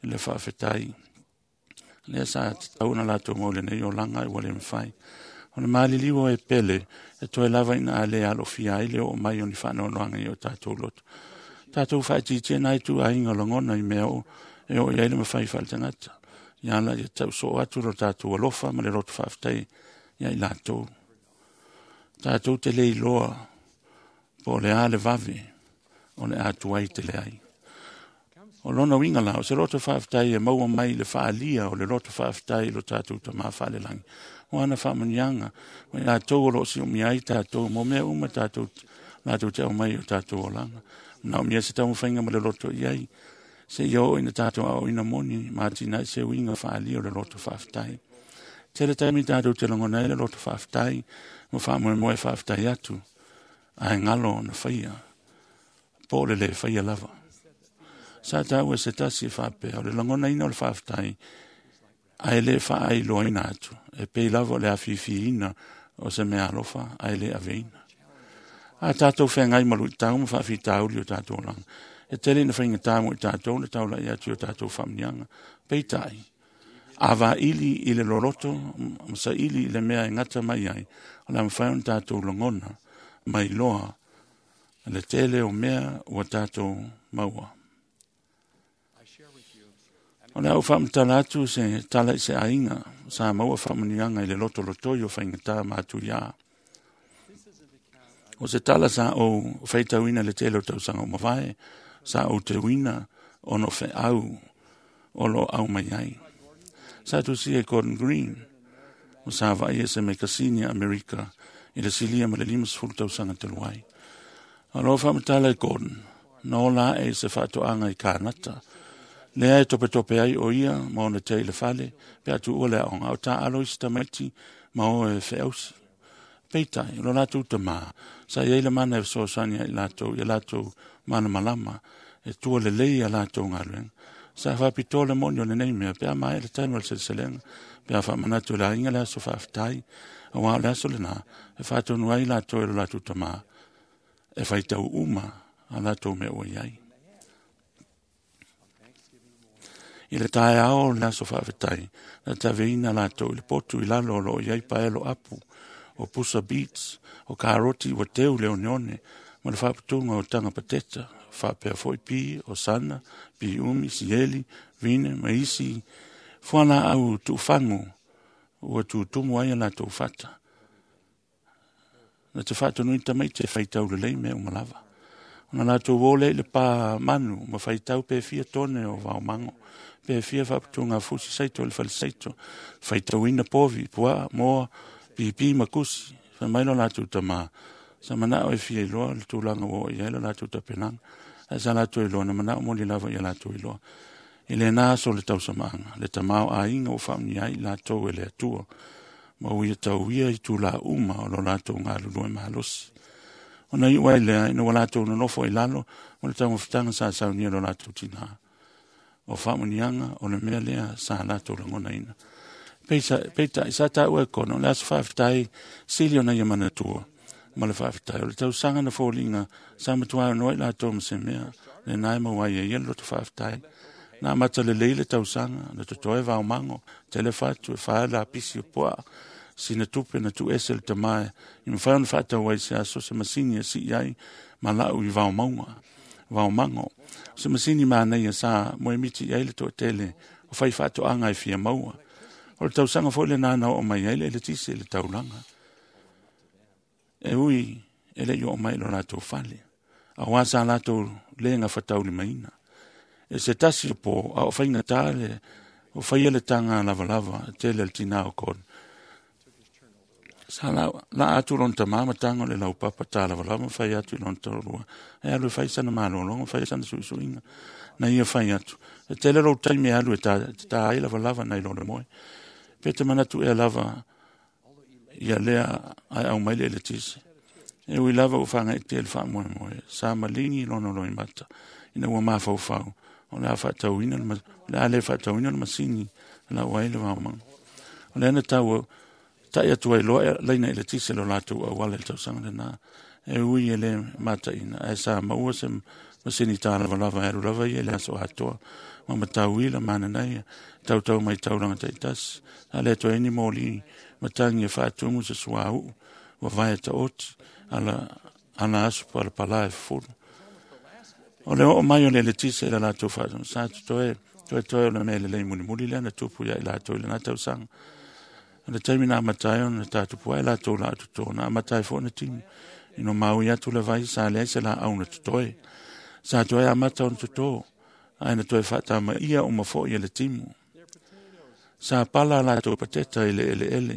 le faafetai. Lea sa tatau ona latou mau lenei olaga ua le mafai. O le maliliu o e pele, e toe lava ina a le alofia ai le oo mai o ni faanoanoaga i o tatou loto. Tatou faatiitia nai tuaiga o lagona i mea o e oo i ai le mafai faaletagata. Ia ala ia tau soo atu lo tatou alofa ma le loto faafetai ia i latou. Tatou te le iloa po o le a le vave o le a tuai tele ai. O lona uiga la, o se loto faafetai e maua mai le faalia o le loto faafetai i lo tatou Tamā faalelagi. O ana faamanuiaga, ma i latou o loo siumia ai tatou, mo mea uma tatou latou te aumai o tatou olaga. Manaomia se taumafaiga ma le loto i ai, se ia oo ina tatou aoaoina moni, ma atinae se uiga faalia o le loto faafetai. Tele taimi tatou te lagona ai le loto faafetai, ma faamoemoe faafetai atu, ae galo ona faia, po o le lē faia lava. Sa taua se tasi e faapea, o le lagonaina o le faafetai, ae lē faailoaina atu, e pei lava o le afiafiina o se mea alofa, ae lē aveina. A tatou feagai ma luitau ma faafitauli o tatou olaga, e tele ina faigata mo i tatou le taulai atu i o tatou faamanuiaga. Peitai, a vaili i le loloto ma saili i le mea e gata mai ai, o le a mafai ona tatou lagona mai loa le tele o mea ua tatou maua. O le a ou faamatala atu se tala i se aiga sa maua faamanuiaga i le lotolotoi o faigata matuiā. O se tala sa ou faitauina le tele o tausaga o mavae, sa ou teuina ona o feau o lo o aumai ai. Sa tusia e Gordon Green, o sa vaai e se mekasini a Amerika I le silia ma le 50 tausaga talu ai. O loo faamatala e Gordon, na ola ae i se faatoaga i Kanata. Lea e topetope ai o ia ma ona tea i le fale, pe a tuua le aoga, a o taalo isi tamaiti ma o e feausi. Peitai, o lo latou tamā, sa i ai le mana e fesoasoani ai latou ia latou malamalama, e tua lelei a latou galuega. Sa faapitoa le moni o lenei mea, pe a maea le taimi o le seleselega, pe a faamanatu i le aiga le aso faafetai, auā o le aso lenā, e faatonu ai latou e lo latou tamā, e faitau uma a latou mea ua i ai. I le taeao o le aso faafetai, na taveina latou i le potu i lalo o lo o i ai paelo apu, o pusa beets, o karoti ua teu le oneone, ma le faaputuga o taga pateta, faapea foi pi, o sana, pi umi, sieli, vine, ma isi fualaau tuufagu ua tutumu ai a latou fata. Na te faatonuina tamaiti e faitau lelei mea uma lava. Ona latou o lea i le pā manu ma faitau pe fia tone o vaomago, pe fia faaputuga fusi saito i le fale saito, faitauina povi, puaa, moa, pipi ma kusi. Fai mai lo latou tamā, sa manao e fia iloa le tulaga ua oo i ai lo latou tapenaga, ae sa latou iloa na manao moni lava ia latou iloa. I lenā aso o le tausamaaga, le tamā o aiga ua faaunia ai i latou e le Atua, ma ua ia tauia itulā uma o lo latou galulue malosi. Ona iu ai lea, ina ua latou nonofo i lalo ma le taumafataga sa saunia e lo latou tinā. O faamuniaga o le mea lea sa latou lagonaina. Peitai, sa taua e Kona, o le aso faafetai sili ona ia manatua ma le faafetai. O le tausaga na foliga sa matua ono ai latou ma se mea, lenā e maua ai e ia le loto faafetai. Na amata lelei le tausaga, na totoe vaomago, tele fatu e fā lapisi o puaa, sina tupe na tuuese le tamā i mafai ona faatau ai se aso se masini e sii ai ma lau i vaomauga, vaomago. O se masini manaia sa moemiti i ai le toatele o fai faatoaga e fia maua. O le tausaga foi lenā na oo mai ai le eletise i le taulaga. E ui e le i oo mai i lo latou fale, auā sa latou le gafataulimaina. E se tasi o pō, a o faigata le o faia le taga lavalava tele a le tinā o Gordon. Sa laa atu lona tamā ma taga o le laupapa talavalava ma fai atu i lona toalua, e alu e fai sana malologa, fai sana suisuiga. Na ia fai atu, e tele lou taimi e alu e tā ai lavalava nai lo le moe. Pe te manatu ea lava ia lea ae au mai le eletise. E ui lava ua faagaeetia i le faamoemoe, sa maligi lona loimata, ina ua mafaufau, o le a faatauina le, o le a le faatauina le masini e lau ai le vaomaga. O lea na tau ta'i atu ai loa laina eletise lo latou auala i le tausaga lenā. E ui e le mataina, ae sa maua se masini tālavalava e alu lava ia i le aso atoa, ma matauila mananaia, tautau mai taulaga taitasi. Sa le toe ai ni moli matagi e faatumu se suauu, vavae taoti, ala, ala aso palapala e fufulu. O le oo mai o le eletise i le latou faatonuga, sa totoe, toetoe o le mea lelei mulimuli lea na tupu ia i latou i lenā tausaga. O le taimi na amata ai ona tatupu ai latou laau toto, na amata ai foi ona timu. Ina maui atu le vai, sa leai se laau na totoe. Sa toe amata ona toto, ae na toe faatamaia uma foi e le timu. Sa pala a latou pateta i le eleele.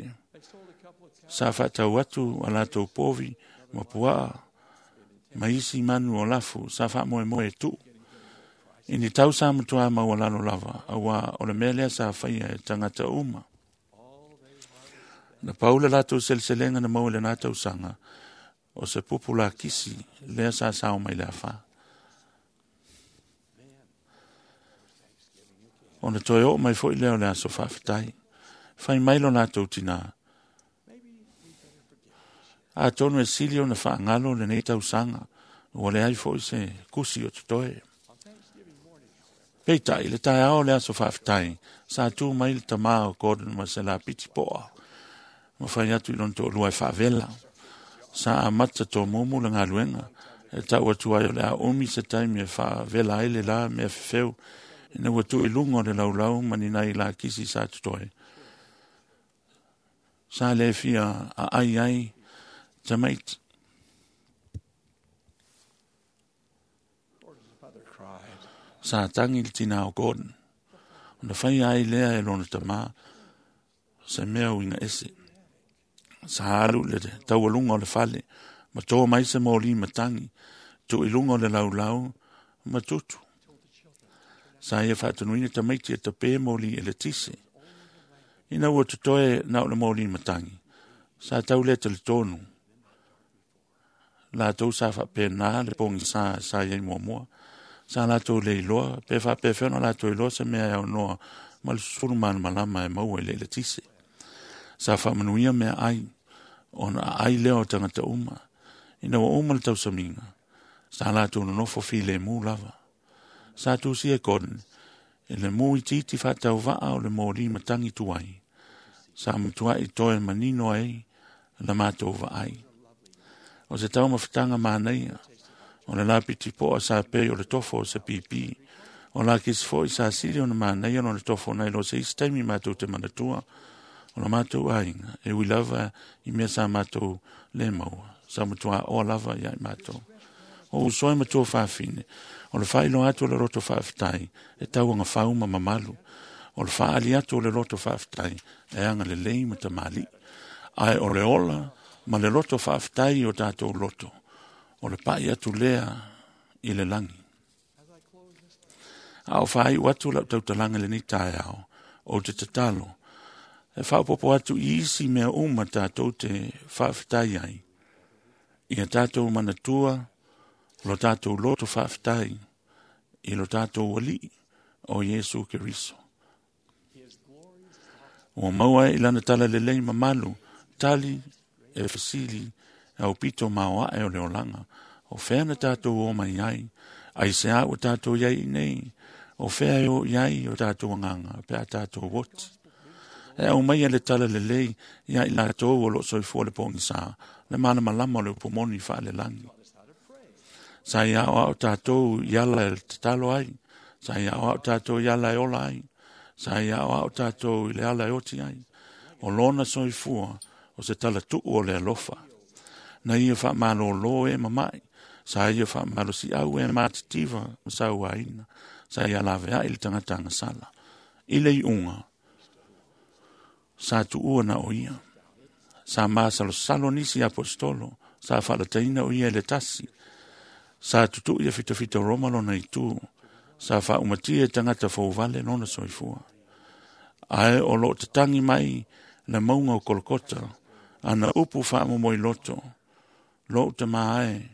Sa faatau atu a latou povi ma puaa ma isi manu o lafu sa faamoemoe e tuu. I ni tau sa matuā maualalo lava, auā o le mea lea sa faia e tagata uma. Na pau le latou seleselega na maua i lenā tausaga, o se pupu lakisi lea sa sao mai le afā. Ona toe oo mai foi lea o le aso faafetai. Fai mai lo latou tinā, Atonu e sili ona faagalo lenei tausaga, ua leai foi se kusi o totoe. Peitai, i le taeao o le aso faafetai, sa tu mai le tamā o Gordon ma se lapiti poa, ma fai atu i lona toalua e faavela. Sa amata tomumu le galuega, e tau atu ai o le a umi se taimi e faavela ai le la mea fefeu, ina ua tuu i luga o le laulau ma ni nai lakisi sa totoe. Sa le fia aai ai tamaiti. Sa tagi le tinā o Gordon. Ona faia ai lea e lona tamā se mea uiga ese. Sa alu le taualuga o le fale, ma to mai se moli matagi, tuu i luga o le laulau ma tutu. Sa ia faatonuina tamaiti e tapē moli eletise. Ina ua totoe na o le moli matagi, sa tau lea talitonu. Latou sa faapena le pogisā sa iai muamua. Sa latou le iloa, pe faapefea ona latou iloa se mea e aunoa ma le susulu malamalama e maua i le eletise. Sa faamanuia mea ai, ona aai lea o tagata uma. Ina ua uma le tausamiga, sa latou nonofo filemu lava. Sa tusia e Gordon, i le mu itiiti faatauvaa o le moli matagi tuai. Sa matuai toe manino ai la matou vaai. O se taumafataga manaia, o le lapiti poa sa pei o le tofo o se pipi. O la kisi foi sa sili ona manaia ona tofo nai lo se isi taimi matou te manatua. O la matou aiga, e ui lava i mea sa matou le maua. Sa matua oa lava ia i matou. O uso e matua faafine, o le faailoa atu o le loto faafetai, e tauaga fau ma mamalu. O le faaali atu o le loto faafetai, e agalelei ma tamalii. Ae o le ola ma le loto faafetai i o tatou loto, o le pai atu lea i le lagi. A o faaiu atu lau tautalaga i lenei taeao, ou te tatalo, e faaopoopo atu i isi mea uma tatou te faafetai ai. Ia tatou manatua lo tatou loto faafetai i lo tatou Alii o Iesu Keriso. Ua maua ai i lana talalelei mamalu, tali e fesili e aupito maoae o le olaga. O fea na tatou o mai ai, aisea ua tatou iai i nei, o fea e o i ai o tatou agaga pe a tatou oti. E aumaia le talalelei ia i latou o loo soifua le pogisā, le malamalama o le upumoni faalelagi. Sa ia aoao tatou i ala e tatalo ai, sa ia aoao tatou i ala e ola ai, sa ia aoao tatou i le ala e oti ai. O lona soifua o se talatuu o le alofa. Na ia faamalōlō e mama'i, sa ia faamalosiau e matitiva ma sauaina, sa ia laveai le tagata agasala. I le iuga, sa tuua na o ia. Sa masalosalo nisi aposetolo, sa faalataina o ia i le tasi. Sa tutu'i e fitafita Roma lona itu, sa faaumatia e tagata fouvale lona soifua. Ae o loo tatagi mai le mauga o Kolokota, ana upu faamomoiloto, lou tamā e,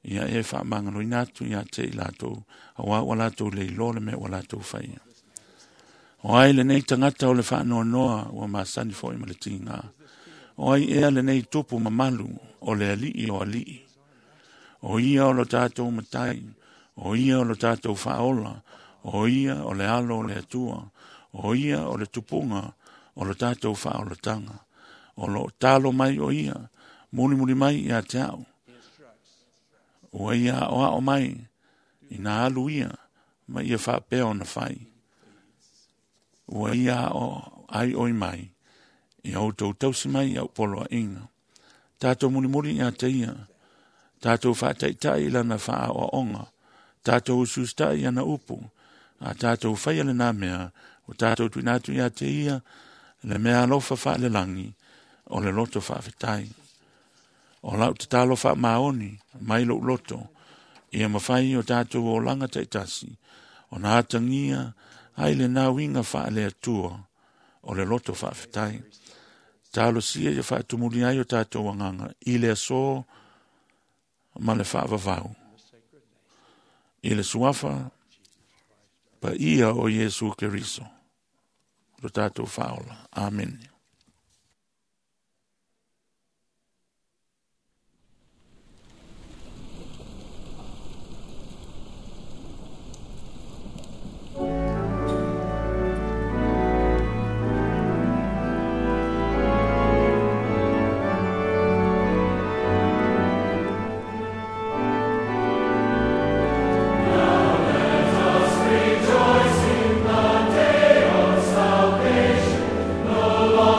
ia e faamagaloina atu ia te i latou, auā ua latou le iloa le mea ua latou faia. O ai lenei tagata o le faanoanoa ua masani foi ma le tigā. O ai ea lenei tupu mamalu o le alii o alii. O ia o lo tatou matai, o ia o lo tatou faaola, o ia o le alo o le Atua, o ia o le tupuga o lo tatou faaolataga. O loo talo mai o ia, mulimuli mai ia te au. Ua ia aoao mai, ina alu ia, ma ia faapea ona fai. Ua ia ao ai oi mai, ia outou tausi mai i au poloaiga. Tatou mulimuli ia te ia, tatou faataitai i lana faaoaoga, tatou usiusitai i ana upu, a tatou faia lenā mea, ua tatou tuuina atu ia te ia, le mea alofa faalelagi, o le loto faafetai. O lau tatalo faamaoni mai lou loto, ia mafai o tatou olaga taitasi, ona atagia ai lenā uiga faale-Atua o le loto faafetai. Talosia ia faatumuli ai o tatou agaga i le aso ma le faavavau. I le suafa paia o Iesu Keriso, lo tatou faaola. Amene. Rejoice in the day of salvation, no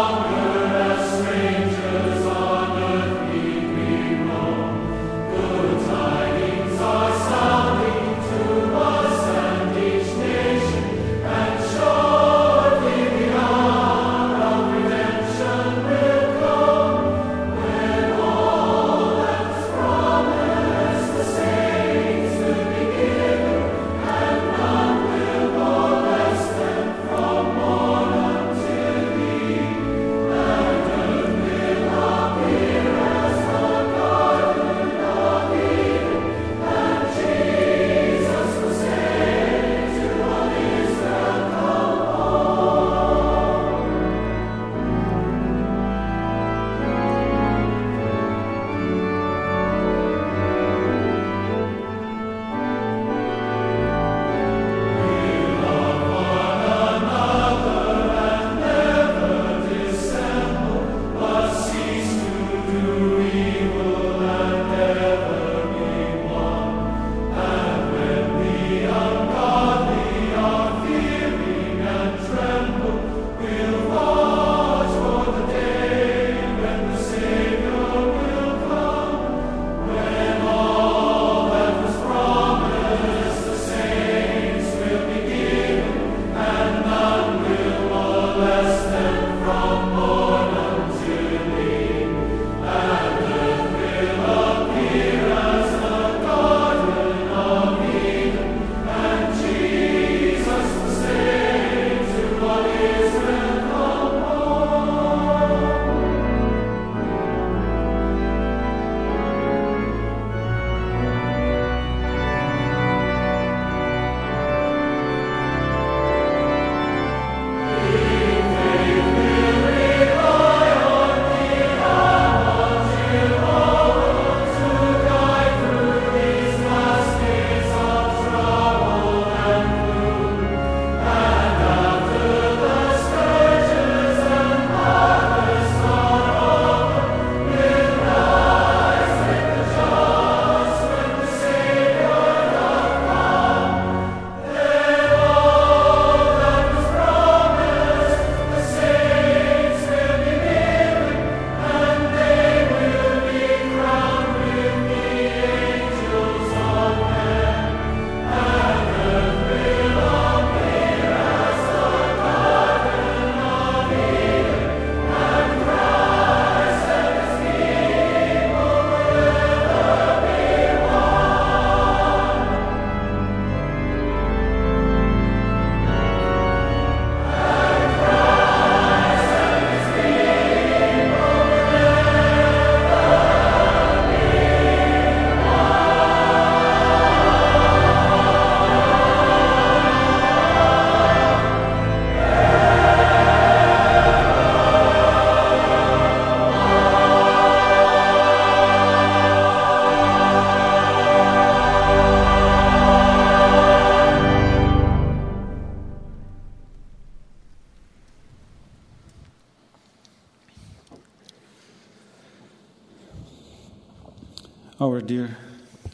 Our dear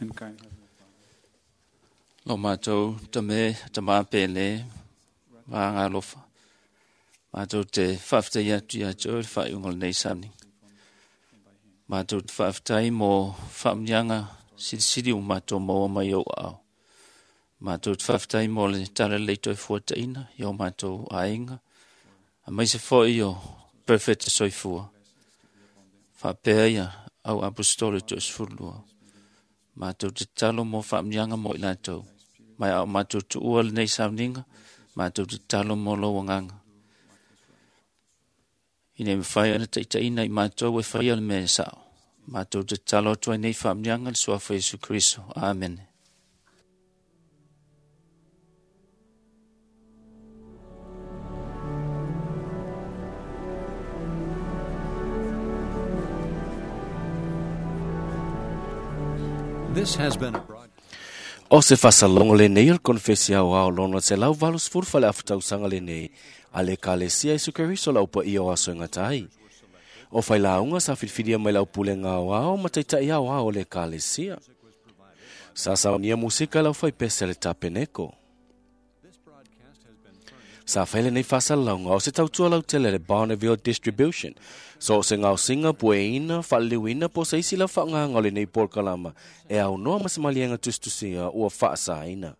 and kind Heavenly Lo mātou tame tamā pele ma ngā lofa. Mātou te whaaftai atu ia te oe le whaiunga o lenei sauniga. Mātou te whaaftai mo whaamnianga silisili o mātou maua mai au ao. Mātou te whaaftai mo le tala lei toi fuataina i o mātou ainga. A mai se foi o perfect soifua. Whaapea ia au apostolo te osfurulua. Mātou te talo mo whaamnianga mo i lātou. Mai au mātou tuua lenei sauniga, mātou te talo mo lo wanganga. Ina e mwhai ana taitaina i mātou e whai ale mea e sao. Mātou te talo atu ai nei whaamnianga le suafa Yesu Kristo. Amen. This has been a broadcast. O se faasalogo lenei o le konefesi aoao lona 180 faleafa tausaga lenei a le Ekalesia Iesu Keriso le aupaia o aso e gata ai. O failauga sa filifilia mai le aupulega aoao ma taitaʻi aoao o le Ekalesia. Sa saunia musika le aufaipese a le tapeneko. Sa fai lenei faasalalauga o se tautua lautele le Bonneville Distribution. So o se gaosiga pueina, faaliliuina po o se isi lau faaaogaga o lenei polokalama e aunoa ma se maliega tusitusia ua faasaina.